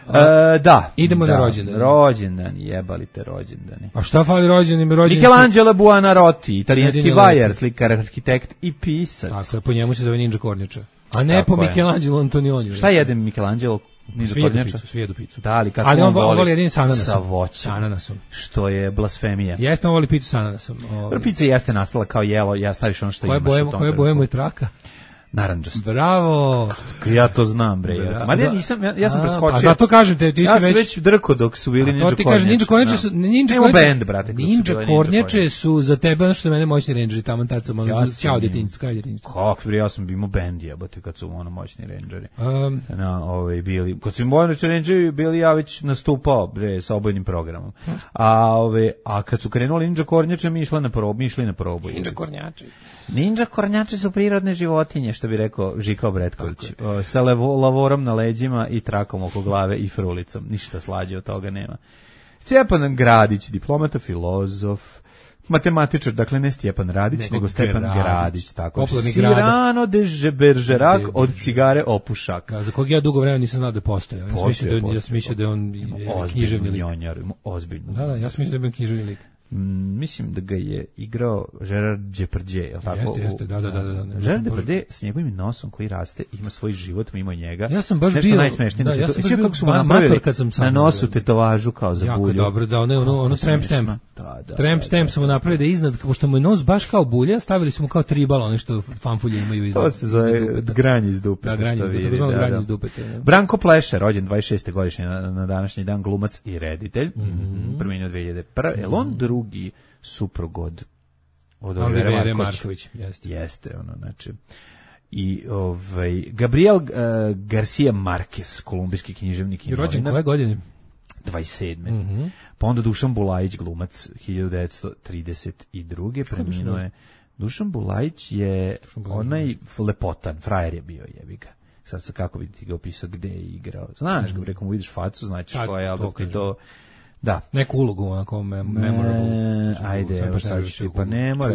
Uh, da. Idemo da, na rođendan. Rođendan, jebali te rođendani. A šta fali rođendan? rođendan Michelangelo Buonarroti, italijanski vajar, slikar, arhitekt i pisac. Tako je, po njemu se zove Ninja Kornjača. A ne tako po Michelangelo Antonioni. Šta jedem Michelangelo? Ninja Kornjača? Svijedu picu. Da, ali kako ali on, on voli? on voli jedin sa ananasom. Sa voćem. Sa ananasom. Što je blasfemija. Jeste, on voli picu sa ananasom. Prvo pizza jeste nastala kao jelo, ja staviš ono što koje imaš boje, u tom. koje boje moj traka? Narandžast. Bravo. Ja to znam, bre. Ja. Ma ja nisam, ja, ja sam preskočio. A zato kažem te, ti ja si već... već drko dok su bili Ninja Kornjače. To ti kaže, Ninja Kornjače su... Ninja Kornjače, band, brate. Ninja Kornjače su za tebe ono što mene moćni rangeri, tamo tad sam, ono, čao djetinjstvo, kraj djetinjstva. Kako, bre, ja sam imao band, jebote, kad su ono moćni rangeri. Um, na, ovaj, bili, kad su moćni rangeri bili, ja već nastupao, bre, sa obojnim programom. A, ove, a kad su krenuli Ninja Kornjače, mi išli na probu, mi išli na probu. Ninja Kornjače. Ninja Kornjače su prirodne životinje, što bi rekao Žika Obretković. Sa levo, lavorom na leđima i trakom oko glave i frulicom. Ništa slađe od toga nema. Stjepan Gradić, diplomata, filozof, matematičar, dakle ne Stjepan Radić, nego, nego Stepan Gradić. Gradić tako. Cyrano de Bergerac od cigare opušak. Za kog ja dugo vremena nisam znao da postoje. Ja sam mislio da, ja sam mislio da je on književni lik. Ozbiljno. Da, da, ja sam mislio da je on književni lik. Mm, mislim da ga je igrao Gerard Depardieu, je li tako? Jeste, jeste, da, da, da. da, da. Gerard Depardieu s njegovim nosom koji raste, ima svoj život mimo njega. Ja sam baš nešto bio... najsmešnije. Da, da ja to, sam baš bio kako su napravili kad sam na nosu tetovažu kao za jako bulju. Jako dobro, da, ono, ono, ono tramp stamp. Da, da, tramp da, stamp da, smo da, napravili da iznad, pošto mu je nos baš kao bulja, stavili smo kao tribal, ono što fanfulje imaju iznad. To se zove granje iz dupe. Da, granje iz dupe, to granje iz dupe. Branko Pleša, rođen dvadeset šeste godišnje na, na današnji dan, glumac i reditelj. Mm-hmm. Preminuo dve hiljade prve. El on drugi suprug od od Olivera Marković, jeste. Jeste, ono, znači. I ovaj Gabriel uh, Garcia Marquez, kolumbijski književnik i novinar. Rođen koje godine? dvadeset sedme. Mm-hmm. Pa onda Dušan Bulajić, glumac, hiljadu devetsto trideset druge. Preminuo je. Dušan Bulajić je onaj lepotan, frajer je bio, jebi ga. Sad sa kako bi ti ga opisao gde je igrao. Znaš, mm-hmm. ga rekom vidiš facu, znači ko je, ali ti to da. Neku ulogu onako memorable. E, ajde, evo sad ću pa ne mora.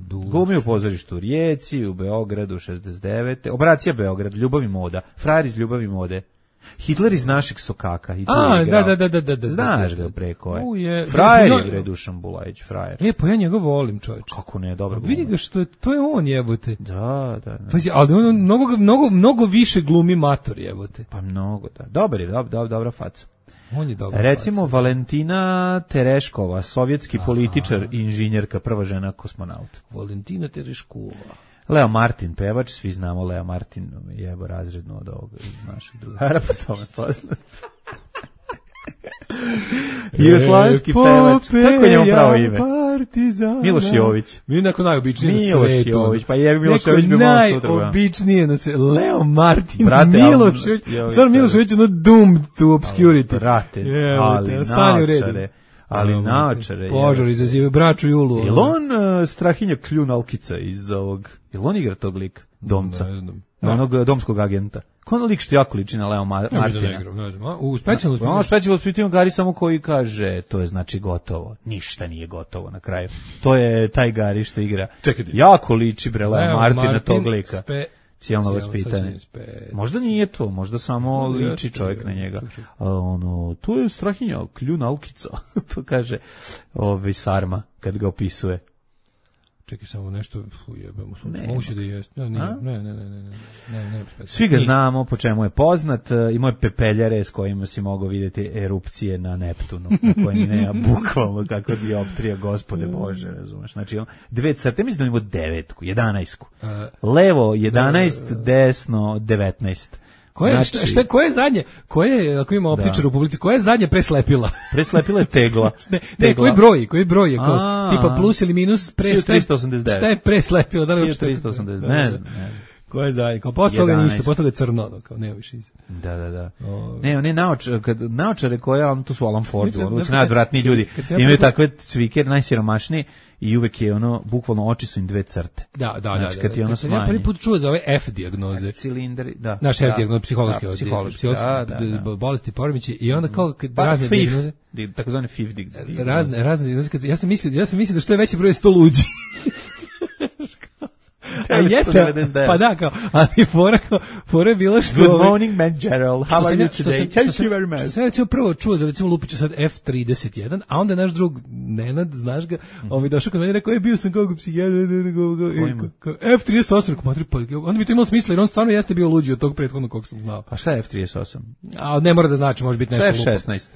Glumi u pozorištu u Rijeci, u Beogradu, šezdeset devete. Operacija Beograd, Ljubav i moda. Frajer iz Ljubav i mode. Hitler iz našeg sokaka. A, da, da, da, da, da. Znaš ga preko je. Uje, frajer je bre Dušan Bulajić, frajer. E, pa ja njega volim, čovječe. Kako ne, dobro. Vidi ga što je, to je on, jebote. Da, da, da. Pazi, ali on mnogo, mnogo, mnogo više glumi mator, jebote. Pa mnogo, da. Dobar je, dob, dob, dobra faca. On je dobar. Recimo faca. Valentina Tereškova, sovjetski Aha. političar i inženjerka, prva žena kosmonaut. Valentina Tereškova. Leo Martin, pevač, svi znamo Leo Martin, jebo razredno od ovog iz našeg drugara, po tome poznat. Jugoslavski pevač, kako je njemu pravo ime? Partizana. Miloš Jović. Mi neko najobičniji na svetu. Miloš Jović, pa je Miloš Jović bi malo sutra. Najobičnije na svetu. Leo Martin, brate, Miloš Jović. Stvarno Miloš Jović je ono doomed to obscurity. Brate, yeah, ali naočare. Ali naočare. Požar izazivaju braću Julu. Je li on uh, Strahinja Kljun-Alkica iz ovog, je li on igra tog lika? Domca. Ne znam. Onog domskog agenta. Ko ono lik što jako liči na Leo Mar- Martina? Ne znam, ne znam. U specijalnom spitanju. Ono specijalnom spitanju Gari samo koji kaže, to je znači gotovo. Ništa nije gotovo na kraju. To je taj Gari što igra. Čekajte. Jako liči bre Leo, Leo Martina Martin tog lika. Spe... Cijelno vaspitanje. Možda nije to, možda samo liči čovjek na njega. A ono, tu je Strahinja Kljun-Alkica. To kaže ovaj Sarma kad ga opisuje. Čekaj samo nešto, jebemo sunce, moguće da jest. Ne, ne, ne, ne, ne, ne, ne, ne, svi ga znamo po čemu je poznat, imao je pepeljare s kojima si mogao vidjeti erupcije na Neptunu, na kojim nema bukvalno kako dioptrija, gospode Bože, razumeš. Znači, dve crte, mislim da imamo devetku, jedanaestku. Levo jedanaest, desno devetnaest. Koje, znači, šta, šta, koje je zadnje, koje, ako ima optičar u publici, koje je zadnje preslepila? Preslepila je tegla. ne, ne, koji broj, koji broj je, kao, tipa plus ili minus, pre, tristo osamdeset devet. Šta je preslepila? Da li tristo osamdeset devet, ne znam. Ko je zajedno? Kao posle toga ništa, posle toga je crno, ono, kao nema više. Da, da, da. O... Ne, oni naočare, kad naočare koje, on to su Alan Ford, ono su najodvratniji ljudi. ja Imaju prvo... takve cvike, najsiromašniji i uvek je ono, bukvalno oči su im dve crte. Da, da, znači, da. Kad ti ono kad sam ja smanji. prvi put čuo za ove F dijagnoze. Cilindri, da. Naš da, F dijagnoze, psihološke, da, psihološke, da, da, da. bolesti, poremeći i onda kao kad pa, razne dijagnoze. Takozvane F I F dijagnoze. Razne, razne dijagnoze, ja sam mislio, ja sam mislio da što je veći broj sto luđi. A jeste, pa da, kao, ali fora, kao, fora je bilo što... Good morning, man, Gerald, how are you today? Thank you very much. Što sam recimo prvo čuo za, recimo, lupiću sad F trideset jedan, a onda naš drug Nenad, znaš ga, on mi došao kod mene i rekao, je, bio sam kao psihijatar, F trideset osam, pa onda bi to imalo smisla, jer on stvarno jeste bio luđi od tog prethodnog kog sam znao. A šta je F trideset osam? A ne mora da znači, može biti nešto lupo. Šta je F šesnaest?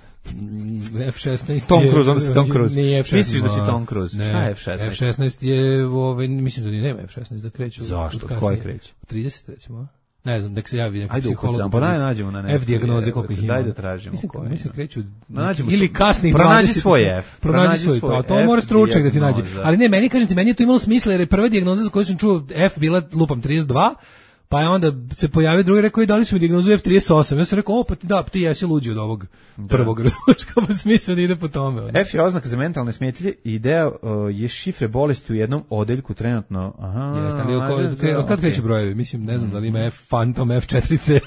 F šesnaest Tom Cruise, onda si Tom Cruise. Nije F šesnaest. Misliš da si Tom Cruise? Ne, šta je F šesnaest? F šesnaest je, ove, mislim da ni nema F šesnaest da kreću. Zašto? Od koje kreću? Od trideset recimo. Ne znam, nek se javi neki Ajde, psiholog. Ajde, pa daj nađemo na F dijagnoze koliko ih ima. Daj da tražimo. Mislim, koje. Mislim kreću nađemo ili kasnih pronađi dvadeset. svoj F. Pronađi svoj, pa to mora stručnjak da ti nađe. Ali ne, meni kažete, meni je to imalo smisla jer je prva dijagnoza za koju sam čuo F bila lupam trideset dva. Pa je onda se pojavio drugi, rekao i dali su mi dijagnozu F trideset osam. Ja sam rekao, o pa ti, da, ti jesi luđi od ovog prvog razločka, pa sam mislio da ide po tome. Onda. F je oznaka za mentalne smetnje i ideja uh, je šifre bolesti u jednom odeljku trenutno. Aha, jeste, ali od, kre, od kad kreće brojevi? Mislim, ne znam da li ima F Phantom, F četiri C,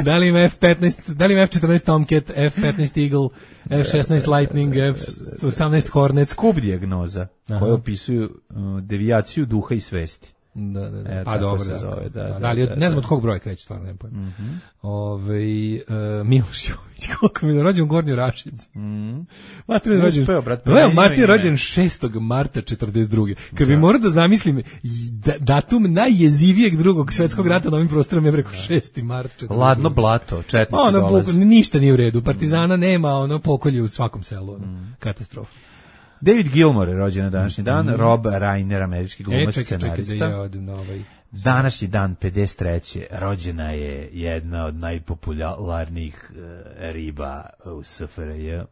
da li ima F petnaest, da li ima F četrnaest Tomcat, F petnaest Eagle, F šesnaest Lightning, F osamnaest Hornet. Skup dijagnoza koje opisuju uh, devijaciju duha i svesti. Da, da, da. E, pa dobro, se da, zove, da, da, da, ali da, ne znam da. od kog broja kreće, stvarno ne pojem. Mm-hmm. Ove, uh, Miloš Jović, koliko mi je rođen u Gornjoj Rašici. Mm. Mater je rođen, Leo Martin je rođen šestog marta četrdeset druge. Kad bi morao da zamislim da, datum najjezivijeg drugog svetskog rata na ovim prostorima je preko šesti mart četrdeset druge. Ladno blato, četnici ono, dolaze. Ništa nije u redu, partizana nema, ono pokolje u svakom selu, ono, mm. katastrofa. David Gilmour je rođen na današnji dan, mm. Rob Reiner, američki glumac, e, čekaj, scenarista. čekaj, da ja odim na ovaj... Današnji dan, pedeset treće rođena je jedna od najpopularnijih uh, riba u S F R J.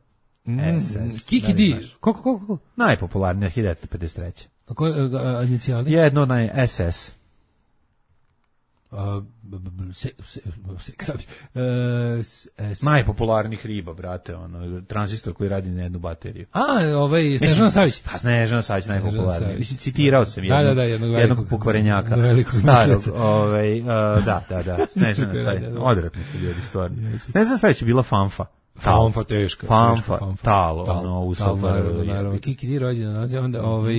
Mm, S S. Kiki D. Koliko, koliko, koliko? Najpopularnija, hiljadu devetsto pedeset treće. A koje uh, inicijali? Jedno od naj S S. Uh, se, se, se, se, najpopularnijih riba, brate, ono, tranzistor koji radi na jednu bateriju. A, ovaj, Snežana Savić. Pa Snežana Savić najpopularniji. Mislim, citirao sam jednog, da, da, da, jednog, jednog pokvarenjaka, starog, ovaj, uh, da, da, da, Snežana Savić, odvratni su ljudi, stvarno. Snežana Savić je bila fanfa. Fanfa teška. Fanfa, talo, ono, u Naravno, naravno. Kiki D rođen, onda, ovaj,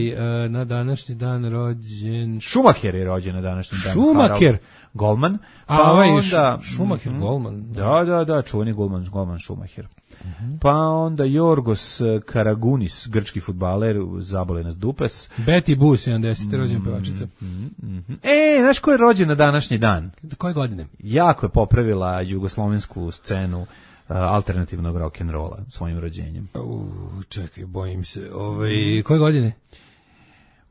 na današnji dan rođen... Schumacher je rođen na današnji dan. Schumacher? Golman. Pa a ovaj onda, Schumacher, mm, Golman. Da, da, da, čuveni Golman, Golman Schumacher. Mm-hmm. Pa onda Jorgos Karagunis, grčki fudbaler, zabole nas dupes. Betty Boo, sedamdesete rođena pevačica. Mm-hmm. E, znaš ko je rođen na današnji dan? Koje godine? Jako je popravila jugoslovensku scenu alternativnog rock'n'rolla svojim rođenjem. Uh, čekaj, bojim se. Ovaj, koje godine?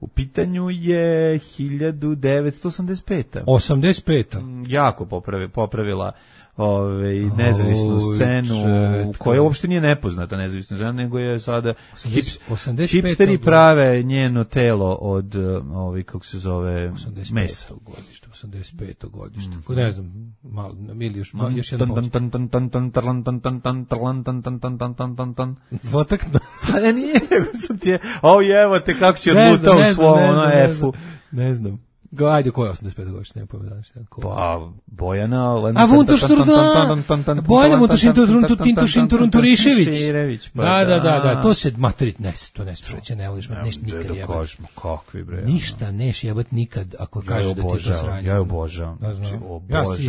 U pitanju je hiljadu devetsto osamdeset peta. osamdeset peta. Jako popravi, popravila ove, nezavisnu oh, scenu, četka. Koja uopšte nije nepoznata nezavisna scena, nego je sada hips, hipsteri prave njeno telo od, ovi, kako se zove, mesa. Godište, osamdeset peto godište. Mm. Ne znam, malo, ili još, malo, još jedan dvotakno. Pa ne nije, nego sam ti je, o jevo te, kako si odlutao u svom ono F-u. Ne znam. Go, ajde, ko je osamdeset pete godište, ne pojma danas. Pa, Bojana... A Vuntošturda! Bojana Vuntošturda-Turišević. Da, da, da, da, to se, materit, ne, to ne spreće, ne voliš, neš nikad jebat. Kakvi, bre. Ništa neš jebat nikad, ako kažeš da ti je to sranje. Ja je obožavam.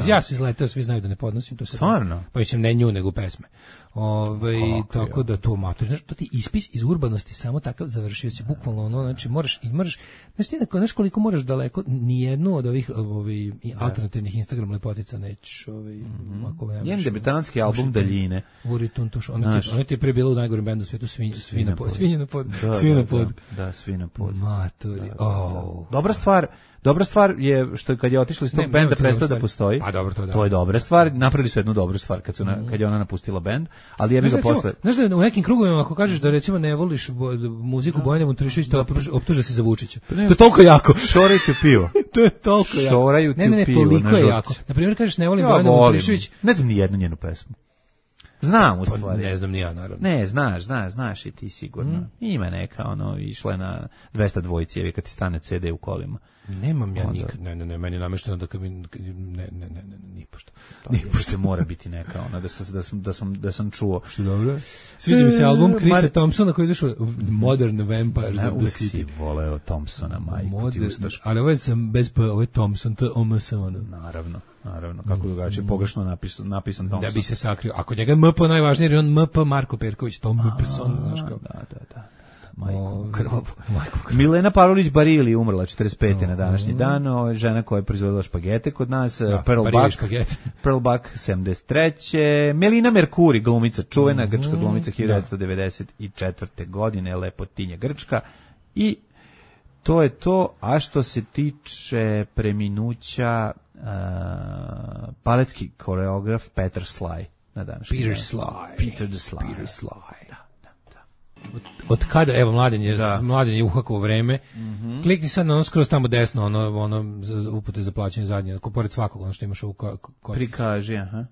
Ja se izletao, svi znaju da ne podnosim to. Stvarno? Pa mislim, ne nju, nego pesme. Ove, tako da to matur, znaš, to ti ispis iz urbanosti samo takav završio si bukvalno ono, znači moraš i moraš, znaš ti neko, znaš koliko moraš daleko, ni jednu od ovih ovi, alternativnih Instagram lepotica nećeš, ovi, mm-hmm. ako ne njen debitanski album Daljine. Uri Tuntuš, ono ti, ono ti je pre bilo u najgorem bendu u svijetu, svinj, svi na pod, svinje na pod, svi na pod. Da, svi na pod. Maturi, oh. Dobra stvar. Dobra stvar je što kad je otišla iz tog benda prestao da postoji. A dobro, to da. To je dobra stvar. Napravili su jednu dobru stvar kad su na, kad je ona napustila bend, ali je mi ga posle. Znaš da u nekim krugovima ako kažeš da recimo ne voliš bo, muziku Bojane Vuntošturda, to optuže se za Vučića. To je toliko jako. Šorite piju. pivo. To je toliko jako. Šoraju ti ne, ne, ne, u pivo, toliko na je žurci. jako. Na primjer, kažeš ne volim Ja Bojana volim. Vutrišević. Ne znam ni jednu njenu pesmu. Znam u Pa, stvari. ne znam ni ja, naravno. Ne, znaš, znaš, znaš i ti sigurno. Mm. Ima neka, ono, išla je na dvesta dvojci, kad ti stane ce de u kolima. Nemam ja Onda. nikad, ne, ne, ne, meni je namešteno da kad mi, ne, ne, ne, ne, ne, ni pošto. Ni pošto mora biti neka, ona, da sam, da sam, da sam, da sam čuo. Što dobro. Sviđa mi se album Chrisa Mar- Thompsona koji je izašao Modern Vampires Da, of the uvijek si City. voleo Thompsona, majku ti Modern, ustaš. ali ovo je sam bez P, ovo je Thompson, T O M S ono. Naravno, naravno, kako drugačije, pogrešno napisan, napisan Thompson. Da bi se sakrio. Ako njega M P najvažniji, jer je on M P Marko Perković, Tom Mpson, znaš kao. Da, da, da. Majku O, krvavu. majku krvavu. Milena Pavlović Barili umrla četrdeset pete na današnji dan, o, žena koja je proizvodila špagete kod nas, Da, Pearl Barili Buck, špagete. Pearl Buck sedamdeset treće Melina Mercuri, glumica, čuvena Mhm. grčka glumica hiljadu devetsto devedeset četvrte godine, lepotinja grčka. I to je to, a što se tiče preminuća, uh, paletski koreograf Petar Sly na današnji Peter dan. Sly. Peter the Sly. Peter Sly. Od, od kada, evo, mladen je, Da. mladen je uhakovo vreme, klikni sad na ono skroz tamo desno, ono, ono za, za upute za plaćanje zadnje, ako pored svakog, ono što imaš u ko, ko, ko, Prikaži, aha.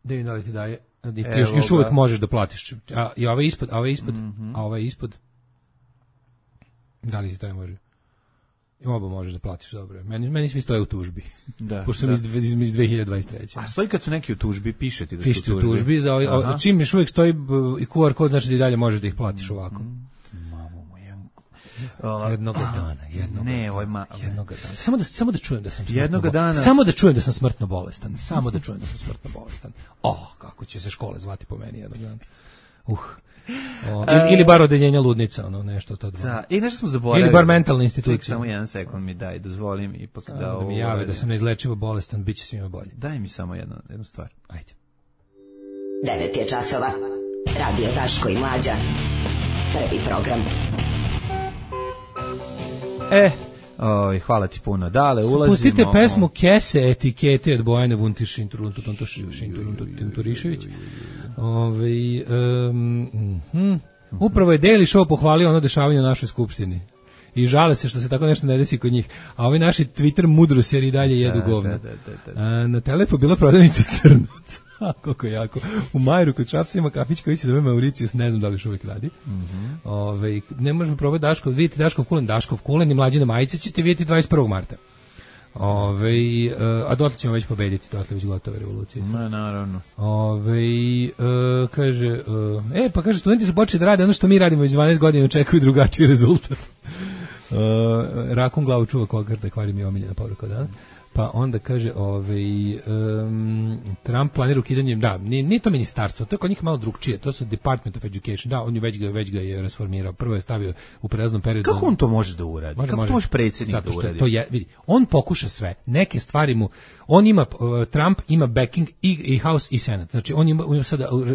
da im da li ti daje, i ti Evo još, još ga. uvek možeš da platiš, a, i ovaj ispod, a ovaj ispod, a ovaj ispod, da li ti taj može? I oba možeš da platiš, dobro. Meni, meni svi stoje u tužbi, Da, pošto sam da. iz, dve- iz, iz dve hiljade dvadeset treće A stoji kad su neki u tužbi, piše ti da Pišite su u tužbi, za ovaj, Aha. o, čim još uvijek stoji b, i Q R kod, znači da i dalje možeš da ih platiš ovako. Mamu moja. Jednog dana, jednog Ne, dana, ovaj ma... jednog dana. Samo da samo da čujem da sam smrtno Jednoga bolestan. dana- Samo da čujem da sam smrtno bolestan. Samo da čujem da sam smrtno bolestan. Oh, kako će se škole zvati po meni jednog dana. Uh. O, ili, ili bar odeljenja ludnica, ono nešto to dva. Da, i nešto smo zaboravili. Ili bar mentalne institucije. Ček, samo jedan sekund mi daj, dozvolim ipak Samo da... da, ovo mi jave da uradim. sam neizlečivo bolestan, bit će svima bolje. Daj mi samo jednu, jednu stvar. Ajde. devet je časova. Radio Daško i Mlađa. Prvi program. E, oj, hvala ti puno. Dale, ulazimo... Pustite pesmu Kese etikete od Bojane Vuntišin Turišević. Ove, um, mhm. Upravo je Daily Show pohvalio ono dešavanje u našoj skupštini. I žale se što se tako nešto ne desi kod njih. A ovi naši Twitter mudrosjeri i dalje jedu Da, govno. da, da, da, da. A, na Telepu bila prodavnica crnac. A, koliko jako. U Majru kod Šapca ima kafić koji se zove Mauricius, ne znam da li još uvijek radi. Mm-hmm. Ove, ne možemo probati Daškov, vidite Daškov kulen, Daškov kulen i Mlađine majice ćete vidjeti dvadeset prvog marta. Ove, a dotle ćemo već pobediti, dotle već gotove revolucije. Ma, naravno. Ove, e, kaže, e, e, pa kaže, studenti su počeli da rade ono što mi radimo već dvanaest godina i očekuju drugačiji rezultat. Uh, rakun glavu čuva kogarda, kvari mi je omiljena poruka danas. Pa onda kaže, ovaj, um, Trump planira ukidanje, da, nije, nije to ministarstvo, to je kod njih malo drugčije, to su Department of Education, da, on je već ga, već ga je rasformirao, prvo je stavio u prelaznom periodu. Kako on to može da uradi? Može, Kako može. to može predsjednik Zato da što uradi? to je, vidi, on pokuša sve, neke stvari mu, on ima, uh, Trump ima backing i, i House i Senat, znači on ima, on ima sada, uh,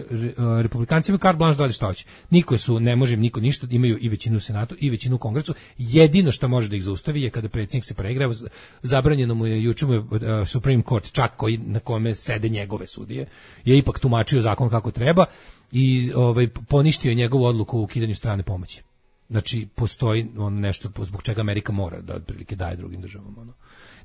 republikanci imaju carte blanche da rade šta hoće, niko su, ne može im niko ništa, imaju i većinu u Senatu i većinu u Kongresu, jedino što može da ih zaustavi je kada predsjednik se preigrava, zabranjeno mu je, juče mu je uh, Supreme Court, čak koji, na kome sede njegove sudije, je ipak tumačio zakon kako treba i ovaj, poništio je njegovu odluku o ukidanju strane pomoći. Znači, postoji on nešto zbog čega Amerika mora da otprilike daje drugim državama. Ono.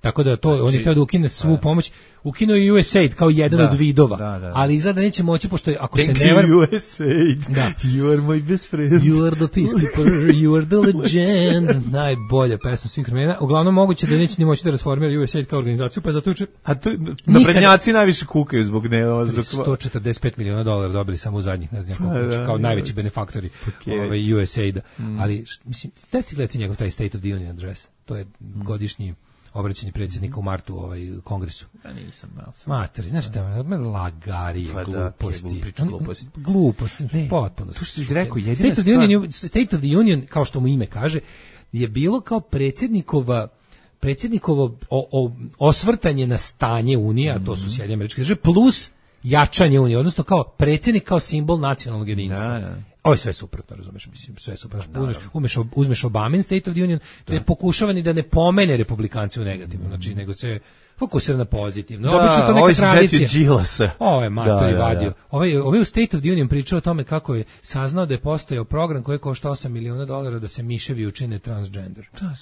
Tako da to, on je htio da ukine svu da. pomoć, ukinuo je U S A I D kao jedan Da, od vidova, da, da, da. ali izgleda neće moći, pošto ako Thank se ne you, varam... U S A I D. Da. You are my best friend. You are the peacekeeper, you are the legend. Najbolja pesma svih vremena. Uglavnom moguće da neće ni moći da rasformira U S A I D kao organizaciju, pa zato juče A to, naprednjaci najviše kukaju zbog ne... Zbog... sto četrdeset pet miliona dolara dobili samo u zadnjih, ne znam koliko, Pa da, kao da, najveći da. benefaktori Okay. ovaj, U S A I D-a. Mm. Ali, št, mislim, da ti gledati njegov taj State of the Union address? To je mm. godišnji obraćanje predsjednika u martu u ovaj kongresu. Pa nisam, malo sam. Matori, znaš šta, lagarije, Pa da, gluposti. priča gluposti. Gluposti, Ne, potpuno. to što si rekao, jedina State of, the stvar- Union, State of the Union, kao što mu ime kaže, je bilo kao predsjednikova predsjednikovo o, o, osvrtanje na stanje Unije, a to su Sjedinjene Američke Države, plus jačanje Unije, odnosno kao predsjednik kao simbol nacionalnog jedinstva. Da, da. Ovo je sve suprotno, razumeš, mislim, sve suprotno. Uzmeš, uzmeš, uzmeš Obamin State of the Union, te pokušava ni da ne pomene republikanci u negativno, znači, nego se fokusira na pozitivno. Da, Obično to ovaj neka se tradicija. setio Đilasa. Ovo je matori Da, da, vadio. da. Ovaj, ovaj u State of the Union pričao o tome kako je saznao da je postojao program koji košta osam miliona dolara da se miševi učine transgender. Da,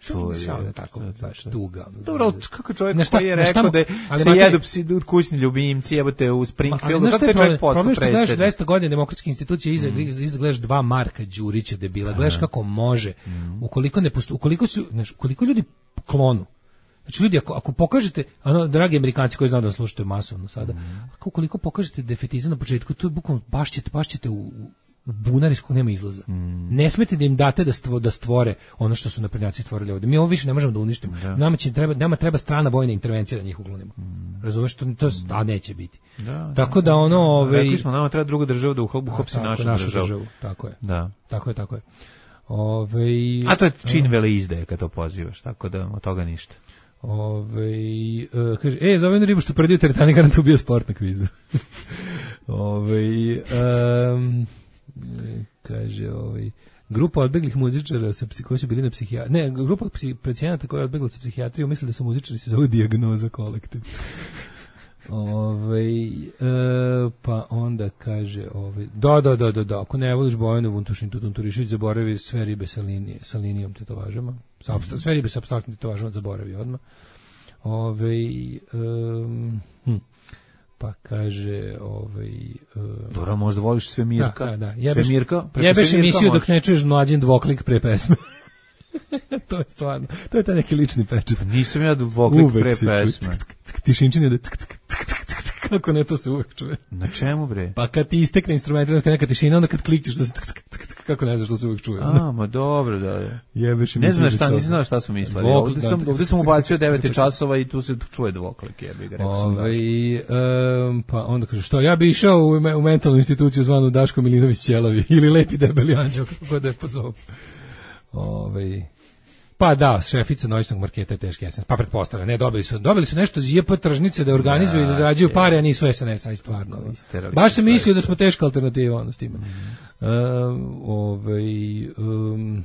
to je Samo tako, baš tuga. Dobro, ali kako čovjek Na šta- koji je na šta rekao mu- da ali se mater- jedu psi kućni ljubimci, jebote u Springfieldu, znaš kako šta je te čovjek problem? postao Problem je što gledaš predsjednik? dvesta godina demokratske institucije iza, iza gledaš dva Marka Đurića debila, gledaš kako može. Ukoliko ne posto, ukoliko su, znaš, ukoliko ljudi klonu. Znači ljudi, ako, ako pokažete, ano, dragi Amerikanci koji znaju da slušate masovno sada, ako ukoliko pokažete defetizam na početku, to je bukvalno baš ćete, baš ćete u, u bunar iz kog nema izlaza. Ne smete da im date da, stvo, da stvore ono što su naprednjaci stvorili ovdje. Mi ovo više ne možemo da uništimo. Nama, će, treba, nama treba strana vojna intervencija da njih uklonimo. Razumeš, to, to a neće biti. Da, tako da ono... Ove, rekli smo, nama treba druga država da uhopsi našu, našu državu. državu. Tako je. Da. Tako je, tako je. Ove, A to je čin veleizdaje kad to pozivaš, tako da od toga ništa. Ove, uh, kaže, e, za ovenu ribu što predio teretani garant ubio sport na kvizu. Ove, um, kaže, ovaj grupa odbeglih muzičara sa koji su bili na psihijatriji. Ne, grupa psi, pacijenata koja je odbegla sa psihijatriju, misle da su muzičari se zove Dijagnoza kolektiv. Ove, e, pa onda kaže, ove, da, da, da, da, da, ako ne voliš Bojanu Vuntušin Tunturišić, zaboravi sve ribe sa, linije, sa linijom tetovažama. Sa, mm-hmm. Sve ribe sa apstraktnim tetovažama zaboravi odmah. Ove, um, hm. Pa kaže, ovaj um, dobro, možda voliš Svemirka. Da, da, da. Jebeš, Svemirka, jebeš emisiju dok ne čuješ mlađin dvoklik pre pesme. To je stvarno, to je taj neki lični pečat. Nisam ja dvoklik pre pesme. Tišinčin je da kako ne, to se uvek čuje. Na čemu bre? Pa kad ti istekne instrument, neka tišina, onda kad klikćeš, da se kako ne znaš što se uvek čuje. A, ma dobro, da je. Jebeš ne znam šta, nisam znao šta su mislili. Ovdje sam, ovdje sam ubacio devet časova i tu se čuje dvoklik, jebi ga, rekao sam da. Um, pa onda kaže, što, ja bi išao u, u mentalnu instituciju zvanu Daško Milinović Ćelavi ili Lepi debeli anđeo, kako da je pozovu. Ove, pa da, šefica noćnog marketa je teški S N S. Pa pretpostavljam, ne, dobili su, dobili su nešto iz J P tržnice da organizuju da, i da zarađuju je. Pare, a nisu S N S, aj stvarno. Baš sam mislio da smo teška alternativa, ono s time. Mm -hmm. um, ove, um,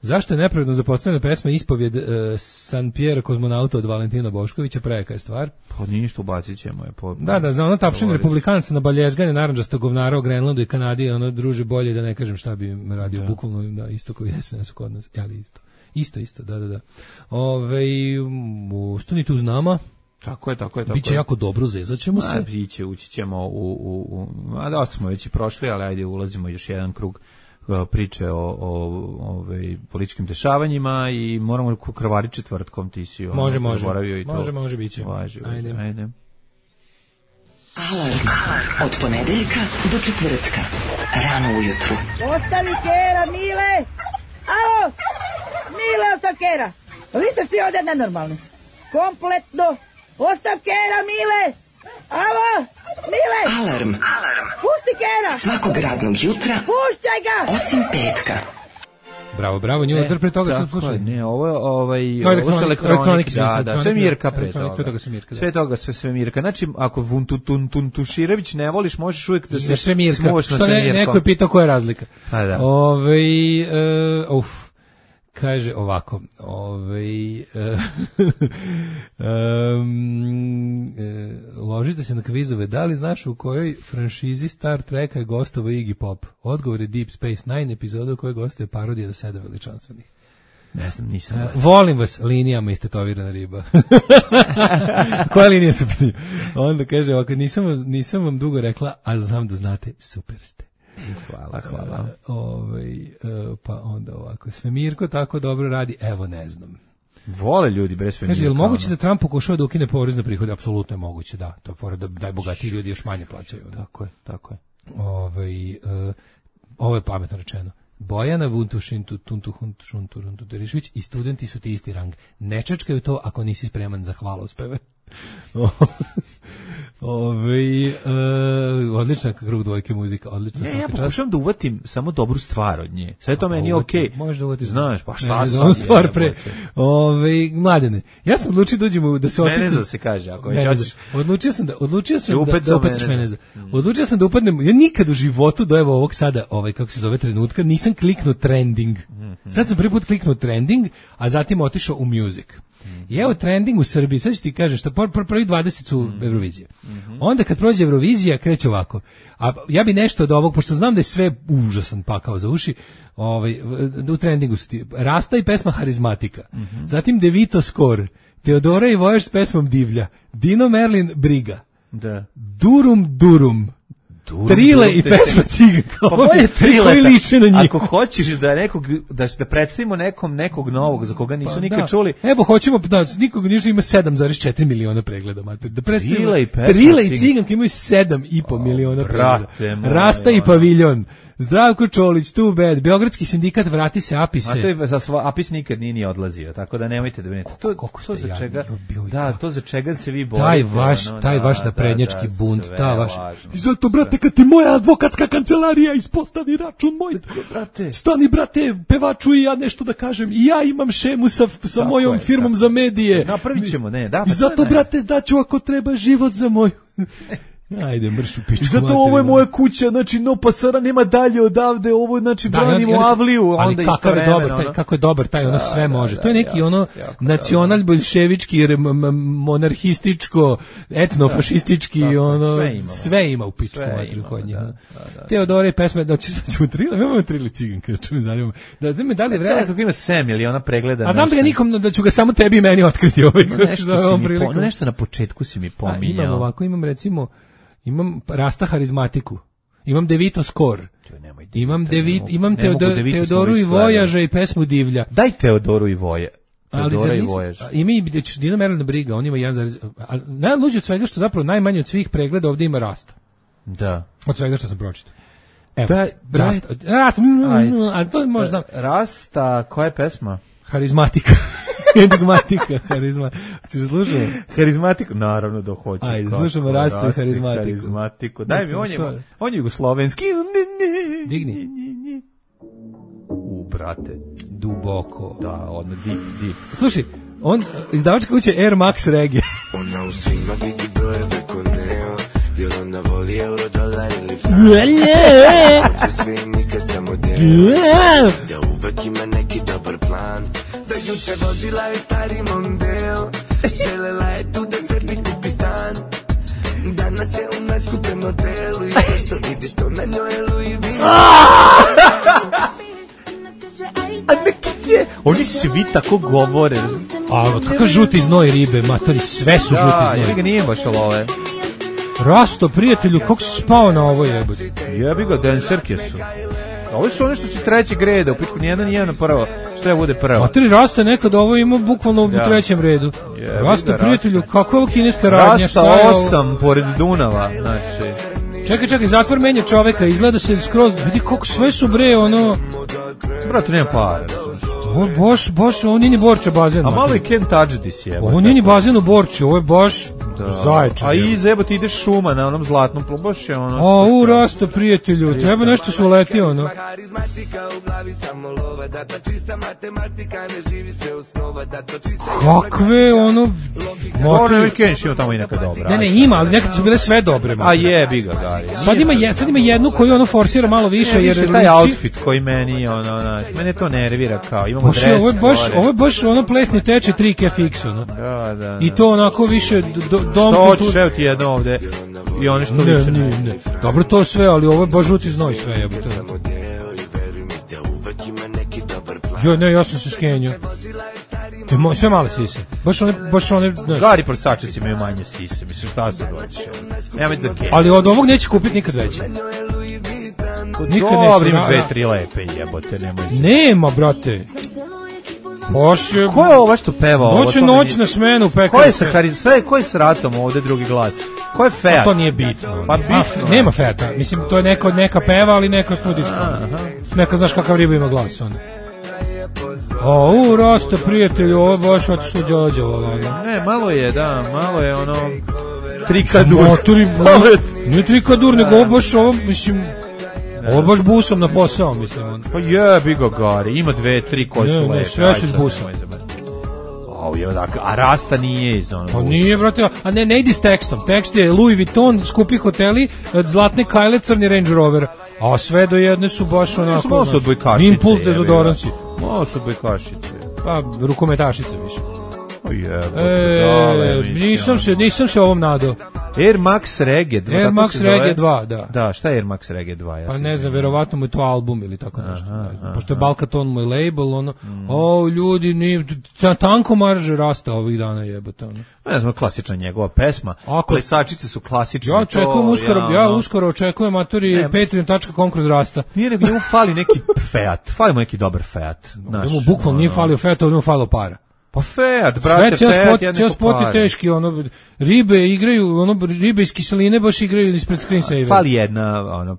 zašto je nepravedno zapostavljena pesma Ispovjed uh, San Pierre kozmonauta od Valentina Boškovića, prejaka je stvar. Pa ništa, ubacit ćemo je. Po, da, da, za ono tapšenje republikanaca na baljezgane naranđasta govnara o Grenlandu i Kanadi, ono druže bolje da ne kažem šta bi radio, da. Bukvalno, da, isto kao S N S kod nas, ali isto. Isto, isto, da, da, da. Ove, ostanite uz nama. Tako je, tako je, tako Biće je. jako dobro, zezat ćemo se. Biće, ući ćemo u, u, u, a da smo već i prošli, ali ajde ulazimo još jedan krug priče o, o ove, političkim dešavanjima i moramo krvari četvrtkom, ti si ono, može, može, i to. može, može, biće. Važi, ajde. ajde. Alarm od ponedeljka do četvrtka, rano ujutru. Ostavi kera, Mile! Alo! Mile, ostav kera! Vi ste svi ovdje nenormalni. Kompletno! Ostav kera, Mile! Alo! Mile! Alarm! Alarm! Pusti kera! Svakog radnog jutra, puštaj ga! Osim petka. Bravo, bravo, nju e, pre toga sam slušao. Ne, ovo je ovaj, ovo su elektronik, da, da, sve Mirka pre toga. Pre toga su Mirka, da. Sve toga, sve, sve Mirka. Znači, ako Vuntuširević ne voliš, možeš uvijek da se sve Mirka. smuvaš na sve Mirko. Što ne, neko je pitao koja je razlika. A da. Ove, uh, uf, kaže ovako, ovaj uh, um, uh, ložite se na kvizove, da li znaš u kojoj franšizi Star Treka je gostovao Iggy Pop? Odgovor je Deep Space Nine, epizoda u kojoj gostuje parodija do sedam veličanstvenih. Ne znam, nisam. Uh, volim vas, linijama istetovirana riba. Koja linija su pitanje? Onda kaže ovako, nisam, nisam vam dugo rekla, a znam da znate, super ste. Hvala, hvala. Uh, ovaj, uh, pa onda ovako, Svemirko tako dobro radi, evo ne znam. Vole ljudi bez Svemirka. Kaže, je li moguće da Trump pokušava da ukine porez na prihode? Apsolutno je moguće, da. To je fora da najbogatiji ljudi još manje plaćaju. Tako je, tako je. Ovaj, uh, ovo je pametno rečeno. Bojana Vuntušin Tunturišić i studenti su ti isti rang. Ne čačkaju to ako nisi spreman za hvalospeve. Ove, uh, odlična krug dvojke muzika, odlična. Ne, ja pokušavam da uvatim samo dobru stvar od nje. Sve to meni je okej. Okay. Možeš da uvatiš. Znaš, pa šta ne, sam stvar je, pre. Ove, mladene, ja sam odlučio da uđemo da se otisnem. Meneza se kaže, ako već hoćeš. Odlučio sam da odlučio sam da, da upatiš Meneza. Mm. Odlučio sam da upadnem. Ja nikad u životu do evo ovog sada, ovaj kako se zove trenutka, nisam kliknuo trending. Mm -hmm. Sad sam prvi put kliknuo trending, a zatim otišao u music. I evo trending u Srbiji, sad ću ti kažem, što pr pr prvi dvadeset su mm. Eurovizija. Mm-hmm. Onda kad prođe Eurovizija, kreće ovako. A ja bi nešto od ovog, pošto znam da je sve užasan pakao za uši, ovaj, u trendingu su ti Rasta i pesma Harizmatika. Mm-hmm. Zatim Devito Skor, Teodora i Vojaž s pesmom Divlja, Dino Merlin Briga, da. Durum Durum, Durum, Trile durum, i pesma Ciganka. Pa bolje Trile, koji liče na njih. Ako hoćeš da nekog da da predstavimo nekom nekog novog za koga nisu pa, nikad da. čuli. Evo hoćemo da nikog nisu ima sedam zarez četiri miliona pregleda, mater. Da predstavimo Trile i pesma Trile i Ciganka imaju sedam i po miliona pregleda. Rasta i Paviljon. Zdravko Čolić, Too Bad, Beogradski sindikat Vrati se Apise. A to je za sva, Apis nikad nije ni odlazio, tako da nemojte da brinete. To, to za čega? Da, to za čega se vi borite. Taj vaš, ono, taj da, vaš naprednjački da, da, bunt, ta vaš. Važno. I zato, brate, kad ti moja advokatska kancelarija ispostavi račun moj, brate. Stani, brate, pevaču i ja nešto da kažem. I ja imam šemu sa, sa mojom je, firmom za medije. Napravit ćemo, ne, da. I zato, brate, daću ako treba život za moju. Ajde, mrš u pičku. Zato ovo je moja kuća, znači no pasara nema dalje odavde, ovo znači da, branimo on, Avliju, ali onda kako je dobar, taj, ono. kako je dobar taj, ono da, sve da, može. Da, to je neki jako, ono jako nacional bolševički, monarhističko, etnofašistički, da, ono sve, sve ima u pičku materiju kod njih. Teodora i pesme, da ćemo trili, imamo trili Ciganka, što me zanima. Da znam da li vreme kako ima sedam miliona pregleda. A znam da ga nikom da ću ga samo tebi i meni otkriti ovaj. Nešto na početku si mi pominjao. Imam ovako, imam recimo imam Rasta Harizmatiku, imam Devito Skor, imam, Devit, imam Teodor, Teodoru i Vojaža i pesmu Divlja. Daj Teodoru i Voje. Teodora i Vojaža. Ima i Dino Merlin Briga, on ima jedan. Najluđe od svega što zapravo najmanje od svih pregleda ovdje ima Rasta. Da. Od svega što sam pročitao. Evo, da, Rasta. Rasta, a to možda... Rasta, koja je pesma? Harizmatika. Enigmatika, harizma. Ćeš slušati? Harizmatiku? Naravno da hoću. Ajde, slušamo Rastu i harizmatiku. harizmatiku. Daj mi, on je, on je jugoslovenski. Digni. U, brate. Duboko. Da, odmah, dip, dip. Slušaj, on, izdavačka kuća Air Max Reggae. Ona u svima vidi brojeve ko neo, jer ona voli euro, dolar ili franc. Hoće svi nikad samo deo, da uvek ima neki dobar plan. Da juče vozila je stari Mondeo, želela je tu da sebi kupi stan. Danas je u najskupljem hotelu i sve što vidiš to na njoj je Louis Vuitton. A neki je, oni svi tako govore. A kakav žuti znoj ribe, matori, sve su da, žuti znoj. Ja ga nije baš ove. Rasto, prijatelju, kako si spao na ovo jebote? Jebi ga, dancerke su. Ovo su one što su trećeg reda, u pičku nijedna nijedna prvo. Što je bude prvo? Matori, Rasta nekad ovo ima bukvalno u ja. trećem redu. Jebi Rasta, ga, prijatelju, kako je ovo kineska radnja? Rasta osam, pored Dunava, znači... Čekaj, čekaj, zatvor menja čoveka, izgleda se skroz, vidi kako sve su bre, ono... Brate, nema para. Ovo je baš, baš, ovo nije ni Borča bazen. A malo je Can't Touch This jeba. Ovo nije ni bazen u Borči, ovo je baš zaječan. A i zebo ti ideš šuma na onom zlatnom plubu, baš je ono... A, u, Rasta, prijatelju, treba nešto su uletio, ono. Kakve, ono... Ono je Kenš ima tamo i neka dobra. Ne, ne, ima, ali nekad su bile sve dobre. A jebi ga, Gari. Sad ima, je, sad ima jednu koju ono forsira malo više, ne, jer više taj outfit koji meni, ono, ono, mene to nervira kao, imamo Bože, dres. Ovo je baš, ovo je baš ono plesni teče tri K Fix, ono. Da, da, da. I to onako više do, dom... Što hoćeš, evo ti jedno ovde i oni što ne, liče. Ne, ne, dobro to sve, ali ovo je baš žuti znoj sve, jebote. Jo, ne, ja sam se skenio. Sve male sise. Baš one, baš one... Znaš. Gari prosačici imaju manje sise, mislim, šta se doći? Nema da ke. Ali od ovog neće kupiti nikad veće. Nikad neće. Dobro, ima dve, tri lepe jebote, nemoj. Nema, brate. Baš je... Ko je ovo što peva ovo? Noć je noć na smenu, pekar. Ko je sa Harizmatom? Ko je s Ratom ovde drugi glas? Ko je Feat? A to nije bitno. Pa bitno. A, nema Feata. Mislim, to je neko, neka peva, ali neka studijska. Neka znaš kakav riba ima glas, on. O, u, Rasta, prijatelju, ovo je baš otišlo Đođa, ovo. Ne, malo je, da, malo je ono... Trikadur. Motori, nije trikadur, nego ovo baš ovo, mislim... Ovo baš busom na posao, mislim. On. Pa jebi ga, Gari, ima dve, tri koje su lepe. Ne, sve su s busom. O, je dakle, a Rasta nije iz onog. Pa nije, brate, a ne, ne idi s tekstom. Tekst je Louis Vuitton, skupi hoteli, zlatne kajle, crni Range Rover. A sve do jedne su baš onako... Malo su odbojkašice. Impuls dezodoransi. Malo su odbojkašice. Pa, rukometašice više. Pa E, nisam se, nisam se ovom nadao. Air Max Reggae dva. Air Max Reggae dva, da. Da, šta je Air Max Reggae dva? Ja pa ne znam, verovatno mu je to album ili tako nešto. Aha, ne znam. Pošto je Balkaton moj label, ono, mm. o, ljudi, ni, tanko marže rasta ovih dana jebate. Ono. Ne znam, klasična njegova pesma. Ako, plesačice su klasične. Ja očekujem to, uskoro, ja, ja uskoro očekujem matori patreon tačka com kroz rasta. Nije nego njemu fali neki Fiat, fali mu neki dobar Fiat. Njemu bukvalno nije falio Fiat, ovdje mu falio para. Pa Fiat, brate, sve Fiat, spot, ja cijel spot je teški, ono, ribe igraju, ono, ribe iz kiseline baš igraju ispred screensaver. Fali jedna, ono,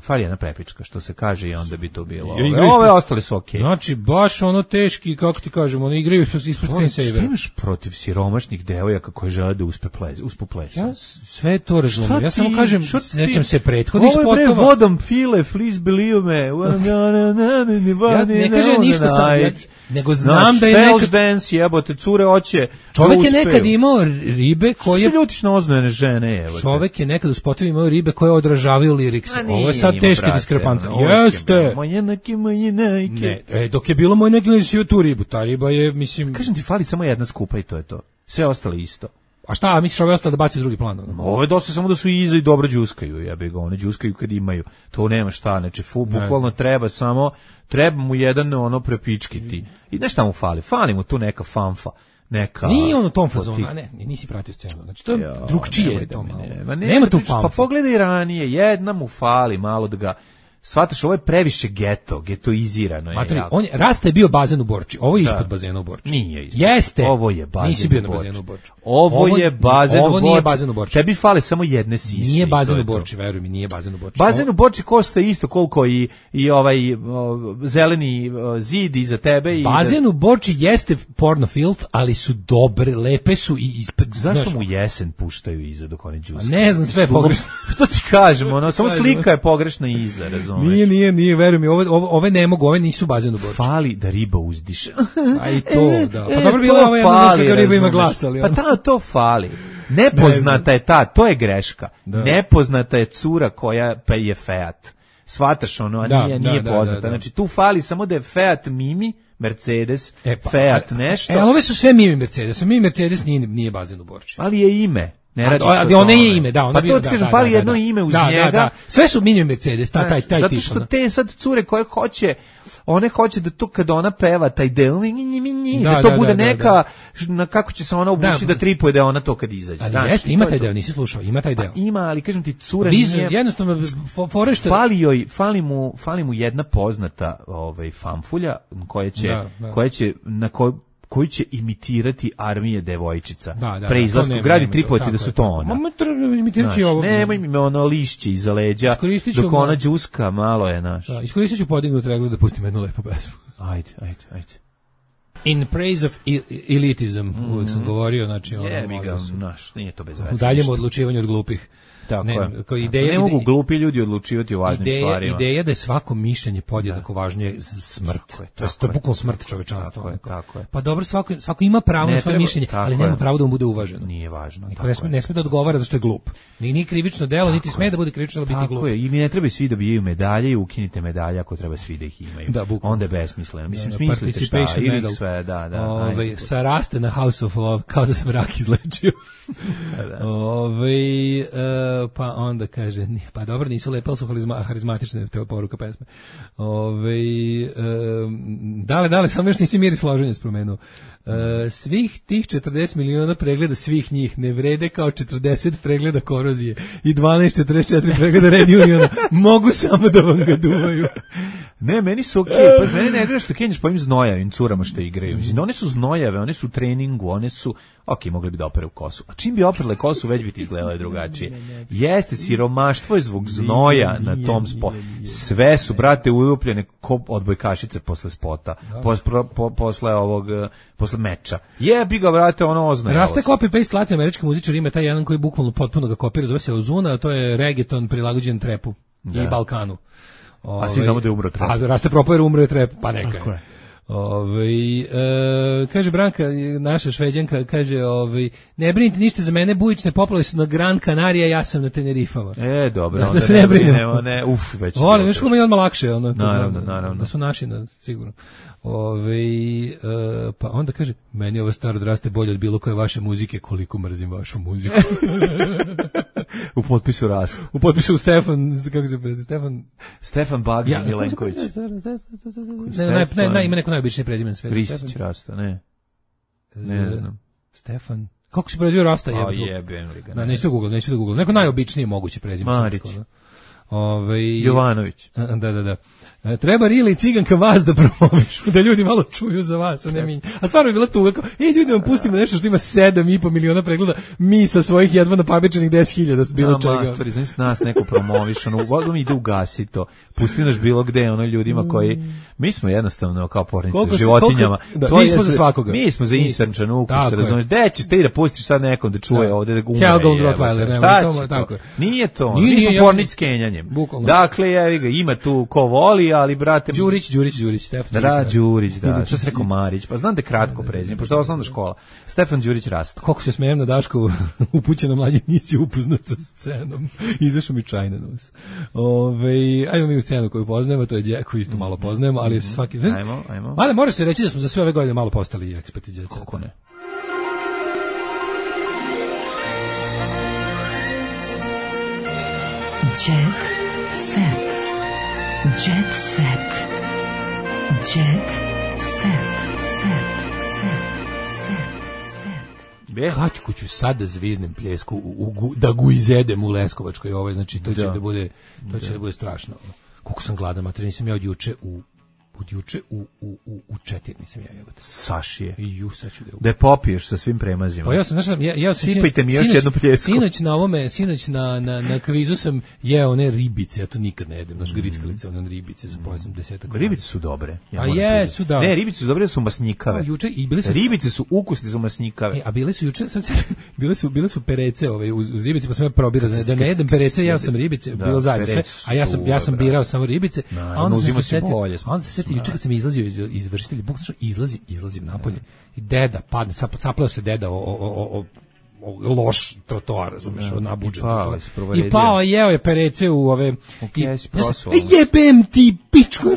fali jedna prepička, što se kaže i onda bi to bilo. Ove, ove ostali su okej. Okay. Znači, baš ono teški, kako ti kažem, ono, igraju ispred screensaver. Šta imaš protiv siromašnih devojaka koje žele da uspe plez, uspu plesa? Ja sve to razumijem, ja samo kažem, nećem se prethodnih spotova. Ovo je bre, vodom pile, please believe me. Ja ne kažem ništa sam, ja, nego znam da je nekad... dance, jebote, cure hoće. Čovek je nekad imao ribe koje... Što ljutiš na oznojene žene, jebote? Čovek je nekad u spotovima imao ribe koje odražavaju lirikse. Ovo je sad teška diskrepanca. Jeste! Moje neki, moje neki. Ne, e, dok je bilo moje neki, nisi tu ribu. Ta riba je, mislim... Kažem ti, fali samo jedna skupa i to je to. Sve ostale isto. A šta, misliš ove ostale da baci u drugi plan? Ovo je dosta samo da su iza i dobro đuskaju, jebe ga, one đuskaju kad imaju. To nema šta, znači, fu, bukvalno treba samo, treba mu jedan ono prepičkiti. I znaš šta mu fali? Fali mu tu neka fanfa. Neka... Nije on u tom fazonu, a ne, nisi pratio scenu. Znači, to je drugčije. To malo. Ne, ne, nema tu fanfa. Pa pogledaj ranije, jedna mu fali malo da ga... Svataš, ovo je previše geto, getoizirano je. Matri, on je, Rasta je bio bazen u Borči, ovo je da. Ispod bazena u Borči. Nije ispod. Jeste. Ovo je bazen Nisi bio na bazenu u Borči. Ovo, ovo je bazen ovo u Borči. Ovo nije bazen u Borči. Tebi fale samo jedne sise. Nije bazen u Borči, veruj mi, nije bazen u Borči. Bazen u Borči košta isto koliko i, i ovaj o, zeleni o, zid iza tebe. I bazen da... u Borči jeste porno filth, ali su dobre, lepe su i... Ispred, zašto znaš, mu jesen puštaju iza dok one džuskaju? Ne znam, sve je pogrešno. To ti kažem, ono, samo slika je pogrešna iza, razumeš? Nije, nije, nije, veruj mi, ove, ove ne mogu, ove nisu bazen u Borči. Fali da riba uzdiše. A i to, da. Pa dobro bilo ovo jedna znaš kako riba ima glas, ali... Pa ta, to fali. Nepoznata je ta, to je greška. Da. Nepoznata je cura koja pa je Fiat. Svataš ono, a da, nije, nije da, poznata. Da, da, da. Znači tu fali samo da je Fiat Mimi, Mercedes, e, pa, Fiat nešto. E, ove su sve Mimi Mercedes, a Mimi Mercedes nije, nije bazen u Borči. Ali je ime. Ne radi a, ali ono je ime, da, ono pa to ti kažem, fali da, jedno da, ime uz da, njega. Da, da. Sve su Mini Mercedes, taj taj taj zato što te sad cure koje hoće, one hoće da to kad ona peva taj del, da, da to da, bude da, neka, da, da. Na kako će se ona obući da, da tripuje da ona to kad izađe. Ali znači, jeste, ima taj deo, nisi slušao, ima taj deo. Pa ima, ali kažem ti, cura Vizu, nije... jednostavno, forešta... Fali joj, fali mu, fali mu jedna poznata ovaj, fanfulja koja će, da, da. koja će, na kojoj koji će imitirati armije devojčica. Da, da, pre izlasku gradi tripovati da su to ona. Ma imitirati ovo. Nemoj mi ono lišće iza leđa, dok ona džuska malo je naš. Da, iskoristit ću podignut reglu da pustim jednu lepu pesmu. Ajde, ajde, ajde. In praise of elitism, mm-hmm. uvijek sam govorio, znači ono... Je, mi ga, naš, nije to bez veze. U daljem odlučivanju od glupih. Tako ne, je. Kao ideja, ne mogu glupi ljudi odlučivati o važnim ideja, stvarima. Ideja da je svako mišljenje podjednako da. Važnije smrt. Tako je, tako to je bukvalno smrt čovečanstva. Tako je, tako je. Pa dobro, svako, svako ima pravo ne na svoje treba, mišljenje, ali nema pravo da mu bude uvaženo. Nije važno. Niko ne sme, ne sme da odgovara zašto je glup. Ni ni krivično delo, niti sme da bude krivično da biti glup. Tako je, i ne treba svi da dobijaju medalje i ukinite medalje ako treba svi da ih imaju. Da, onda je besmisleno. Mislim, smislite šta, ili sve, da, da. Ove, sa raste na House of Love, kao da sam rak izlečio. Ove, pa onda kaže, pa dobro, nisu lepe, ali su harizmatične, to je poruka pesme. Ove, um, dale, dale, samo još nisi Miris Loženje spomenuo. Uh, svih tih četrdeset miliona pregleda svih njih ne vrede kao četrdeset pregleda korozije i dvanaest četrdeset četiri pregleda Red Uniona. Mogu samo da vam ga duvaju. Ne, meni su okej, okay. Pa meni ne gre što kenješ po ovim znojavim curama što igraju. Mislim, one su znojave, one su u treningu, one su, ok, mogli bi da opere u kosu. A čim bi operle kosu, već bi ti izgledale drugačije. Jeste, siromaštvo je zbog znoja na tom spotu. Sve su, brate, ulupljene ko odbojkašice posle spota, pos, po, posle ovog, posle meča. Jebi ga, brate, ono oznoje. Raste copy-paste latin američki muzičar, ima taj jedan koji bukvalno potpuno ga kopira, zove se Ozuna, a to je reggaeton prilagođen trepu da. I Balkanu. Ove, a svi znamo da je umro trep. A Raste propao jer umro je trep, pa neka je. Ovaj e, kaže Branka, naša Šveđanka, kaže ovaj ne brinite ništa za mene, bujične poplave su na Gran Canaria, ja sam na Tenerifama. E, dobro, da, onda da se ne brinemo, ne, uf, već. Volim, još kako mi je odmah lakše, ono. Naravno, naravno. Da su naši, na, sigurno. Ove, e, pa onda kaže, meni ovo staro odraste bolje od bilo koje vaše muzike, koliko mrzim vašu muziku. U potpisu rast. U potpisu Stefan, kako se prezime, Stefan... Stefan Bagdž ja, Milenković. Ne, ne, ne, ne, ima neko najobičniji prezimen sve. Kristić Rasta, ne. Ne znam. Stefan... Kako se prezivio Rasta? O jebem li ga. Da, neću da Google, neću da Google. Neko najobičnije moguće prezime. Marić. Ove, Jovanović. Da, da, da. Treba Rila i Ciganka vas da promovišu, da ljudi malo čuju za vas, a ne mi. A stvarno je bila tuga, kao, ej, ljudi vam pustimo nešto što ima sedam i po miliona pregleda, mi sa svojih jedva napabičenih deset hiljada bilo no, čega. Matori, znači nas neko promoviš, ono, vodu mi ide ugasi to, pusti naš bilo gde, ono, ljudima koji, mi smo jednostavno kao pornice s životinjama. Da, mi smo za svakoga. Mi smo za Eastern ukus, razumiješ, gde ćeš ti da pustiš sad nekom da čuje da. Ovde da umre. Helgon Rottweiler, nema to, tako. Nije to, mi smo pornic s kenjanjem. Dakle, jevi ga, ima tu ko voli, ali brate Đurić, Đurić, Đurić, Stefan Đurić. Da, Đurić, da. Što se rekao Marić? Pa znam da je kratko prezime, pošto je osnovna škola. Stefan Đurić Rasta. Kako se smijem na Daškovu, upućeno mlađi, nisi upoznat sa scenom. Izašao mi čajna nos. Ove, ajmo mi u scenu koju poznajemo, to je Đe, koju isto malo poznajemo, ali se svaki... Ajmo, ajmo. Ali mora se reći da smo za sve ove godine malo postali eksperti Đe. Kako ne? Jet set. Jet set. Jet set. Set. Set. Set. Set. Kaćku ću sad da zviznem pljesku u, u, da gu izedem u Leskovačkoj, ovaj, znači to će da, da bude to će da. da bude strašno. Koliko sam gladan, mater, nisam ja od juče u od juče u u u u četiri nisam ja jebote. Sašije. I ju sad ću da. Da popiješ sa svim premazima. Pa ja sam znači ja ja sam sipajte mi još jednu pljesku. Sinoć na ovome, sinoć na na na kvizu sam jeo one ribice, ja to nikad ne jedem, naš grickalice, one ribice sa pojasom desetak. Ribice su dobre. Ja a je, su da. Ne, ribice su dobre, su masnikave. A juče i bile su ribice su ukusne, su masnikave. E, a bile su juče sad bile su bile su perece, ove uz, uz ribice, pa sam ja probirao da, da ne jedem perece, ja sam ribice, bilo zajedno sve. A ja sam ja sam birao samo ribice, a onda sam se setio, onda se setio juče kad sam izlazio iz izvršitelji, bukvalno izlazim, izlazim napolje i deda padne, sapleo se deda o, o, o, o loš trotoar, razumeš, ja, nabuđen trotoar. I pao, jeo je perece u ove... Okay, i, ja sam, jebem ti, pičku!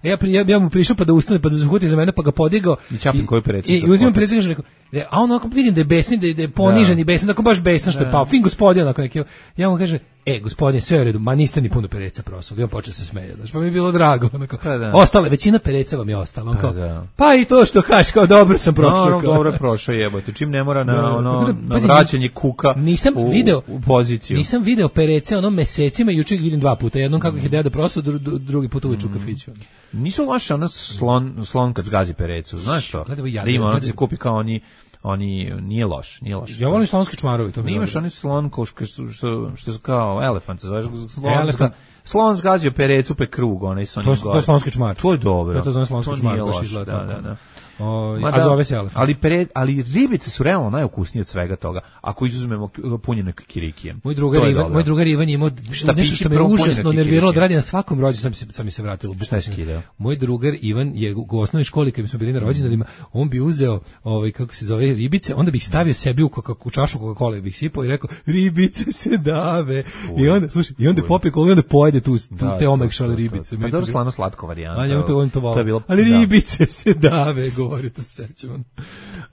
A ja, ja, ja mu prišao pa da ustane, pa da zahuti za mene, pa ga podigao. I čapim koju perecu. I, i uzimam perecu i kažem, rekao, a on onako vidim da je besni, da je, da je ponižen da. I besni, onako baš besni što je pao. Fin gospodin, onako neki. Ja mu kažem, e, gospodine, sve u redu, ma niste ni puno pereca prosuli. I on počeo se smeje, znači, pa mi je bilo drago. Onako, pa da. Ostale, većina pereca vam je ostala. On pa, kao, da. Pa i to što kažeš, kao dobro sam prošao. No, no, dobro je prošao, jebote. Čim ne mora na, ono, na vraćanje kuka nisam u, video, u poziciju. Nisam video perece ono mesecima, juče ih vidim dva puta. Jednom kako ih je deda prosao, dru, drugi put uveče u kafiću. Nisu loše, ono slon, slon kad zgazi perecu, znaš što? Da ima, ono se kupi kao oni, oni, nije loš, nije loš. Ja volim slonski čmarovi, to mi je. Imaš oni slon ko što, što, što su kao elefant, zoveš slon, elefant. Slon zgazio perecu pe krug, onaj sa onim gore. To je slonski čmar. To je dobro. To je to slonski čmar, baš izgleda tako. Da, da, da. O, a da, zove se elefant. Ali, pere, ali ribice su realno najukusnije od svega toga, ako izuzmemo punjene kikirikijem. Moj drugar Ivan, moj drugar Ivan je imao nešto što me užasno nerviralo od radi na svakom rođendanu, sam, sam mi se vratilo. Šta je skidao? Moj drugar Ivan je u osnovnoj školi kad smo bili na rođendanima, on bi uzeo, ovaj kako se zove, ribice, onda bi ih stavio sebi u, u čašu Coca-Cole, bi ih sipao i rekao ribice se dave. Uj, i onda slušaj, i onda popije kolu i onda pojede tu, tu da, te omekšale ribice. Pa dobro slano slatko varijanta. A njemu to on to volio. Ali ribice se dave, govori to sećam.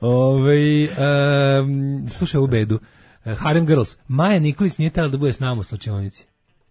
Ovaj um, slušaj u bedu. Uh, Harem Girls. Maja Nikolić nije htjela da bude s nama u slačionici.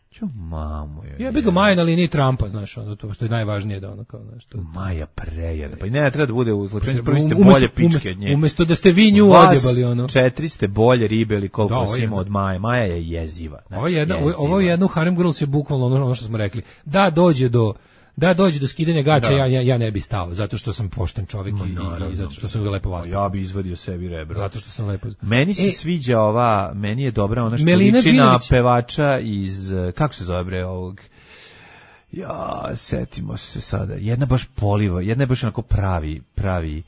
Čo mamu je. Ja bih ga Maja na liniji Trumpa, znaš, ono to što je najvažnije da ono kao nešto. Maja prejede. Pa i ne treba da bude u slačionici, prvi ste bolje pičke od nje. Umesto da ste vi nju odjebali ono. Četiri ste bolje ribe ili koliko da, ima od Maje. Maja je jeziva. Znači, ovo je jedna, jeziva. Ovo je jedno Harem Girls je bukvalno ono, ono što smo rekli. Da dođe do Da dođe do skidanja gaća, ja, ja, ja ne bi stao, zato što sam pošten čovjek i, i zato što sam lepo vaspio. Ja bi izvadio sebi rebro. Zato što sam lepo... Meni se e, sviđa ova, meni je dobra ona što liči na pevača iz, kako se zove bre ovog... Ja, setimo se sada. Jedna baš poliva, jedna je baš onako pravi, pravi...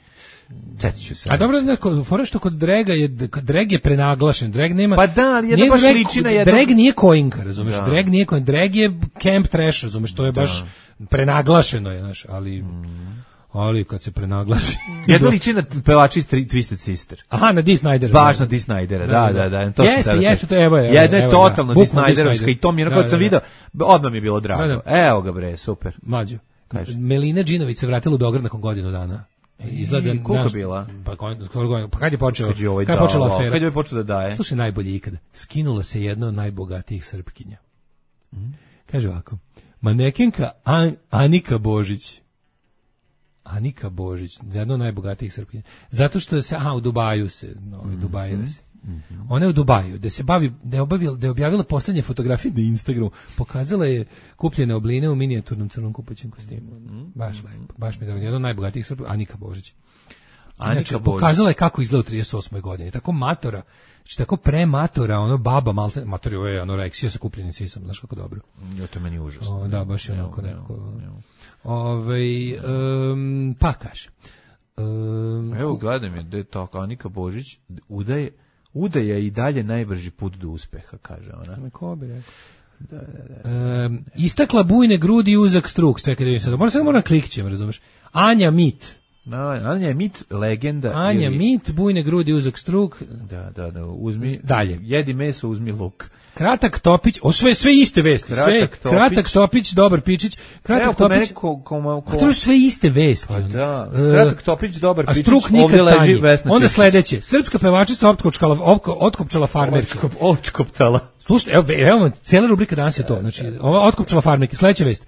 Ću se. A dobro, neko, fora što kod Drega je, Dreg je prenaglašen, Dreg nema... Pa da, ali jedna baš liči na jedno... Dreg nije Koinka, razumeš, da. Dreg nije Koinka, Dreg je Camp Trash, razumeš, to je baš da. Prenaglašeno je, znaš, ali... Mm. Ali kad se prenaglasi. Jedna liči na pevači iz Twisted Sister. Aha, na Dee Snydera. Baš na Dee Snydera, da, da, da. To jeste, jeste, to evo je. Jedna je evo, totalno da. Dee Snyderovska i to mi je, ono kad sam vidio, odmah mi je bilo drago. Da, da. Evo ga bre, super. Mlađo. Melina Đinović se vratila u Beograd nakon godinu dana. Izgleda, koliko naš, bila? Pa, skoro, pa kad je počeo? Kad je, ovaj kad je počela dao, afera? Kad je počeo da daje? Slušaj, najbolje ikada. Skinula se jedna od najbogatijih Srpkinja. Mm. Kaže ovako. Manekenka An, Anika Božić. Anika Božić, jedna od najbogatijih Srpkinja. Zato što se, aha, u Dubaju se, no, mm-hmm. Dubaju se. Mm-hmm. Ona je u Dubaju, da se bavi, da je, obavila, da je objavila poslednje fotografije na Instagramu, pokazala je kupljene obline u minijaturnom crnom kupaćem kostimu. Mm-hmm. Baš lepo, baš mi je dobro. Jedna od najbogatijih Srpkinja, Anika Božić. Anika znači, Božić. Pokazala je kako izgleda u trideset osmoj godini. Tako matora, znači tako prematora, ono baba, malte, matori ove anoreksija sa kupljenim sisama, znaš kako dobro. Jo, to meni užasno. O, da, baš je onako nekako. Ove, um, pa kaže. Um, Evo, gledam je, da je to Anika Božić, udaje, udaja i dalje najbrži put do uspeha, kaže ona. Ko bi rekao? Da, da, da. Um, istakla bujne grudi i uzak struk. Čekaj da vidim sad. Moram sad moram klikćem, razumeš? Anja Mit. No, Anja Mit, legenda. Anja ili... Mit, bujne grudi, uzak struk. Da, da, da. Uzmi, dalje. Jedi meso, uzmi luk. Kratak Topić, o sve sve iste vesti, Kratak sve Topić. Kratak Topić, dobar Pičić, Kratak Evo, Topić. Ko, ko, ko, ko... A to su sve iste vesti. Pa da. Kratak Topić, dobar Pičić. A struk nikad leži Vesna. Onda sledeće, srpska pevačica otkopčala otkopčala farmerke. Otkop, otkoptala. Slušaj, evo, evo, cijela rubrika danas je to. Znači, ova otkopčala farmerke, sledeća vest.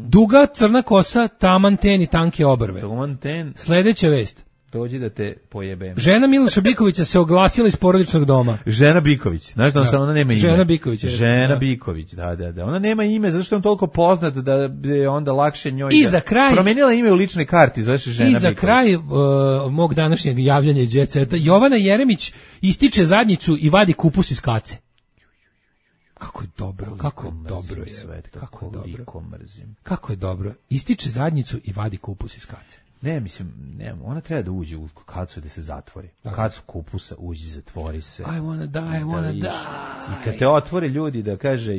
Duga crna kosa, taman ten i tanke obrve. Taman ten. Sledeća vest. Dođi da te pojebem. Žena Miloša Bikovića se oglasila iz porodičnog doma. Žena Biković. Znaš da, on da. ona nema ime? Žena Biković. Žena da. Biković, da, da, da. Ona nema ime, zato što je on toliko poznat da je onda lakše njoj. I za kraj. Promenila ime u ličnoj karti, zove se Žena Biković. I za Biković. Kraj uh, mog današnjeg javljanja iz Jet Seta, Jovana Jeremić ističe zadnjicu i vadi kupus iz kace. Kako je dobro, kako je dobro je. Svet, kako, kako je dobro. Mrzim. Kako je dobro. Ističe zadnjicu i vadi kupus iz kace. Ne, mislim, ne, ona treba da uđe u kacu da se zatvori. U kacu kupusa uđi, zatvori se. I wanna die, I wanna die. I kad te otvore ljudi da kaže,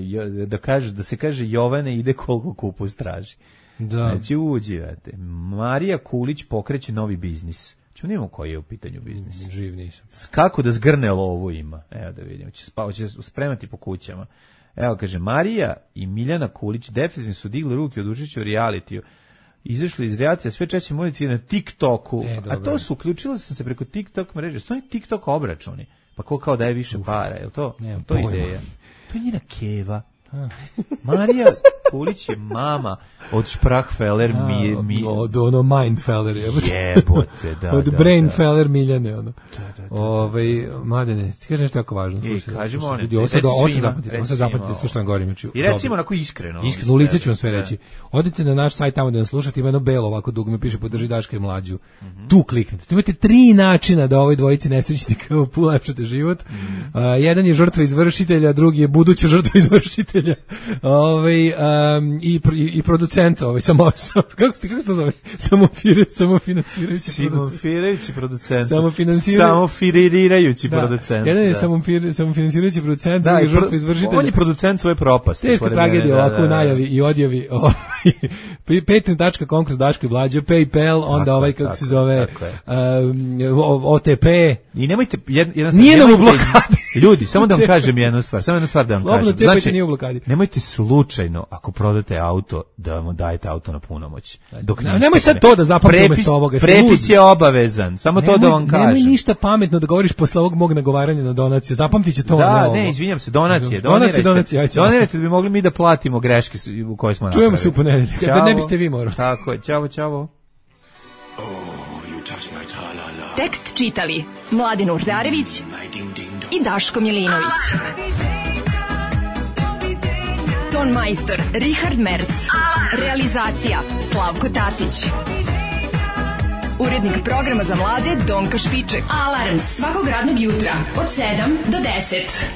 da kaže, da se kaže Jovane ide koliko kupus traži. Da. Znači uđi, vete. Marija Kulić pokreće novi biznis. Ču nemamo koji je u pitanju biznis. Živ nisam. Kako da zgrne lovu ima. Evo da vidimo, će, spa, će spremati po kućama. Evo kaže, Marija i Miljana Kulić definitivno su digli ruke od učešća u realitiju. Izašli iz reakcija sve češće moditi na TikToku, e, a to su, uključila sam se preko TikTok mreže, stoji TikTok obračuni, pa ko kao daje više Uf, para, je li to? Ne, to je ideja. To je njena keva. Marija Kulić je mama od Sprachfeller mi, mi od ono Mindfeller jebote, da, od da, Brainfeller Miljane ono. Da, da, da. Ovaj Mladene, ti kažeš nešto jako važno. Slušaj, kažemo one. Ljudi, ovo sad zapamtite, ovo sad zapamtite, slušajte vam govorim. I recimo onako iskreno. Iskreno, u lice ću vam sve reći. Odite na naš sajt tamo da nas slušate, ima jedno belo ovako dugme, piše podrži Daška i Mlađu. Mm-hmm. Tu kliknite. Tu imate tri načina da ovoj dvojici nesrećnika ulepšate život. Mm. Uh, jedan je žrtva izvršitelja, drugi je buduća žrtva izvršitelja. Ovaj um, i, i i producent, ovaj samo kako ste kako se to zove? Samo fire, samo finansirajući producent. producent. Samo finansirajući samo firirajući da. producent. Jedan je samo fir, samo finansirajući producent, drugi je žrtva izvršitelja. On je producent svoje propasti. Teška tragedija ovako da, da, da. U najavi i odjavi. patreon dot com kroz Daško i Mlađa, PayPal, onda tako, ovaj kako tako, se zove um, O T P. I nemojte jedan nije nam u blokadi. Ljudi, samo da vam kažem jednu stvar, samo jednu stvar da vam Slobodno kažem. Znači, nije u blokadi. Nemojte slučajno ako prodate auto da vam dajete auto na punomoć. Dok ne, nemoj sad to da zapamtite umesto ovoga. Prepis je obavezan, samo nemoj, to da vam kažem. Nemoj ništa pametno da govoriš posle ovog mog nagovaranja na donacije. Zapamtiće to. Da, ne, ne, izvinjam se, donacije, donacije, donacije. Donirajte da bi mogli mi da platimo greške u koje smo napravili. Čujemo se u ponedeljak, da ne biste vi morali. Tako je, ćao, ćao. Tekst čitali Mladin Urdarević i Daško Milinović. Ton majstor Richard Merc. Realizacija Slavko Tatić. Urednik programa za mlade Donka Špiček. Alarms svakog radnog jutra od sedam do deset.